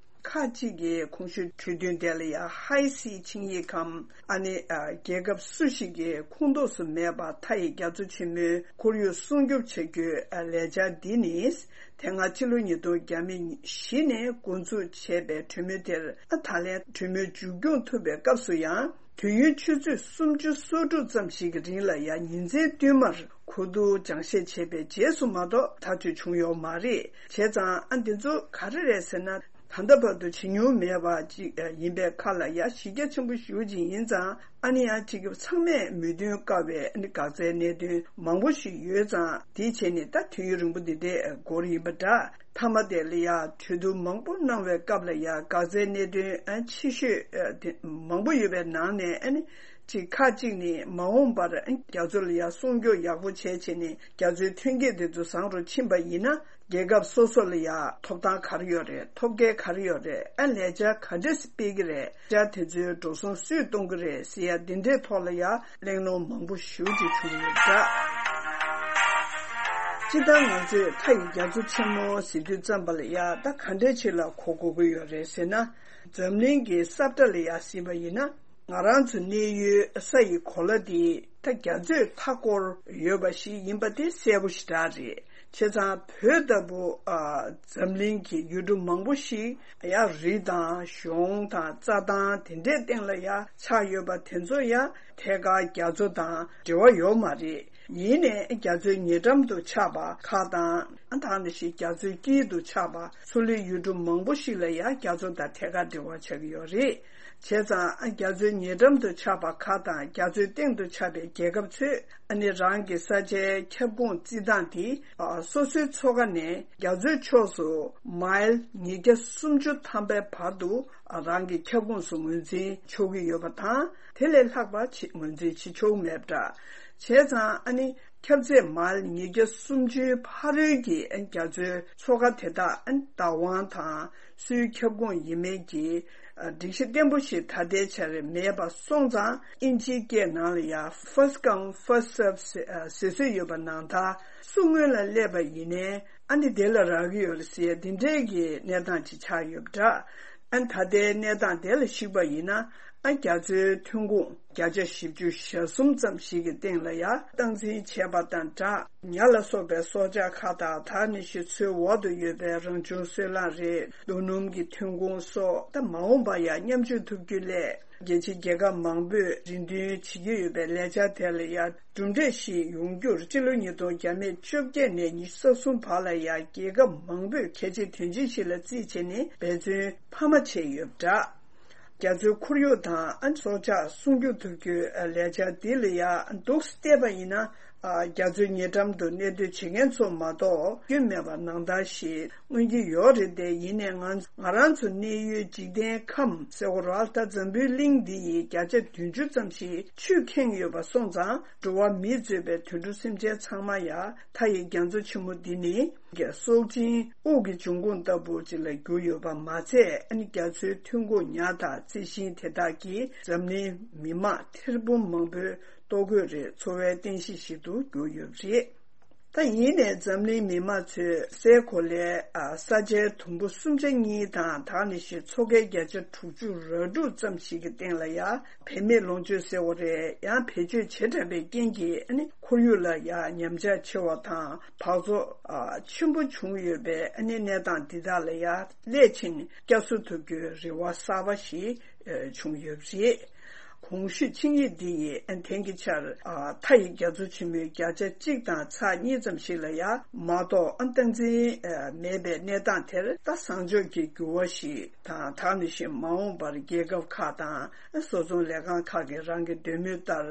ཁག་ཅིག་གིས་གོང་ཞུས་གྲོས་མཐུན་དེ་ལ་ཡང་ཧའེ་སི་ཆིངས་ཡིག་གམ། ཨ་ནི་ཨ་རྒྱལ་ཁབ་སུ་ཞིག་གི་ཁོངས་གཏོགས་སུ་མེད་པར་མཐའ་ཡི་རྒྱ་མཚོ་ཆེན་མོའི་ཁོར་ཡུག་སྲུང་སྐྱོབ་བྱ་རྒྱུའི་ཨ་ལས་འཆར་འདི་ནི། དེ་སྔ་ཕྱི་ལོ་ཉིས་སྟོང་བརྒྱ་མེད་བཞི་ནས་འགོ་འཛུགས་བྱས་པའི་གྲོས་མོལ་དེར་ཨ་ད་ལན་གྲོས་མོལ་མཇུག་སྐྱོང་ཐུབ་པའི་སྐབས་སུ་ཡང་། དུས་ཡུན་ཆུ་ཚོད་སུམ་ཅུ་སོ་དྲུག་ཙམ་ཞིག་གི་རིང་ལ་ཡང་ཉིན་མཚན་བསྟུད་མར་གོ་བསྡུར་སྦྱང་བཤད་བྱས་པའི་རྗེས་སུ་མ་གཏོགས་ཐག་གཅོད་བྱུང་ཡོད་མ་རེད། བྱས་ཙང་ཨ་འདི་ཚོ་ག་རེ་རེད་ཟེར་ན། ད་ལྟ་བར་དུ་བྱེད་མྱོང་མེད་པ་ཅིག་ཡིན་པའི་ཁ་ལ་ཡ་གཞི་རྒྱ་ཆེན་པོ་ཞེ་པོ་ཅིག་ཡིན་ཙང་ཨ་ནི་ཡང་ཅིག་ཚང་མས་མོས་མཐུན་དཀའ་བའི་ཨ་ནི་འགག་རྩའི་གནད་དོན་མང་པོ་ཞིག་ཡོད་ཙང་དེའི་ཆེད་ནས་ད་དུས་ཡུན་རིང་པོ་འདི་འདྲའི་འགོར་ཡིན་པ་འདྲ། མཐའ་མ་དེ་ལ་ཡ་གྲོས་བསྡུར་མང་པོ་གནང་བའི་སྐབས་ལ་ཡ་འགག་རྩའི་གནད་དོན་ཨ་ཆེ་ཤོས་ཨ་དེ་མང་པོ་ཡོད་པའི་ནང་ནས་ཨ་ནི་ཅིག་ཁག་ཅིག་ནི་མ་འོངས་པར་ཨ་རྒྱ་མཚོ་ལ་ཡ་སྲུང་སྐྱོབ་ཡག་པོ་བྱས་བྱས་ནས་རྒྱ་མཚོའི་ཐོན་སྐྱེད་དེ་ཚོ་བཟང་རུ་ཕྱིན་པ་ཡིན་ན་རྒྱལ་ཁབ་སོ་སོ་ལ་ཡ་ཐོབ་ཐང་ག་རེ་ཡོད་རེད། ཐོབ་སྐལ་ག་རེ་ཡོད་རེད། ཨ་ལས་འཆར་ག་འདྲས་སྤེལ་གི་རེད། ལས་འཆར་དེ་ཚོའི་འགྲོ་སོང་སུས་གཏོང་གི་རེད་ཟེར་ཡ་འདི་འདྲའི་ཐོག་ལ་ཡ་གླེང་སློང་མང་པོ་ཞེ་པོ་ཅིག་བྱུང་ཡོད་འདྲ། སྤྱིར་བཏང་ང་ཚོས་མཐའ་ཡི་རྒྱ་མཚོ་ཆེན་མོ་ཟེར་དུས་ཙམ་པ་ལ་ཡ་ད་ག་འདྲས་ཅིག་ལ་གོ་དགོས་ཀྱི་ཡོད་རེད་ཟེར་ན། འཛམ་གླིང་གི་ས་བཀྲ་ལ་ཡ་གཟིགས་པ་ཡིན་ན། ང་རང་ཚོ་གནས་ཡུལ་ས་ཡི་གོ་ལ་འདི་ད་རྒྱ་མཚོས་མཐའ་བསྐོར་ཡོད་པ་ཞིག་ཡིན་པ་དེ་གསལ་པོ་ཞེ་དྲག་རེད། བྱས་ཙང་བོད་ལྟ་བུ་ཨ་འཛམ་གླིང་གི་ཡུལ་གྲུ་མང་པོ་ཞིག་ཡང་རི་དང་གཞོང་དང་རྩྭ་ཐང་དེ་འདྲའི་སྟེང་ལ་ཡང་ཆགས་ཡོད་པ་དེ་ཚོ་ཡང་ཐད་ཀར་རྒྱ་མཚོ་དང་འབྲེལ་བ་ཡོད་མ་རེད། ཡིན་ནའི་རྒྱ་མཚོའི་ཉེ་འགྲམ་དུ་ཆགས་པ་ཁག་དང་། ཨ་ད་ནི་ཞིག་རྒྱ་མཚོའི་དཀྱིལ་དུ་ཆགས་པ་མཚོ་ལུད་ཡུལ་གྲུ་མང་པོ་ཞིག་ལ་ཡང་རྒྱ་མཚོ་དང་ཐད་ཀར་འབྲེལ་བ་ཆགས་ཀྱི་ཡོད་རེད། བྱས་ཙང་ཨ་རྒྱ་མཚོའི་ཉེ་འགྲམ་དུ་ཆགས་པ་ཁག་དང་རྒྱ་མཚོའི་སྟེང་དུ་ཆགས་པའི་རྒྱལ་ཁབ་ཚོས་ཨ་ནི་རང་གི་ས་ཆའི་ཁྱབ་ཁོངས་བརྩི་སྟངས་དེ་ཨ་སོ་སོའི་མཚོ་ཁ་ནས་རྒྱ་མཚོའི་ཕྱོགས་སུ་མའིལ་ཉིས་བརྒྱ་སུམ་ཅུ་ཐམ་པའི་བར་དུ་ཨ་རང་གི་ཁྱབ་ཁོངས་སུ་ངོས་འཛིན་ཆོག་གི་ཡོད་པ་དང་། དེ་ལས་ལྷག་པ་ཅིག་ངོས་འཛིན་བྱེད་ཆོག་མེད་པ་འདྲ། བྱས་ཙང་ཨ་ནི་ཁྱབ་ཚད་མའིལ་ཉིས་བརྒྱ་སུམ་ཅུའི་ཕ་རོལ་གྱི་རྒྱ་མཚོའི་མཚོ་ཁ་དེ་དག་བདག་དབང་དང་སུའི་ཁྱབ་ཁོངས་ཡིན་མིན་གྱི་སྒྲིག་གཞི་བརྟན་པོ་ཞིག་ད་ལྟའི་ཆར་མེད་པ་སོང་ཙང་། དབྱིན་ཇིའི་སྐད་ནང་ལ་ཡང་first come first serve་ཟེར་སྲོལ་ཡོད་པ་ནང་ལྟར། སུ་སྔོན་ལ་སླེབས་པ་ཡིན་ནའི་ཨ་ནི་དེ་ལ་རག་གི་ཡོད་རེད་ཟེར་འདི་འདྲའི་གི་གནས་སྟངས་ཅིག་ཆགས་ཡོད་པ་འདྲ། ཨ་ནི་ད་ལྟའི་གནས་སྟངས་དེ་ལ་གཞིགས་པ་ཡིན་ན། ཨ་རྒྱ་མཚོའི་ཐོན་ཁུངས་བརྒྱ་ཆ་བཞི་བཅུ་ཞེ་གསུམ་ཙམ་ཞིག་གི་སྟེང་ལ་ཡ་སྟངས་འཛིན་བྱས་པ་དང་སྦྲགས། ཉ་ལ་སོགས་པའི་སྲོག་ཆགས་ཁག་དང་དེ་ནང་བཞིན་མཚོའི་འོག་ཏུ་ཡོད་པའི་རང་བྱུང་སོལ་རླངས་རེད། རྡོ་སྣུམ་གྱི་ཐོན་ཁུངས་སོགས་ད་མ་འོངས་པར་ཡང་མཉམ་སྤྱོད་ཐུབ་རྒྱུ་སླད། རྒྱལ་སྤྱིའི་རྒྱལ་ཁབ་མང་པོས་རེ་འདུན་བྱེད་ཀྱི་ཡོད་པའི་ལས་འཆར་དེ་ལ་ཡང་གྲུབ་འབྲས་ཤིག་ཡོང་རྒྱུར་སྤྱི་ལོ་ཉིས་སྟོང་བརྒྱ་མེད་བཅོ་བརྒྱད་ནས་ཉི་ཤུ་རྩ་གསུམ་བར་ལ་ཡང་རྒྱལ་ཁབ་མང་པོས་གལ་ཆེའི་དོན་ཆེན་ཞིག་ལ་བརྩིས་བྱས་ནས་འབད་བརྩོན་འཕར་མ་བྱས་ཡོད་པ་འདྲ། རྒྱ་མཚོའི་ཁོར་ཡུག་དང་སྲོག་ཆགས་སྲུང་སྐྱོབ་ཐུབ་རྒྱུའི་ལས་འཆར་འདི་ལ་ཡང་འདུག་སེ་བལྟས་པ་ཡིན་ན། རྒྱ་མཚོའི་ཉེ་འགྲམ་དུ་གནས་སྡོད་བྱེད་མཁན་ཚོ་མ་གཏོགས་སྐྱོན་མེད་པ་ནང་ལྟར་ཞིག་མངོན་གྱི་ཡོད་རེད་དེ། ཡིན་ནའི་ང་ང་རང་ཚོ་གནས་ཡུལ་འཇིག་རྟེན་ཁམས་ཟེར་བ་ར་ད་འཛམ་བུའི་གླིང་འདི་ཡི་བརྒྱ་ཆ་བདུན་ཅུ་ཙམ་ཞིག་ཆུས་ཁེངས་ཡོད་པ་སོང་ཙང་འགྲོ་བ་མིས་གཙོས་པའི་དུད་འགྲོ་སེམས་ཅན་ཚང་མ་ཡང་མཐའ་ཡི་རྒྱ་མཚོ་ཆེན་མོ་འདི་ནི་སྲོག་ཆེན་དབུགས་ཀྱི་འབྱུང་ཁུངས་ལྟ་བུ་ཅིག་ལ་གྱུར་ཡོད་པ་མ་ཚད། ཨ་ནི་རྒྱ་མཚོའི་ཐོན་ཁུངས་ཉ་དང་རྩི་ཤིང་དེ་དག་གིས་འཛམ་གླིང་མི་མང་ཐེར་འབུམ་མང་པོའི་ལྟོ་གོས་རེད། འཚོ་བའི་རྟེན་གཞི་ཞིག་ཏུ་གྱུར་ཡོད་པ་རེད། ད་ཡིན་ནའི་འཛམ་གླིང་མི་མང་ཚོས་སའི་གོ་ལའི་ས་ཆའི་དུམ་བུ་གསུམ་ཆ་གཉིས་དང་དེ་ནང་བཞིན་མཚོ་ཁའི་བརྒྱ་ཆ་དྲུག་ཅུ་རེ་དྲུག་ཙམ་ཞིག་གི་སྟེང་ལ་ཡང་བེད་མེད་ལོངས་སྤྱོད་ཟེར་བ་རེད། ཡང་བེད་སྤྱོད་བྱེ་བྲག་པའི་རྐྱེན་གྱིས་ཨ་ནི་ཁོར་ཡུག་ལ་ཡང་ཉམས་ཆག་ཆེ་བ་དང་འབག་བཙོག་ཆེན་པོ་བྱུང་ཡོད་པའི་ཨ་ནི་གནས་སྟངས་འདི་དག་ལ་ཡང་སླད་ཕྱིན་བསྐྱར་གསོ་ཐུབ་རྒྱུའི་རེ་བ་གསར་པ་ཞིག་བྱུང་ཡོད་པ་རེད། གོང་ཞུས་ཆིངས་ཡིག་འདི་ཡིས་དེང་གི་ཆར་མཐའ་ཡི་རྒྱ་མཚོ་ཆེན་མོའི་བརྒྱ་ཆ་གཅིག་དང་ཚེག་གཉིས་ཙམ་ཞིག་ལ་ཡང་མ་གཏོགས་སྟངས་འཛིན་མེད་པའི་གནས་སྟངས་དེར་ད་བཟང་ཕྱོགས་ཀྱི་འགྱུར་བ་ཞིག་དང་། དེ་ནང་བཞིན་མ་འོངས་པར་རྒྱལ་ཁབ་ཁག་དང་བཟོ་ཚོང་ལས་ཁང་ཁག་གིས་རང་གི་འདོད་མོས་ལྟར་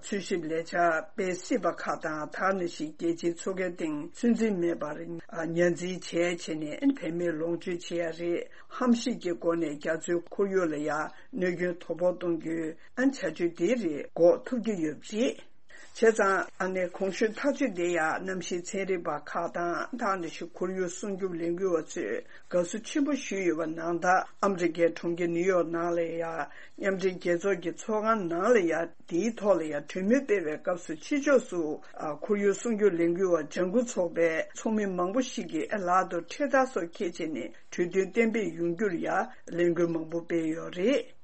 འཚོལ་ཞིབ་ལས་འཆར་སྤེལ་སྲིད་པ་ཁག་དང་། དེ་ནང་བཞིན་རྒྱལ་སྤྱིའི་མཚོ་ཁའི་སྟེང་ཚོད་འཛིན་མེད་པར་ཉ་འཛིན་བྱས་བྱས་ནས་བེད་མེད་ལོངས་སྤྱོད་བྱེད་ཡ་རེད། ཧམ་ཤེད་ཀྱི་སྒོ་ནས་རྒྱ་མཚོའི་ཁོར་ཡུག་ལ་ཡང་གནོད་སྐྱོན་དོ་ཕོག་གཏོང་རྒྱུའི་བྱ་སྤྱོད་དེ་རེད་འགོག་ཐུབ་ཀྱི་ཡོད་པ་རེད། བྱས་ཙང་ཨ་ནི་གོང་ཞུས་ཐག་གཅོད་དེ་ཡང་གནམ་གཤིས་ཚན་རིག་པ་ཁག་དང་། དེ་ནང་བཞིན་ཁོར་ཡུག་སྲུང་སྐྱོབ་ལས་འགུལ་བ་ཚོས་དགའ་བསུ་ཆེན་པོ་ཞུས་ཡོད་པ་ནང་ལྟར། ཨ་མི་རི་ཀའི་གྲོང་ཁྱེར་ནིའུ་ཡོག་ནང་ལ་ཡང་མཉམ་འབྲེལ་རྒྱལ་ཚོགས་ཀྱི་ཚོགས་ཁང་ནང་ལ་ཡང་དེའི་ཐོག་ལ་ཡང་གྲོས་མོལ་སྤེལ་བའི་སྐབས་སུ། ཕྱི་ཕྱོགས་སུ་ཁོར་ཡུག་སྲུང་སྐྱོབ་ལས་འགུལ་བ་ལྗང་ཁུ་ཚོགས་པའི་ཚོགས་མི་མང་པོ་ཞིག་གིས་ལག་ཏུ་འཕྲེད་དར་སོགས་འཁྱེར་བྱས་ནས་གྲོས་མཐུན་གཏན་འབེབས་ཡོང་རྒྱུར་ཡང་ལས་འགུལ་མང་པོ་སྤེལ་ཡོད་རེད།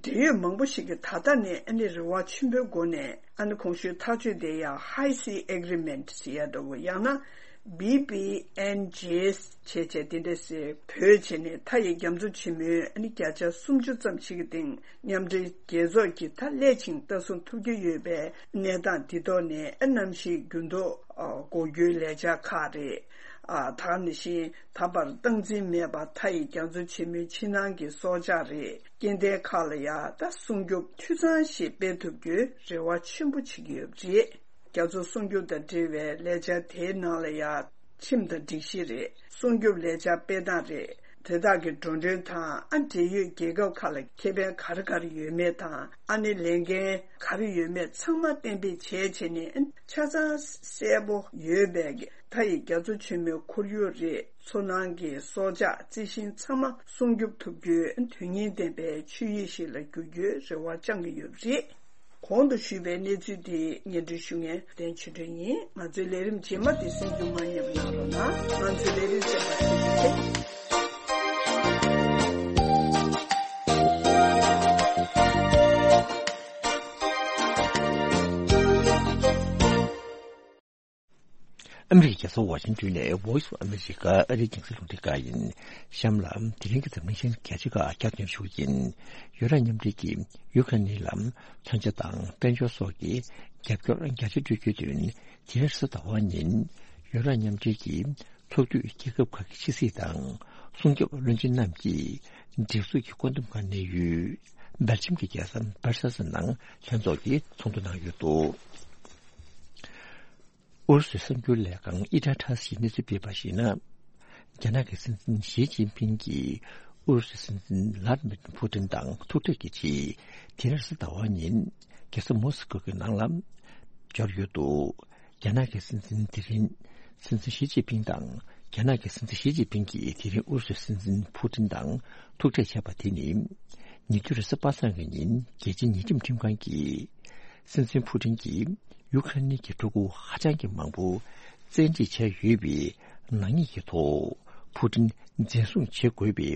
འབྲེལ་ཡོད་མང་པོ་ཞིག་གིས་ད་ལྟ་ནས་ཨ་ནི་རེ་བ་ཆེན་པོའི་སྒོ་ནས་ཨ་ནི་གོང་ཞུས་ཐག་གཅོད་དེ་ཡང་High Seas Agreement ཟེར་ཡ་འདྲ་བོ། ཡང་ན་བི་བི་ཨེན་ཇེ་ཟེར་བྱས་བྱས་དེ་འདྲ་ཟེར་བོད་བྱས་ནས་མཐའ་ཡི་རྒྱ་མཚོ་ཆེན་མོའི་ཨ་ནི་བརྒྱ་ཆ་སུམ་ཅུ་ཙམ་ཞིག་གི་སྟེང་མཉམ་འབྲེལ་རྒྱལ་ཚོགས་ཀྱིས་ད་སླད་ཕྱིན་ལྟ་སྲུང་ཐུབ་ཀྱི་ཡོད་པའི་གནས་སྟངས་འདི་ཐོག་ནས་ཨ་གནམ་གཤིས་འགྱུར་ལྡོག་འགོག་རྒྱུའི་ལས་འཆར་ཁག་རེད། ཨ་དེ་ནང་བཞིན་ད་བར་སྟངས་འཛིན་མེད་པར་མཐའ་ཡི་རྒྱ་མཚོ་ཆེན་མོའི་ཕྱི་ནང་གི་སྲོག་ཆགས་རེད། སྐྱེ་ལྡན་ཁག་ལ་ཡང་ད་སྲུང་སྐྱོབ་འཐུས་ཚང་ཞིག་སྤེལ་ཐུབ་རྒྱུའི་རེ་བ་ཆེན་པོ་བྱེད་ཀྱི་ཡོད་པ་རེད། རྒྱ་མཚོ་སྲུང་སྐྱོབ་དང་འབྲེལ་བའི་ལས་འཆར་དེའི་ནང་ལ་ཡང་ཁྲིམས་དང་སྒྲིག་གཞི་རེད། སྲུང་སྐྱོབ་ལས་འཆར་སྤེལ་སྟངས་རེད། དེ་དག་གི་འགྲོ་གྲོན་དང་། ཨ་འབྲེལ་ཡོད་རྒྱལ་ཁབ་ཁག་ལ་ཁེ་ཕན་ག་རེ་ག་རེ་ཡོད་མེད་དང་། ཨ་ནི་ལས་འགན་ག་རེ་ཡོད་མེད་ཚང་མ་གཏན་འབེབས་བྱས་བྱས་ནས་ཆ་ཚང་གསལ་པོ་ཡོད་པའི་མཐའ་ཡི་རྒྱ་མཚོ་ཆེན་མོའི་ཁོར་ཡུག་རེད། མཚོ་ནང་གི་སྲོག་ཆགས་རྩི་ཤིང་ཚང་མ་སྲུང་སྐྱོབ་ཐུབ་རྒྱུའི་དོན་སྙིང་ལྡན་པའི་ཆོད་ཡིག་ཞིག་ལ་འགྱུར་རྒྱུའི་རེ་བ་བཅང་གི་ཡོད་པ་རེད། གོང་དུ་ཞུས་པའི་གནས་ཚུལ་འདི་སྙན་སྒྲོན་ཞུ་མཁན་བསྟན་ཆོས་སྒྲོན་ཡིན། ང་ཚོའི་ལས་རིམ་རྗེས་མ་འདི་གསན་རྒྱུ་མ་བསྙེལ་བ་གནང་རོགས་གནང་། ང་ཚོའི་ལས་རིམ་གསན་པར་ཐུགས་རྗེ་ཆེ། ཨ་མི་རི་ཀའི་རྒྱལ་ས་ཝ་ཤིང་ཏོན་ནས་Voice of America ཨ་རིའི་རྒྱང་སྲིང་རླུང་འཕྲིན་ཁང་ཡིན། གཤམ་ལ་དེ་རིང་གི་འཛམ་གླིང་གཞན་གལ་ཆེ་ཁག་བསྐྱར་ཟློས་ཞུ་གི་ཡིན། ཡུ་རོབ་མཉམ་འབྲེལ་གྱིས་ཡུ་ཁ་ནི་ལ་མཚོན་ཆ་དང་དཔལ་འབྱོར་སོགས་ཀྱི་རྒྱབ་སྐྱོར་རྒྱ་ཆེ་སྤྲོད་རྒྱུའི་དོན། དེ་རིང་རེས་གཟའ་ཟླ་བ་ཉིན་ཡུ་རོབ་མཉམ་འབྲེལ་གྱི་ཚོགས་འཐུས་རྒྱལ་ཁབ་ཁག་གི་ཕྱི་སྲིད་དང་སྲུང་སྐྱོབ་བློན་ཆེན་རྣམས་ཀྱིས་སྒྲིག་འཛུགས་ཀྱི་བཀོད་འདོམས་ཁང་གནས་ཡུལ་སྦེལ་ཇམ་གྱི་རྒྱལ་ས་སྦར་སེལ་སི་ནང་ལྷན་ཚོགས་ཀྱི་ཚོགས་འདུ་གནང་ཡོད་འདུག་ཨུ་རུ་སུའི་གསར་འགྱུར་ལས་ཁང་ཨི་ཊ་ཊ་སི་ཡིས་གནས་ཚུལ་སྤེལ་བར་གཞིགས་ན། རྒྱ་ནག་གི་སྲིད་འཛིན་ཞི་ཅིན་ཕིང་གིས་ཨུ་རུ་སུའི་སྲིད་འཛིན་ལྷ་དི་མིར་ཕུ་ཏིན་དང་ཐུག་འཕྲད་ཀྱི་ཆེད། དེ་རིང་རེས་གཟའ་ཟླ་བ་ཉིན་རྒྱལ་ས་མོ་སི་ཀོ་གི་ནང་ལ་འབྱོར་ཡོད་འདུག་རྒྱ་ནག་གི་སྲིད་འཛིན་དེ་རིང་སྲིད་འཛིན་ཞི་ཅིན་ཕིང་དང་། རྒྱ་ནག་གི་སྲིད་འཛིན་ཞི་ཅིན་ཕིང་གིས་དེ་རིང་ཨུ་རུ་སུའི་སྲིད་འཛིན་ཕུ་ཏིན་དང་ཐུག་འཕྲད་བྱས་པ་དེ་ནི། ཉེ་དུས་རེས་གཟའ་པ་སངས་ཀྱི་ཉིན་རྒྱལ་སྤྱིའི་ཉེས་ཁྲིམས་ཁྲིམས་ཁང་གིས། སྲིད་འཛིན་ཕུ་ཏིན་གྱིས་ཡུ་ཁ་རེན་གྱི་ཕྲུ་གུ་ཧ་ཅང་གི་མང་པོ་བཙན་ཁྲིད་བྱས་ཡོད་པའི་ནག་ཉེས་ཀྱི་ཐོག་ཕུ་ཏིན་འཛིན་བཟུང་བྱེད་དགོས་པའི་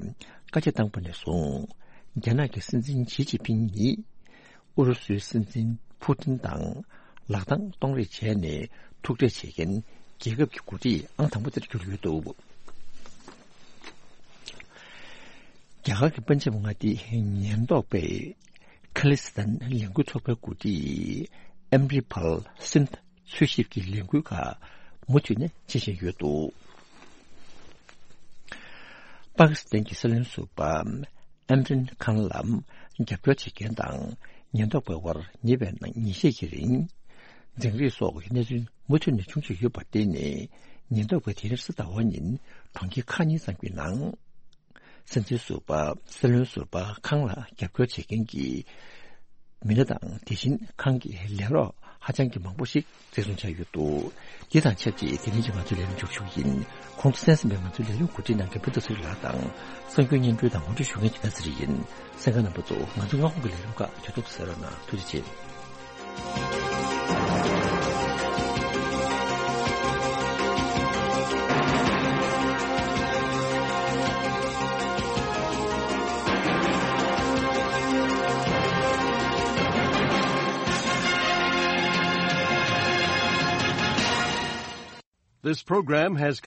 བཀའ་རྒྱ་བཏང་པ་ནས་བཟུང་ རྒྱ་ནག་གི་སྲིད་འཛིན་ཞི་ཅིན་ཕིང་ནི་ཨུ་རུ་སུའི་སྲིད་འཛིན་ཕུ་ཏིན་དང་ལག་གདང་གཏོང་རེས་བྱས་ནས་ཐུག་འཕྲད་བྱེད་མཁན་རྒྱལ་ཁབ་ཀྱི་འགོ་ཁྲིད་ཨང་དང་པོ་དེར་གྱུར་ཡོད་འདུག། རྒྱ་གར་གྱི་པན་ཇབ་མངའ་སྡེའི་ཉེན་རྟོག་པས་ཁ་ལི་སི་ཐན་ལས་འགུལ་ཚོགས་པའི་འགོ་ཁྲིད་ཨམ་རི་པལ་སིན་འཚོལ་ཞིབ་ཀྱི་ལས་འགུལ་ཁག་མུ་མཐུད་ནས་བྱེད་བཞིན་ཡོད་འདུག། པ་ཀི་སི་ཐན་གྱི་སྲིད་བློན་ཟུར་པ་ཨེམ་རན་ཁཱན་ལ་རྒྱབ་སྐྱོར་བྱེད་མཁན་དང་ཉེན་རྟོག་པའི་དབར་ཉེ་བའི་ནང་ཉིན་ཤས་ཀྱི་རིང་འཛིང་རེས་སོགས་ཀྱི་གནས་ཚུལ་མུ་མཐུད་ནས་བྱུང་བཞིན་ཡོད་པར་བརྟེན་ནས། ཉེན་རྟོག་པས་དེ་རིང་གཟའ་ཟླ་བ་ཉིན་གྲོང་ཁྱེར་ཁག་གཉིས་ཙམ་གྱི་ནང་། སྲིད་འཛིན་ཟུར་པ་སྲིད་བློན་ཟུར་པ་ཁཱན་ལ་རྒྱབ་སྐྱོར་བྱེད་མཁན་གྱི་མི་སྣ་དང་། དེ་བཞིན་ཁཱན་གྱི་ལས་རོགས་ཧ་ཅང་གི་མང་པོ་ཞིག་འཛིན་བཟུང་བྱས་ཡོད་འདུག། འདི་དང་ཆབས་ཅིག་དེ་རིང་གི་ང་ཚོའི་ལས་རིམ་མཇུག་ཞུ་གི་ཡིན། གོང་དུ་གསན་ཟིན་པའི་ང་ཚོའི་ལས་རིམ་གོ་སྒྲིག་གནང་མཁན་ཕུན་ཚོགས་ཚེ་རིང་ལགས་དང་། གསར་འགྱུར་སྙན་སྒྲོན་དང་ངོ་སྤྲོད་ཞུ་མཁན་གྱི་བན་ཚེ་རིང་ཡིན། གསན་མཁན་རྣམ་པ་ཚོ། ང་ཚོའི་སྔ་དགོང་གི་ལས་རིམ་ཁག་དུས་ཐོག་ཏུ་གསན་རོགས་གནང་། ཐུགས་རྗེ་ཆེ། This program has